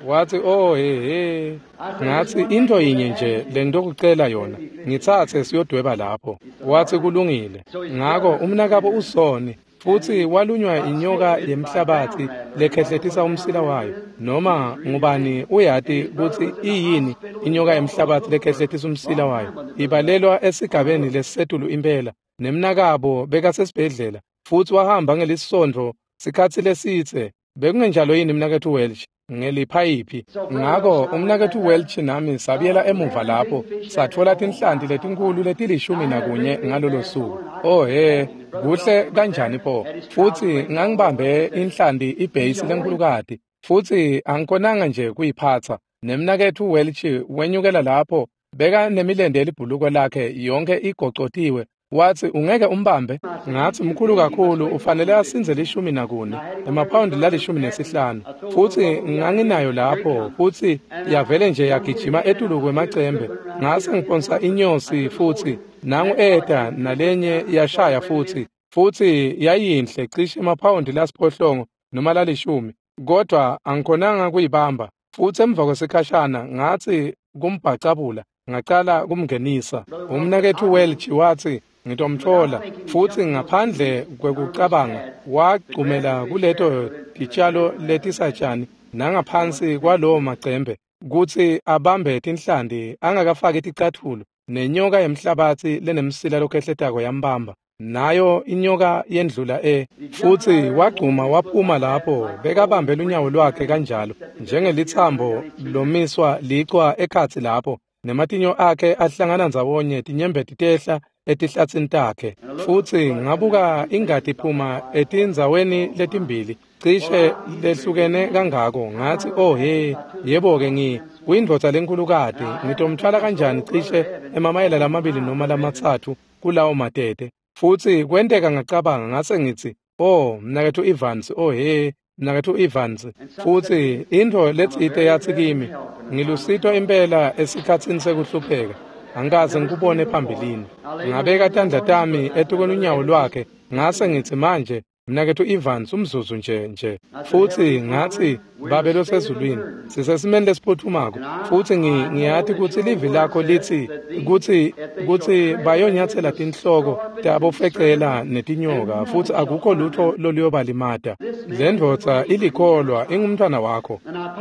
Watsi oh he he. Ngathi into yinye nje lengitokucela yona, ngitsatse siyodweba lapho. Watsi kulungile. Ngako umnakabo usoni futsi walunywa inyoka yemhlabatsi lekhehletisa umsila wayo. Noma ngubani uyati kutsi iyini inyoka yemhlabatsi lekhehletisa umsila wayo. Ibalelwa esigabeni lesisetulu impela. Nemnakabo bekasesibhedlela futsi wahamba ngelisondvo sikhatsi lesitse. Bekungenjalo yini mnaketfu Welch? Ngeliphayiphi. Ngako umnaketfu Welch nami sabuyela emuva lapho satfola tinhlanti letinkhulu letilishumi nakunye ngalolo suku. Oh he, kuhle kanjani pho. Futsi ngangibambe inhlanti ibheyisi lenkhulukati futsi angikhonanga nje kuyiphatsa. Nemnaketfu Welch wenyukela lapho beka nemilente yelibhuluko lakhe yonke igocotiwe Watsi, ungeke umbambe? Ngatsi, mkhulu kakhulu, ufanele asinze lishumi nakune, emaphawundi lalishumi nesihlanu. Futsi nganginayo lapho, futsi yavele nje yagijima etulu kwemacembe. Ngase ngiphonsa inyosi futsi, nangu eta nalenye yashaya futsi, futsi yayinhle cishe emaphawundi lasiphohlongo noma lalishumi, kodwa angikhonanga kuyibamba. Futsi emva kwesikhashana ngatsi kumbhacabula, ngacala kumngenisa. Umnaketfu Welch watsi, ngitomtfola. Futsi ngaphandle kwekucabanga wagcumela kuleto titjalo letisatjani nangaphansi kwalowo macembe kutsi abambe tinhlanti angakafaki ticatfulo, nenyoka yemhlabatsi lenemsila lokhehletako yambamba. Nayo inyoka yendlula e futsi wagcuma waphuma lapho, bekabambe lunyawo lwakhe kanjalo njengelitsambo lomiswa licwa ekhatsi lapho, nematinyo akhe ahlangana ndzawonye, tinyembeti tehla etihlatsini takhe. Futsi ngabuka ingati iphuma etindzaweni letimbili cishe lehlukene kangako. Ngatsi, oh he, yebo-ke, ngi kuyindvodza lenkhulukati, ngitomtfwala kanjani cishe emamayela lamabili noma lamatsatfu kulawo matete. Futsi kwenteka ngacabanga, ngase ngitsi, oh mnaketfu Evans, oh he, mnaketfu Evans. Futsi intfo letsite yatsi kimi, ngilusito impela esikhatsini sekuhlupheka, angikaze ngikubone phambilini. Ngabeka tandla tami etukwelunyawo lwakhe, ngase ngitsi, manje mnaketfu Evans, umzuzu nje nje. Futsi ngatsi, Babe losezulwini, sisesimeni lesiphuthumako, futsi ngiyati kutsi livi lakho litsi kutsi kutsi bayonyatsela tinhloko tabofecela netinyoka, futsi akukho lutho loluyobalimata. Le ndvodza ilikholwa, ingumntfwana wakho.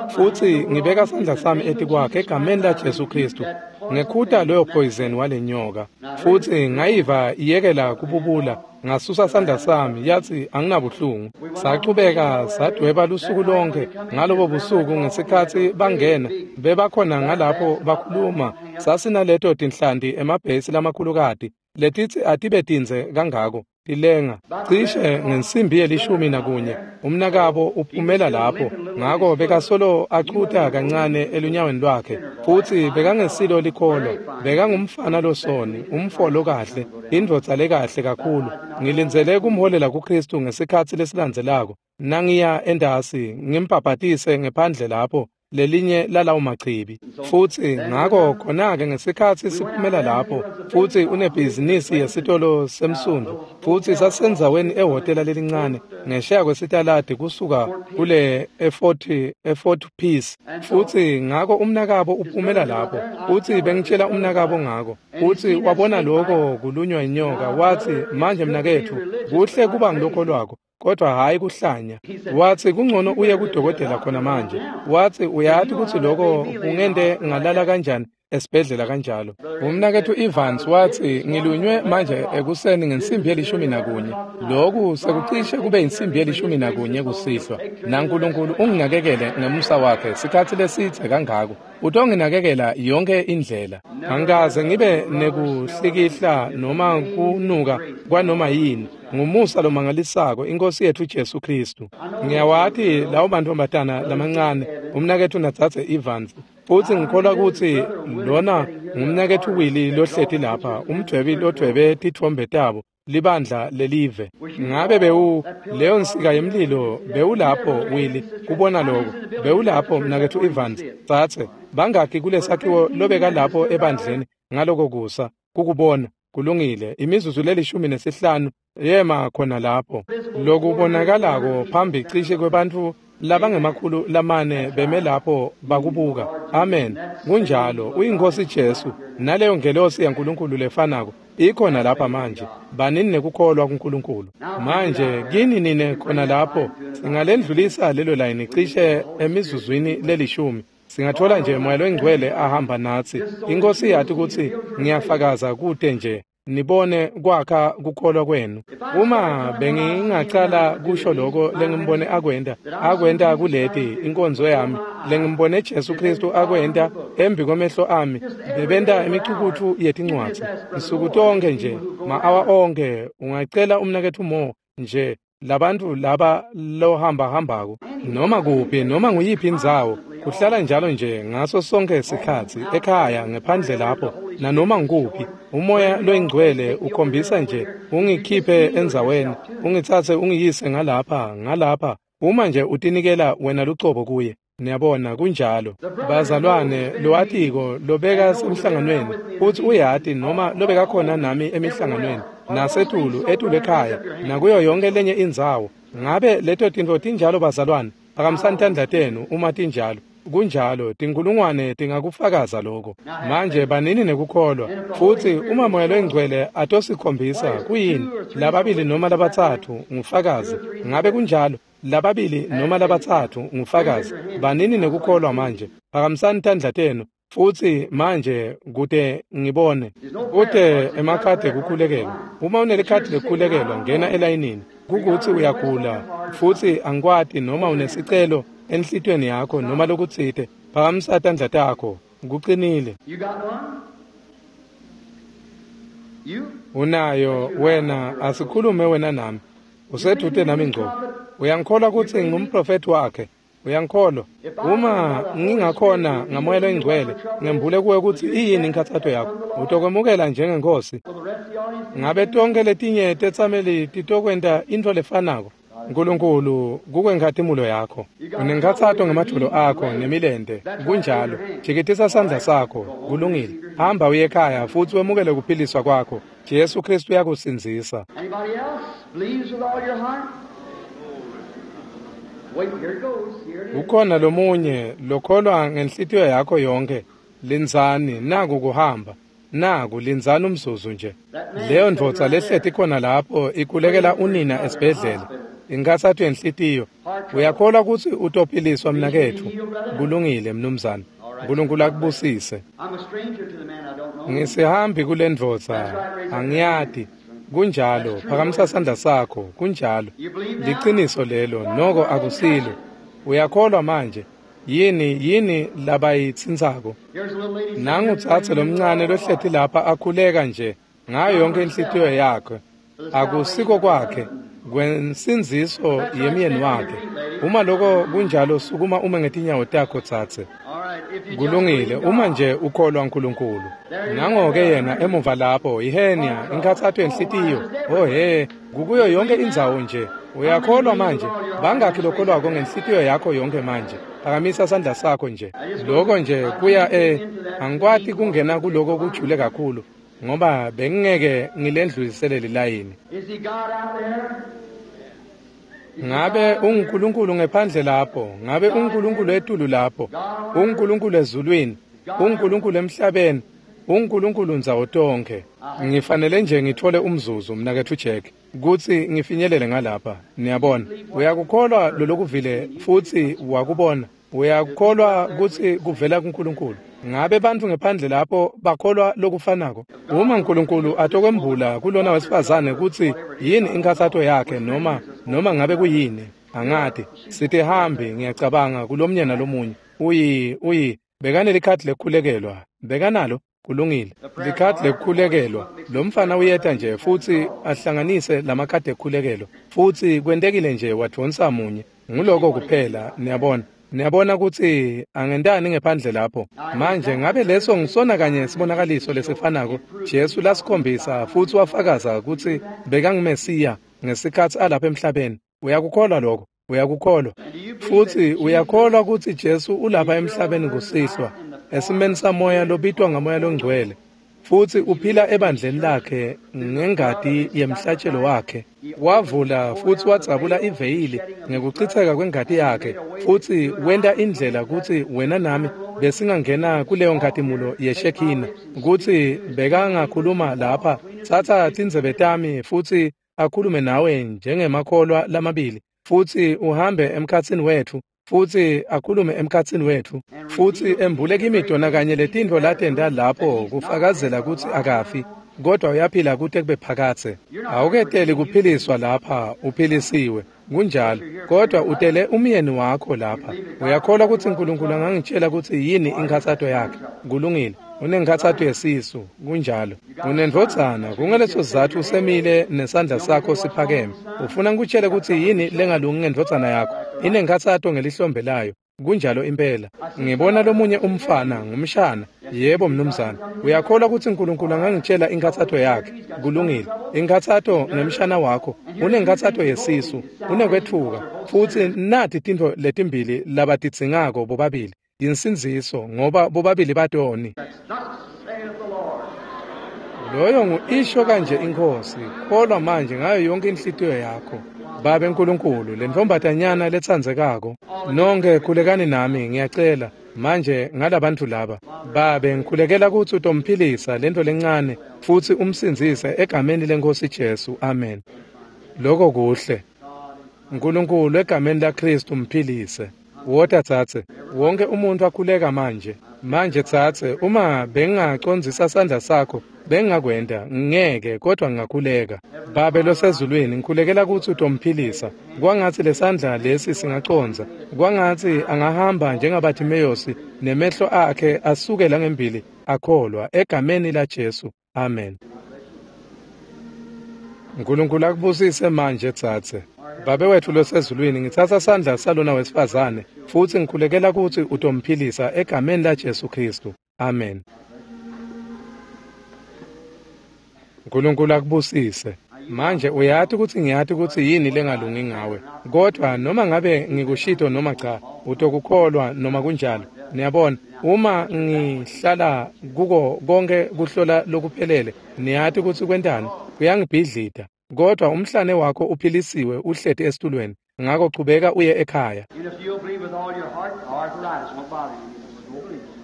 Futsi ngibeka sandla sami etikwakhe egameni la Jesu Khristu, ngekhuta loyo poison walenyoka. Futsi ngayiva iyekela kububula, ngasusa sandla sami, yatsi anginabuhlungu. Sachubeka sadweba lusuku lonke. Ngalobo busuku ngesikhatsi bangena, bebakhona ngalapho bakhuluma, sasinaleto tinhlanti emabhesi lamakhulukati letitsi atibe tindze kangako tilenga. Cishe ngensimbi yelishumi nakunye umnakabo uphumela lapho, ngako bekasolo achuta kancane elunyaweni lwakhe, futsi bekangesilo likholwa, bekangumfana losoni, umfo lokahle, indvodza lekahle kakhulu. Ngilindzele kumholela kuKhristu ngesikhatsi lesilandzelako nangiya endasi ngimbhabhatise ngephandle lapho lelinye lalawo machibi. Futsi ngako khona-ke ngesikhatsi siphumela lapho, futsi unebhizinisi yesitolo semsundvu, futsi sasendzaweni ehhotela lelincane ngesheya kwesitaladi kusuka kule eFort eFort Peace. Futsi ngako umnakabo uphumela lapho, futsi bengitshela umnakabo ngako, futsi wabona loko kulunywa inyoka, watsi, manje mnaketfu, kuhle kuba ngilokholwako, kodwa hhayi kuhlanya. Watsi, kungcono uye kudokotela khona manje. Watsi, uyati kutsi loko kungente ngalala kanjani esibhedlela kanjalo. Umnaketfu Evans watsi, ngilunywe manje ekuseni ngensimbi yelishumi nakunye. Loku sekucishe kube insimbi yelishumi nakunye kusihlwa. NaNkulunkulu unginakekele ngemusa wakhe sikhatsi lesidze kangako. Utonginakekela yonke indlela. Angikaze ngibe nekuhlikihla noma kunuka kwanoma yini. Ngumusa lomangalisako iNkosi yetfu Jesu Khristu. Ngiyawati lawo mantfombatana lamancane, umnaketfu nadzadze Evans. Futsi ngikholwa kutsi lona ngumnaketfu Willie lohleti lapha, umdvwebi lodvwebe titfombe tabo, libandla lelive. Ngabe bewu leyo nsika yemlilo bewulapho Willie kubona lokho? Bewulapho mnaketfu Evans? Tsatse, bangakhi kulesakhiwo lobeka lapho ebandleni ngaloko kusa kukubona? Kulungile, imizuzu lelishumi nesihlanu yema khona lapho. Lokubonakalako phambi cishe kwebantfu labangemakhulu lamane beme lapho bakubuka. Amen. Kunjalo, uyiNkosi Jesu, naleyo ngelosi yaNkulunkulu lefanako ikhona lapha manje. Banini nekukholwa kuNkulunkulu. Manje kini nine khona lapho, singalendlulisa lelo layini cishe emizuzwini lelishumi. Singathola nje Moya loNgcwele ahamba natsi. INkosi yathi kutsi ngiyafakaza kute nje nibone kwakha kukholwa kwenu. Uma bengingacala kusho lokho lengimbone akwenta, akwenta kuleti inkonzo yami, lengimbone Jesu Khristu akwenta embi kwemehlo ami, bebenta imicukutfu yetincwadzi nsuku tonke nje, ma-awa onke. Ungacela umnaketfu Mo nje, labantu laba lohamba hambako noma kuphi noma nguyiphi indzawo, Kuhlala njalo nje ngaso sonke isikhatsi ekhaya ngephandle lapho nanoma ngikuphi umoya loyingcwele ukhombisa nje ungikhiphe endzaweni ungitsatse ungiyise ngalapha ngalapha uma nje utinikela wena lucobo kuye. Niyabona kunjalo bazalwane lowatiko lobeka semhlanganweni futhi uyati noma lobeka khona nami emihlanganweni nasetulu etulu ekhaya nakuyo yonke lenye indzawo. Ngabe leto tintfo tinjalo bazalwane? Phakamisani tandla tenu uma tinjalo. Kunjalo, tinkulungwane tingakufakaza lokho. Manje banini nekukholwa futhi uma moya loyingcwele atosikhombisa kuyini lababili noma labatsatfu ngufakazi. Ngabe kunjalo? Lababili noma labatsatfu ngufakazi. Banini nekukholwa manje. Phakamisani tandla tenu futhi manje kute ngibone. Kute emakhadi ekukhulekelwa. Uma unelikhadi lekukhulekelwa ngena elayinini. Kukuthi uyagula futhi angikwati noma unesicelo enhlitiyweni yakho noma lokutsite, phakamisa tandla takho. Kucinile. Unayo wena, asikhulume wena nami. Usedute nami ngco. Uyangikholwa ukuthi ngumprofeti wakhe? Uyangikholwa? Uma ngingakhona ngamoya loyingcwele ngembule kuwe ukuthi iyini inkhathato yakho, utokwemukela njengenkosi. Ngabe tonke letinye tetsameli titokwenta intfo lefanako? Nkulunkulu kukwenkhatimulo yakho. Unenkhathato ngemadvolo akho nemilente. Kunjalo. Jikitisa sandla sakho. Kulungile. Hamba uye ekhaya futhi wemukele kuphiliswa kwakho. Jesu Kristu uyakusindzisa. Ukhona lomunye lokholwa ngenhlitiyo yakho yonke? Lindzani, naku kuhamba. Naku lindzani umzuzu nje. Leyo ndvodza lehleti khona lapho ikhulekela unina esibhedlela. Inkhathato yenhlitiyo. Uyakholwa kutsi utophiliswa mnaketfu? Kulungile mnumzane. Nkulunkulu akubusise. Ngisihambi kule ndvodza, angiyati. Kunjalo, phakamisa sandla sakho. Kunjalo. Liciniso lelo, noko akusilo. Uyakholwa manje? Yini yini labayitsintsako? Nangu tsatse lomncane lohleti lapha akhuleka nje ngayo yonke inhlitiyo yakhe. Akusiko kwakhe, kwensindziso yemyeni wakhe. Uma lokho kunjalo, sukuma ume ngetinyawo takho tsatse. Kulungile, uma nje ukholwa uNkulunkulu. Nango-ke yena emuva lapho, ihenia, inkhathato yenhlitiyo. Oh he, kukuyo yonke indzawo nje. Uyakholwa manje? Bangakhi lokholwako ngenhlitiyo yakho yonke manje? Phakamisa sandla sakho nje. Lokho nje kuya e angikwati kungena kuloko kujule kakhulu ngoba bengingeke ngilendlulisele lilayini. Ngabe unguNkulunkulu ngephandle lapho? Ngabe unguNkulunkulu etulu lapho? UnguNkulunkulu ezulwini? UnguNkulunkulu emhlabeni? UnguNkulunkulu ndzawo tonke. Ngifanele nje ngithole umzuzu mnaketfu Jack kutsi ngifinyelele ngalapha. Niyabona, uyakukholwa lolokuvile futhi wakubona. Uyakukholwa kutsi kuvela kuNkulunkulu. Ngabe bantfu ngephandle lapho bakholwa lokufanako? Uma uNkulunkulu atokwembula kulona wesifazane kutsi yini inkhathato yakhe noma noma ngabe kuyini, angati. Sitihambi ngiyacabanga kulomnye nalomunye. Uyi uyi bekanelikhadi lekukhulekelwa. Bekanalo? Kulungile. Likhadi lekukhulekelwa. Lo mfana uyeta nje futhi ahlanganise lamakhadi ekukhulekelwa. Futhi kwentekile nje wadvonsa munye. Nguloko kuphela, niyabona. Niyabona kutsi angentani ngephandle lapho. Manje ngabe leso ngisona kanye sibonakaliso lesifanako Jesu lasikhombisa futhi wafakaza kutsi bekangumesiya ngesikhatsi alapha emhlabeni. Uyakukholwa lokho? Uyakukholwa? Futhi uyakholwa kutsi Jesu ulapha emhlabeni kusihlwa esimeni samoya lobitwa ngamoya longcwele futhi uphila ebandleni lakhe ngengati yemhlatshelo wakhe. Wavula futhi wadzabula iveyili ngekuchitheka kwengati yakhe futhi wenta indlela kutsi wena nami besingangena kuleyo nkhatimulo yeshekhina, kutsi bekangakhuluma lapha, tsatsa tindzebe tami futhi akhulume nawe njengemakholwa lamabili futhi uhambe emkhatsini wetfu futhi akhulume emkhatsini wetfu futhi embule kimi tona kanye letintfo latenta lapho kufakazela kutsi akafi kodwa uyaphila kute kube phakatse. Awuketeli kuphiliswa lapha, uphilisiwe. Kunjalo, kodwa utele umyeni wakho lapha. Uyakholwa kutsi uNkulunkulu angangitshela kutsi yini inkhathato yakhe? Kulungile. Unenkhathato yesisu, kunjalo. Unendvodzana, kungaleso sizatfu usemile nesandla sakho siphakeme. Ufuna ngikutshele kutsi yini lengalungi ngendvodzana yakho? Inenkhathato ngelihlombe layo. Kunjalo impela. Ngibona lomunye umfana, ngumshana. Yebo mnumzane. Uyakholwa kutsi uNkulunkulu angangitshela inkhatsato yakhe? Kulungile. Inkhatsato ngemshana wakho, unenkhatsato yesisu, unekwetfuka, futsi nati tintfo letimbili labatidzingako bobabili. Insindziso, ngoba bobabili batoni. Loyo ngu-isho kanje iNkhosi, kholwa manje ngayo yonke inhlitiyo yakho. Babe Nkulunkulu, lentfombatanyana letsandzekako, nonke khulekani nami, ngiyacela manje ngalabantfu laba. Babe, ngikhulekela kutsi utomphilisa lento lencane futsi umsindzise egameni leNkhosi Jesu. Amen. Lokho kuhle. Nkulunkulu, egameni laKhristu mphilise. Wota tsatse, wonke umuntu akhuleka manje. Manje tsatse, uma bengingacondzisa sandla sakho, bengingakwenta, ngeke, kodwa ngingakhuleka. Babe losezulwini, ngikhulekela kutsi utomphilisa. Kwangatsi lesandla lesi singacondza. Kwangatsi angahamba njengaBhathimeyosi nemehlo akhe asukela ngembili akholwa, egameni laJesu. Amen. Nkulunkulu akubusise manje tsatse. Babe wetfu losezulwini, ngitsatsa sandla salona wesifazane futsi ngikhulekela kutsi utomphilisa egameni laJesu Khristu. Amen. Nkulunkulu akubusise. Manje uyati kutsi ngiyati kutsi yini lengalungi ngawe, kodvwa noma ngabe ngikushito noma cha, utokukholwa noma kunjalo. Niyabona, uma ngihlala kuko konke kuhlola lokuphelele, niyati kutsi kwentani, kuyangibhidlita. Kodwa umhlane wakho uphilisiwe, uhleti esitulweni, ngako chubeka uye ekhaya.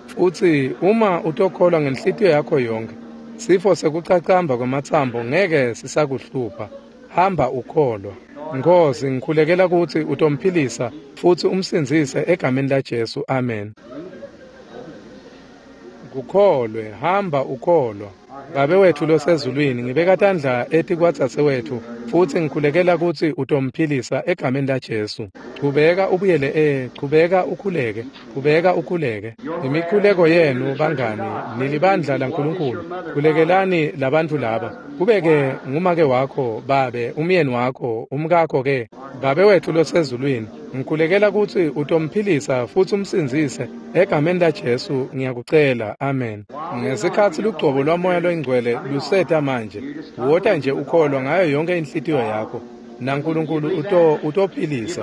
Futsi uma utokholwa ngenhlitiyo yakho yonke, sifo sekucacamba kwamatsambo ngeke sisakuhlupha. Hamba ukholwa. Nkhosi, ngikhulekela kutsi utomphilisa futsi umsindzise egameni laJesu. Amen. Kukholwe, hamba ukholwa. Babe wetfu losezulwini, ngibeka tandla etikwadzadzewetfu futsi ngikhulekela kutsi utomphilisa egameni laJesu. Chubeka ubuyele e, chubeka ukhuleke, chubeka ukhuleke. Imikhuleko yenu bangani, nilibandla laNkulunkulu. Khulekelani labantfu laba. Kube-ke ngumake wakho, babe, umyeni wakho, umkakho ke. Babe wetfu losezulwini, ngikhulekela kutsi utomphilisa futsi umsindzise egameni laJesu, ngiyakucela. Amen. Ngesikhatsi lugcobo lwaMoya loyiNgcwele luseta manje, wota nje ukholwa ngayo yonke inhlitiyo yakho, naNkulunkulu uto utophilisa.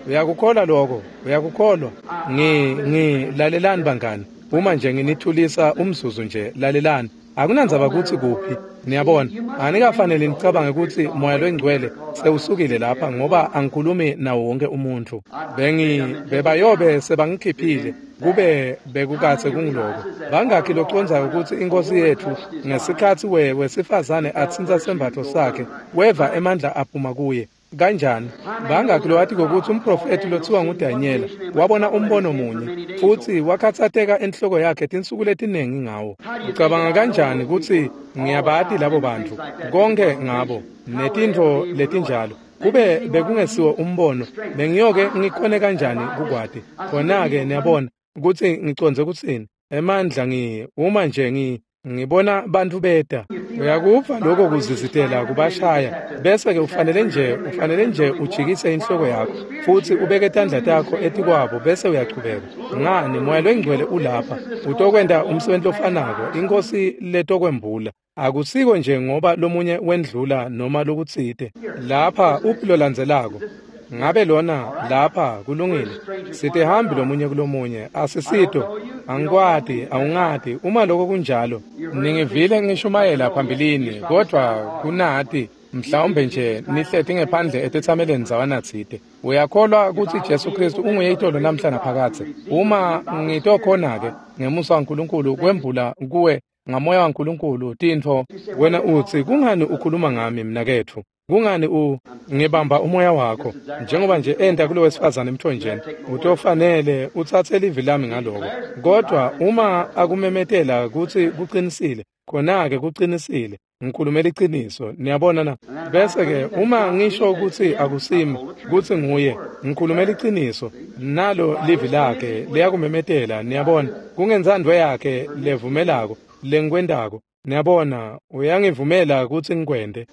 Uyakukholwa lokho? Uyakukholwa? Ngi ngi lalelani bangani, uma nje nginithulisa umzuzu nje, lalelani. Akunandzaba kutsi kuphi, niyabona, anikafanele nicabange kutsi Moya loyiNgcwele sewusukile lapha, ngoba angikhulumi nawo wonke umuntfu. Bengi bebayobe sebangikhiphile kube bekukatse kungiloko. Bangakhi locondzayo kutsi iNkhosi yetfu ngesikhatsi we wesifazane atsintsa sembatfo sakhe, weva emandla aphuma kuye? Kanjani? Bangakhi lowatiko kutsi umprofethi lothiwa nguDanyela wabona umbono munye futsi wakhatsateka enhloko yakhe tinsuku letiningi ngawo? Ucabanga kanjani kutsi ngiyabati labo bantfu konke ngabo netintfo letinjalo? Kube bekungesiwo umbono, bengiyoke ngikhone kanjani kukwati? Khona-ke niyabona kutsi ngicondze kutsini. Emandla ngi uma nje ngi ngibona bantfu beta, uyakuva lokho kuzizitela kubashaya, bese ke ufanele nje ufanele nje ujikise inhloko yakho futsi ubeke tandla takho etikwabo bese uyachubeka. Ngani, Moya loyiNgcwele ulapha, utokwenta umsebenzi lofanako iNkhosi letokwembula. Akusiko nje ngoba lomunye wendlula noma lokutsite. Lapha uphi lolandzelako? Ngabe lona lapha kulungile. Sitihambi lomunye kulomunye, asisito. Angikwati, awungati. Uma lokho kunjalo, ningivile ngishumayela phambilini, kodvwa kunati mhlawumbe nje nihleti ngephandle etetsameleni dzawanatsite. Uyakholwa kutsi Jesu Khristu unguye itolo namhla naphakadze? Uma ngitokhona-ke ngemusa waNkulunkulu kwembula kuwe ngamoya waNkulunkulu tintfo, wena utsi, kungani ukhuluma ngami mnaketfu? Kungani u ngibamba umoya wakho njengoba nje enta kulo wesifazane emthonjeni? Utofanele utsatse livi lami ngaloko. Kodwa uma akumemetela kutsi kucinisile, khona-ke kucinisile. Ngikhulumela iciniso, niyabona na? Bese-ke uma ngisho kutsi akusimi, kutsi nguye, ngikhulumela iciniso, nalo livi lakhe liyakumemetela, niyabona, kungentsandvo yakhe levumelako lengikwentako. Niyabona, uyangivumela kutsi ngikwente.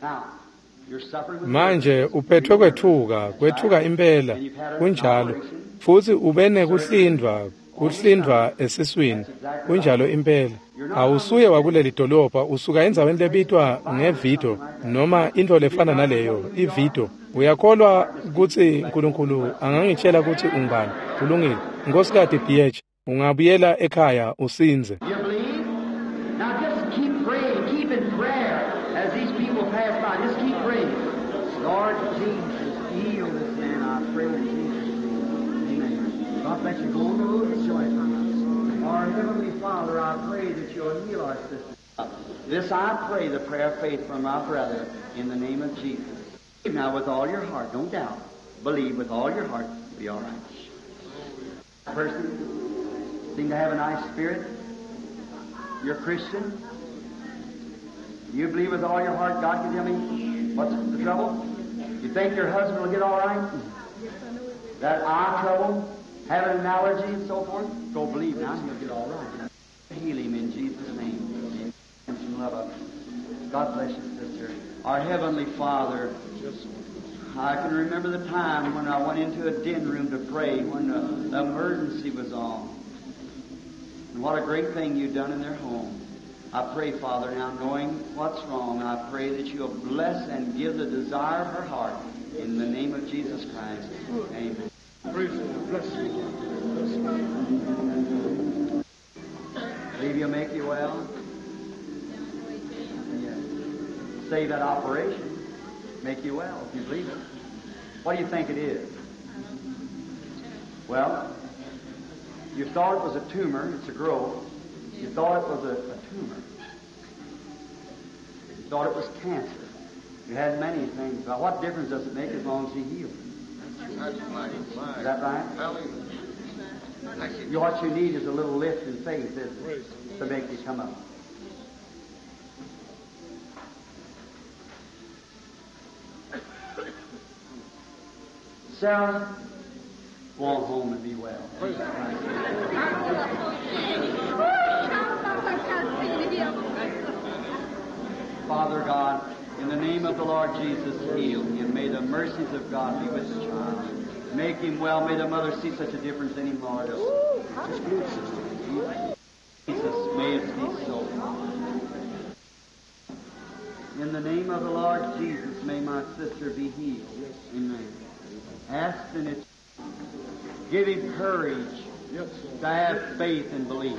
Manje uphethwe kwethuka, kwethuka impela, kunjalo, futsi ube nekuhlindvwa, kuhlindvwa esiswini, kunjalo impela. Awusuye wakuleli dolobha, usuka endzaweni lebitwa ngeVido noma intfo lefana naleyo, iVido. Uyakholwa kutsi Nkulunkulu angangitjela kutsi ungubani? Kulungile. Nkhosikati B H, ungabuyela ekhaya usindze. Now just keep praying, keep in prayer as these people pass by. Just keep praying. Lord Jesus, heal this man, I pray in Jesus' name. Amen. God bless you. Go on the road and joy. Our Heavenly Father, I pray that you'll heal our sister. This I pray, the prayer of faith from my brother, in the name of Jesus. Now with all your heart, don't doubt. Believe with all your heart, you'll be all right. Person seem to have a nice spirit. You're a Christian. You believe with all your heart God can tell me what's the trouble? You think your husband will get all right? That eye trouble, having an allergy and so forth? Go believe now and he'll get all right. Heal him in Jesus' name. And some love up. God bless you, sister. Our Heavenly Father, I can remember the time when I went into a den room to pray when the, the emergency was on. And what a great thing you've done in their home. I pray, Father, now knowing what's wrong, I pray that you'll bless and give the desire of her heart in the name of Jesus Christ. Amen. Praise the Lord. Bless you. Bless you. Believe he'll make you well? Yes. Save that operation. Make you well if you believe it. What do you think it is? Well, you thought it was a tumor. It's a growth. You thought it was a, a tumor. You thought it was cancer. You had many things. But what difference does it make as long as he heals? That's mighty. Is that right? Hallelujah. What you need is a little lift in faith, isn't it, to make you come up. Sarah, go on home and be well. Father God, in the name of the Lord Jesus, heal him. May the mercies of God be with the child. Make him well. May the mother see such a difference in him, Lord. Jesus, may it be so. In the name of the Lord Jesus, may my sister be healed. Amen. Ask and it. Give him courage to have faith and belief.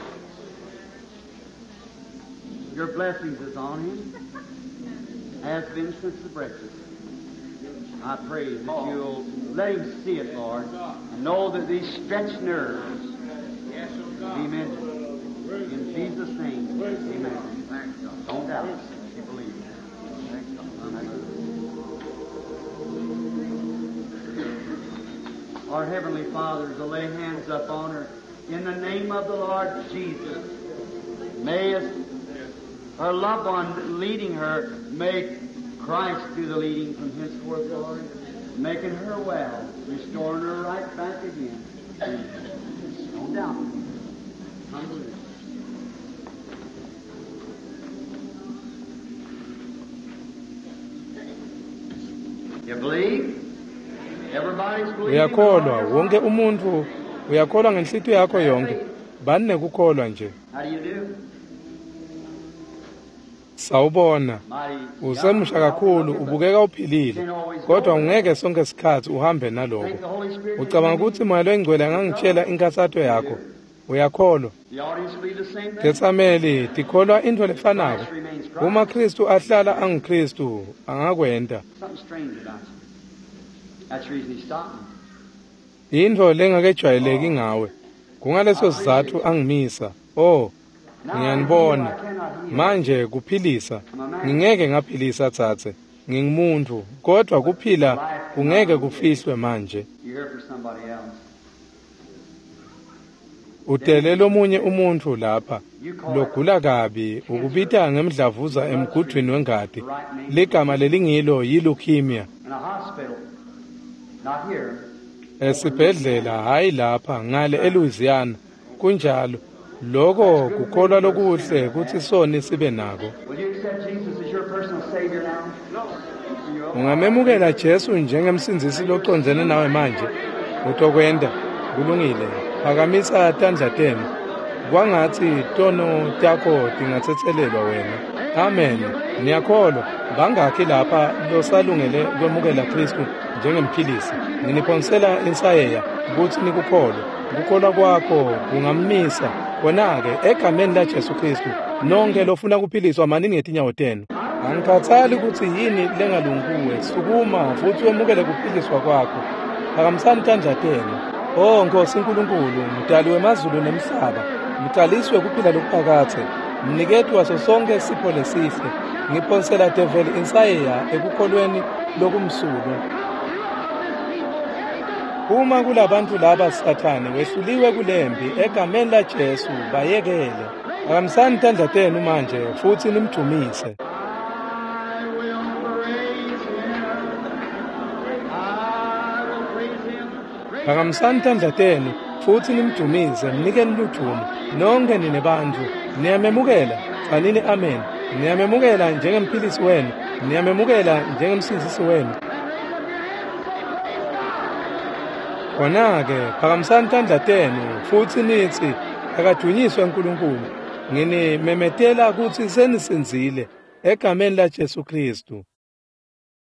Your blessings is on him, has been since the breakfast. I pray that you'll let him see it, Lord, and know that these stretched nerves be mended. In Jesus' name, amen. Don't doubt it. You believe. Our Heavenly Father, to lay hands up on her. In the name of the Lord Jesus, may us, her loved one leading her, may Christ do the leading from henceforth, Lord, making her well, restoring her right back again. Don't doubt. Hallelujah. You believe? Everybody's believing. Uyakholwa, wonke umuntu uyakholwa ngenhlitiyo yakho yonke. Bani nekukholwa nje. How do you do? Sawubona. Usemusha kakhulu, ubukeka uphilile, kodwa ungeke sonke isikhathi uhambe naloko. Ucabanga ukuthi Moya loyiNgcwele angangitshela inkathato yakho? Uyakholwa? The audience believe the same thing. Tetsameli tikholwa intfo lefanako. Uma Kristu ahlala anguKristu, angakwenta. Something strange about you. That's the reason he stopped me. Intfo lengakejwayeleki ngawe. Kungaleso sizatfu angimisa. Oh, ngiyanibona. Manje kuphilisa. Ngingeke ngaphilisa tsatse. Ngingumuntu, kodwa kuphila kungeke kufihlwe manje. You're here for somebody else. Utele lomunye umuntu lapha logula kabi ukubita ngemdlavuza emgudwini wengati. Ligama lelingilo yi-leukemia. In a hospital. Not here. Esibhedlela hayi lapha ngale eLouisiana. Kunjalo. Lokho kukholwa lokuhle kutsi soni sibe nako. Will you accept Jesus as your personal Savior now? No. You Ungamemukela Jesu njengemsindzisi locondzene nawe manje? Utokwenta. Kulungile. Phakamisa tandla tenu. Kwangatsi tono takho tingatsetselelwa wena. Amen. Niyakholwa. Bangakhi lapha losalungele kwemukela Khristu njengemphilisi? Nginiphonsela insayeya kutsi nikukholwe. Kukholwa kwakho kungammisa. Khona-ke egameni laJesu Khristu, nonke lofuna kuphiliswa manini ngetinyawo tenu. Angikhathali kutsi yini lengalungi kuwe, sukuma futsi wemukele kuphiliswa kwakho. Phakamisani tandla tenu. Oh Nkosi Nkulunkulu, mdali wemazulu nemhlaba, mcalisi wekuphila lokuphakadze, mniketi waso sonke sipho lesihle, ngiphonsela develi insayeya ekukholweni lokumsulwa. Uma kulabantu laba Sathane wehluliwe kulempi egameni laJesu, bayekele. Phakamisani tandla tenu manje futsi nimdumise. I will praise him. I will praise him. Praise Phakamisani tandla tenu futsi nimdumise, mnikeni ludumo. Nonke nine bantfu niyamemukela, tsanini amen. Niyamemukela njengemphilisi wenu, niyamemukela njengemsindzisi wenu. Khona-ke phakamisani tandla tenu futsi nitsi, akadunyiswe Nkulunkulu. Nginimemetela kutsi senisindzile egameni laJesu Khristu.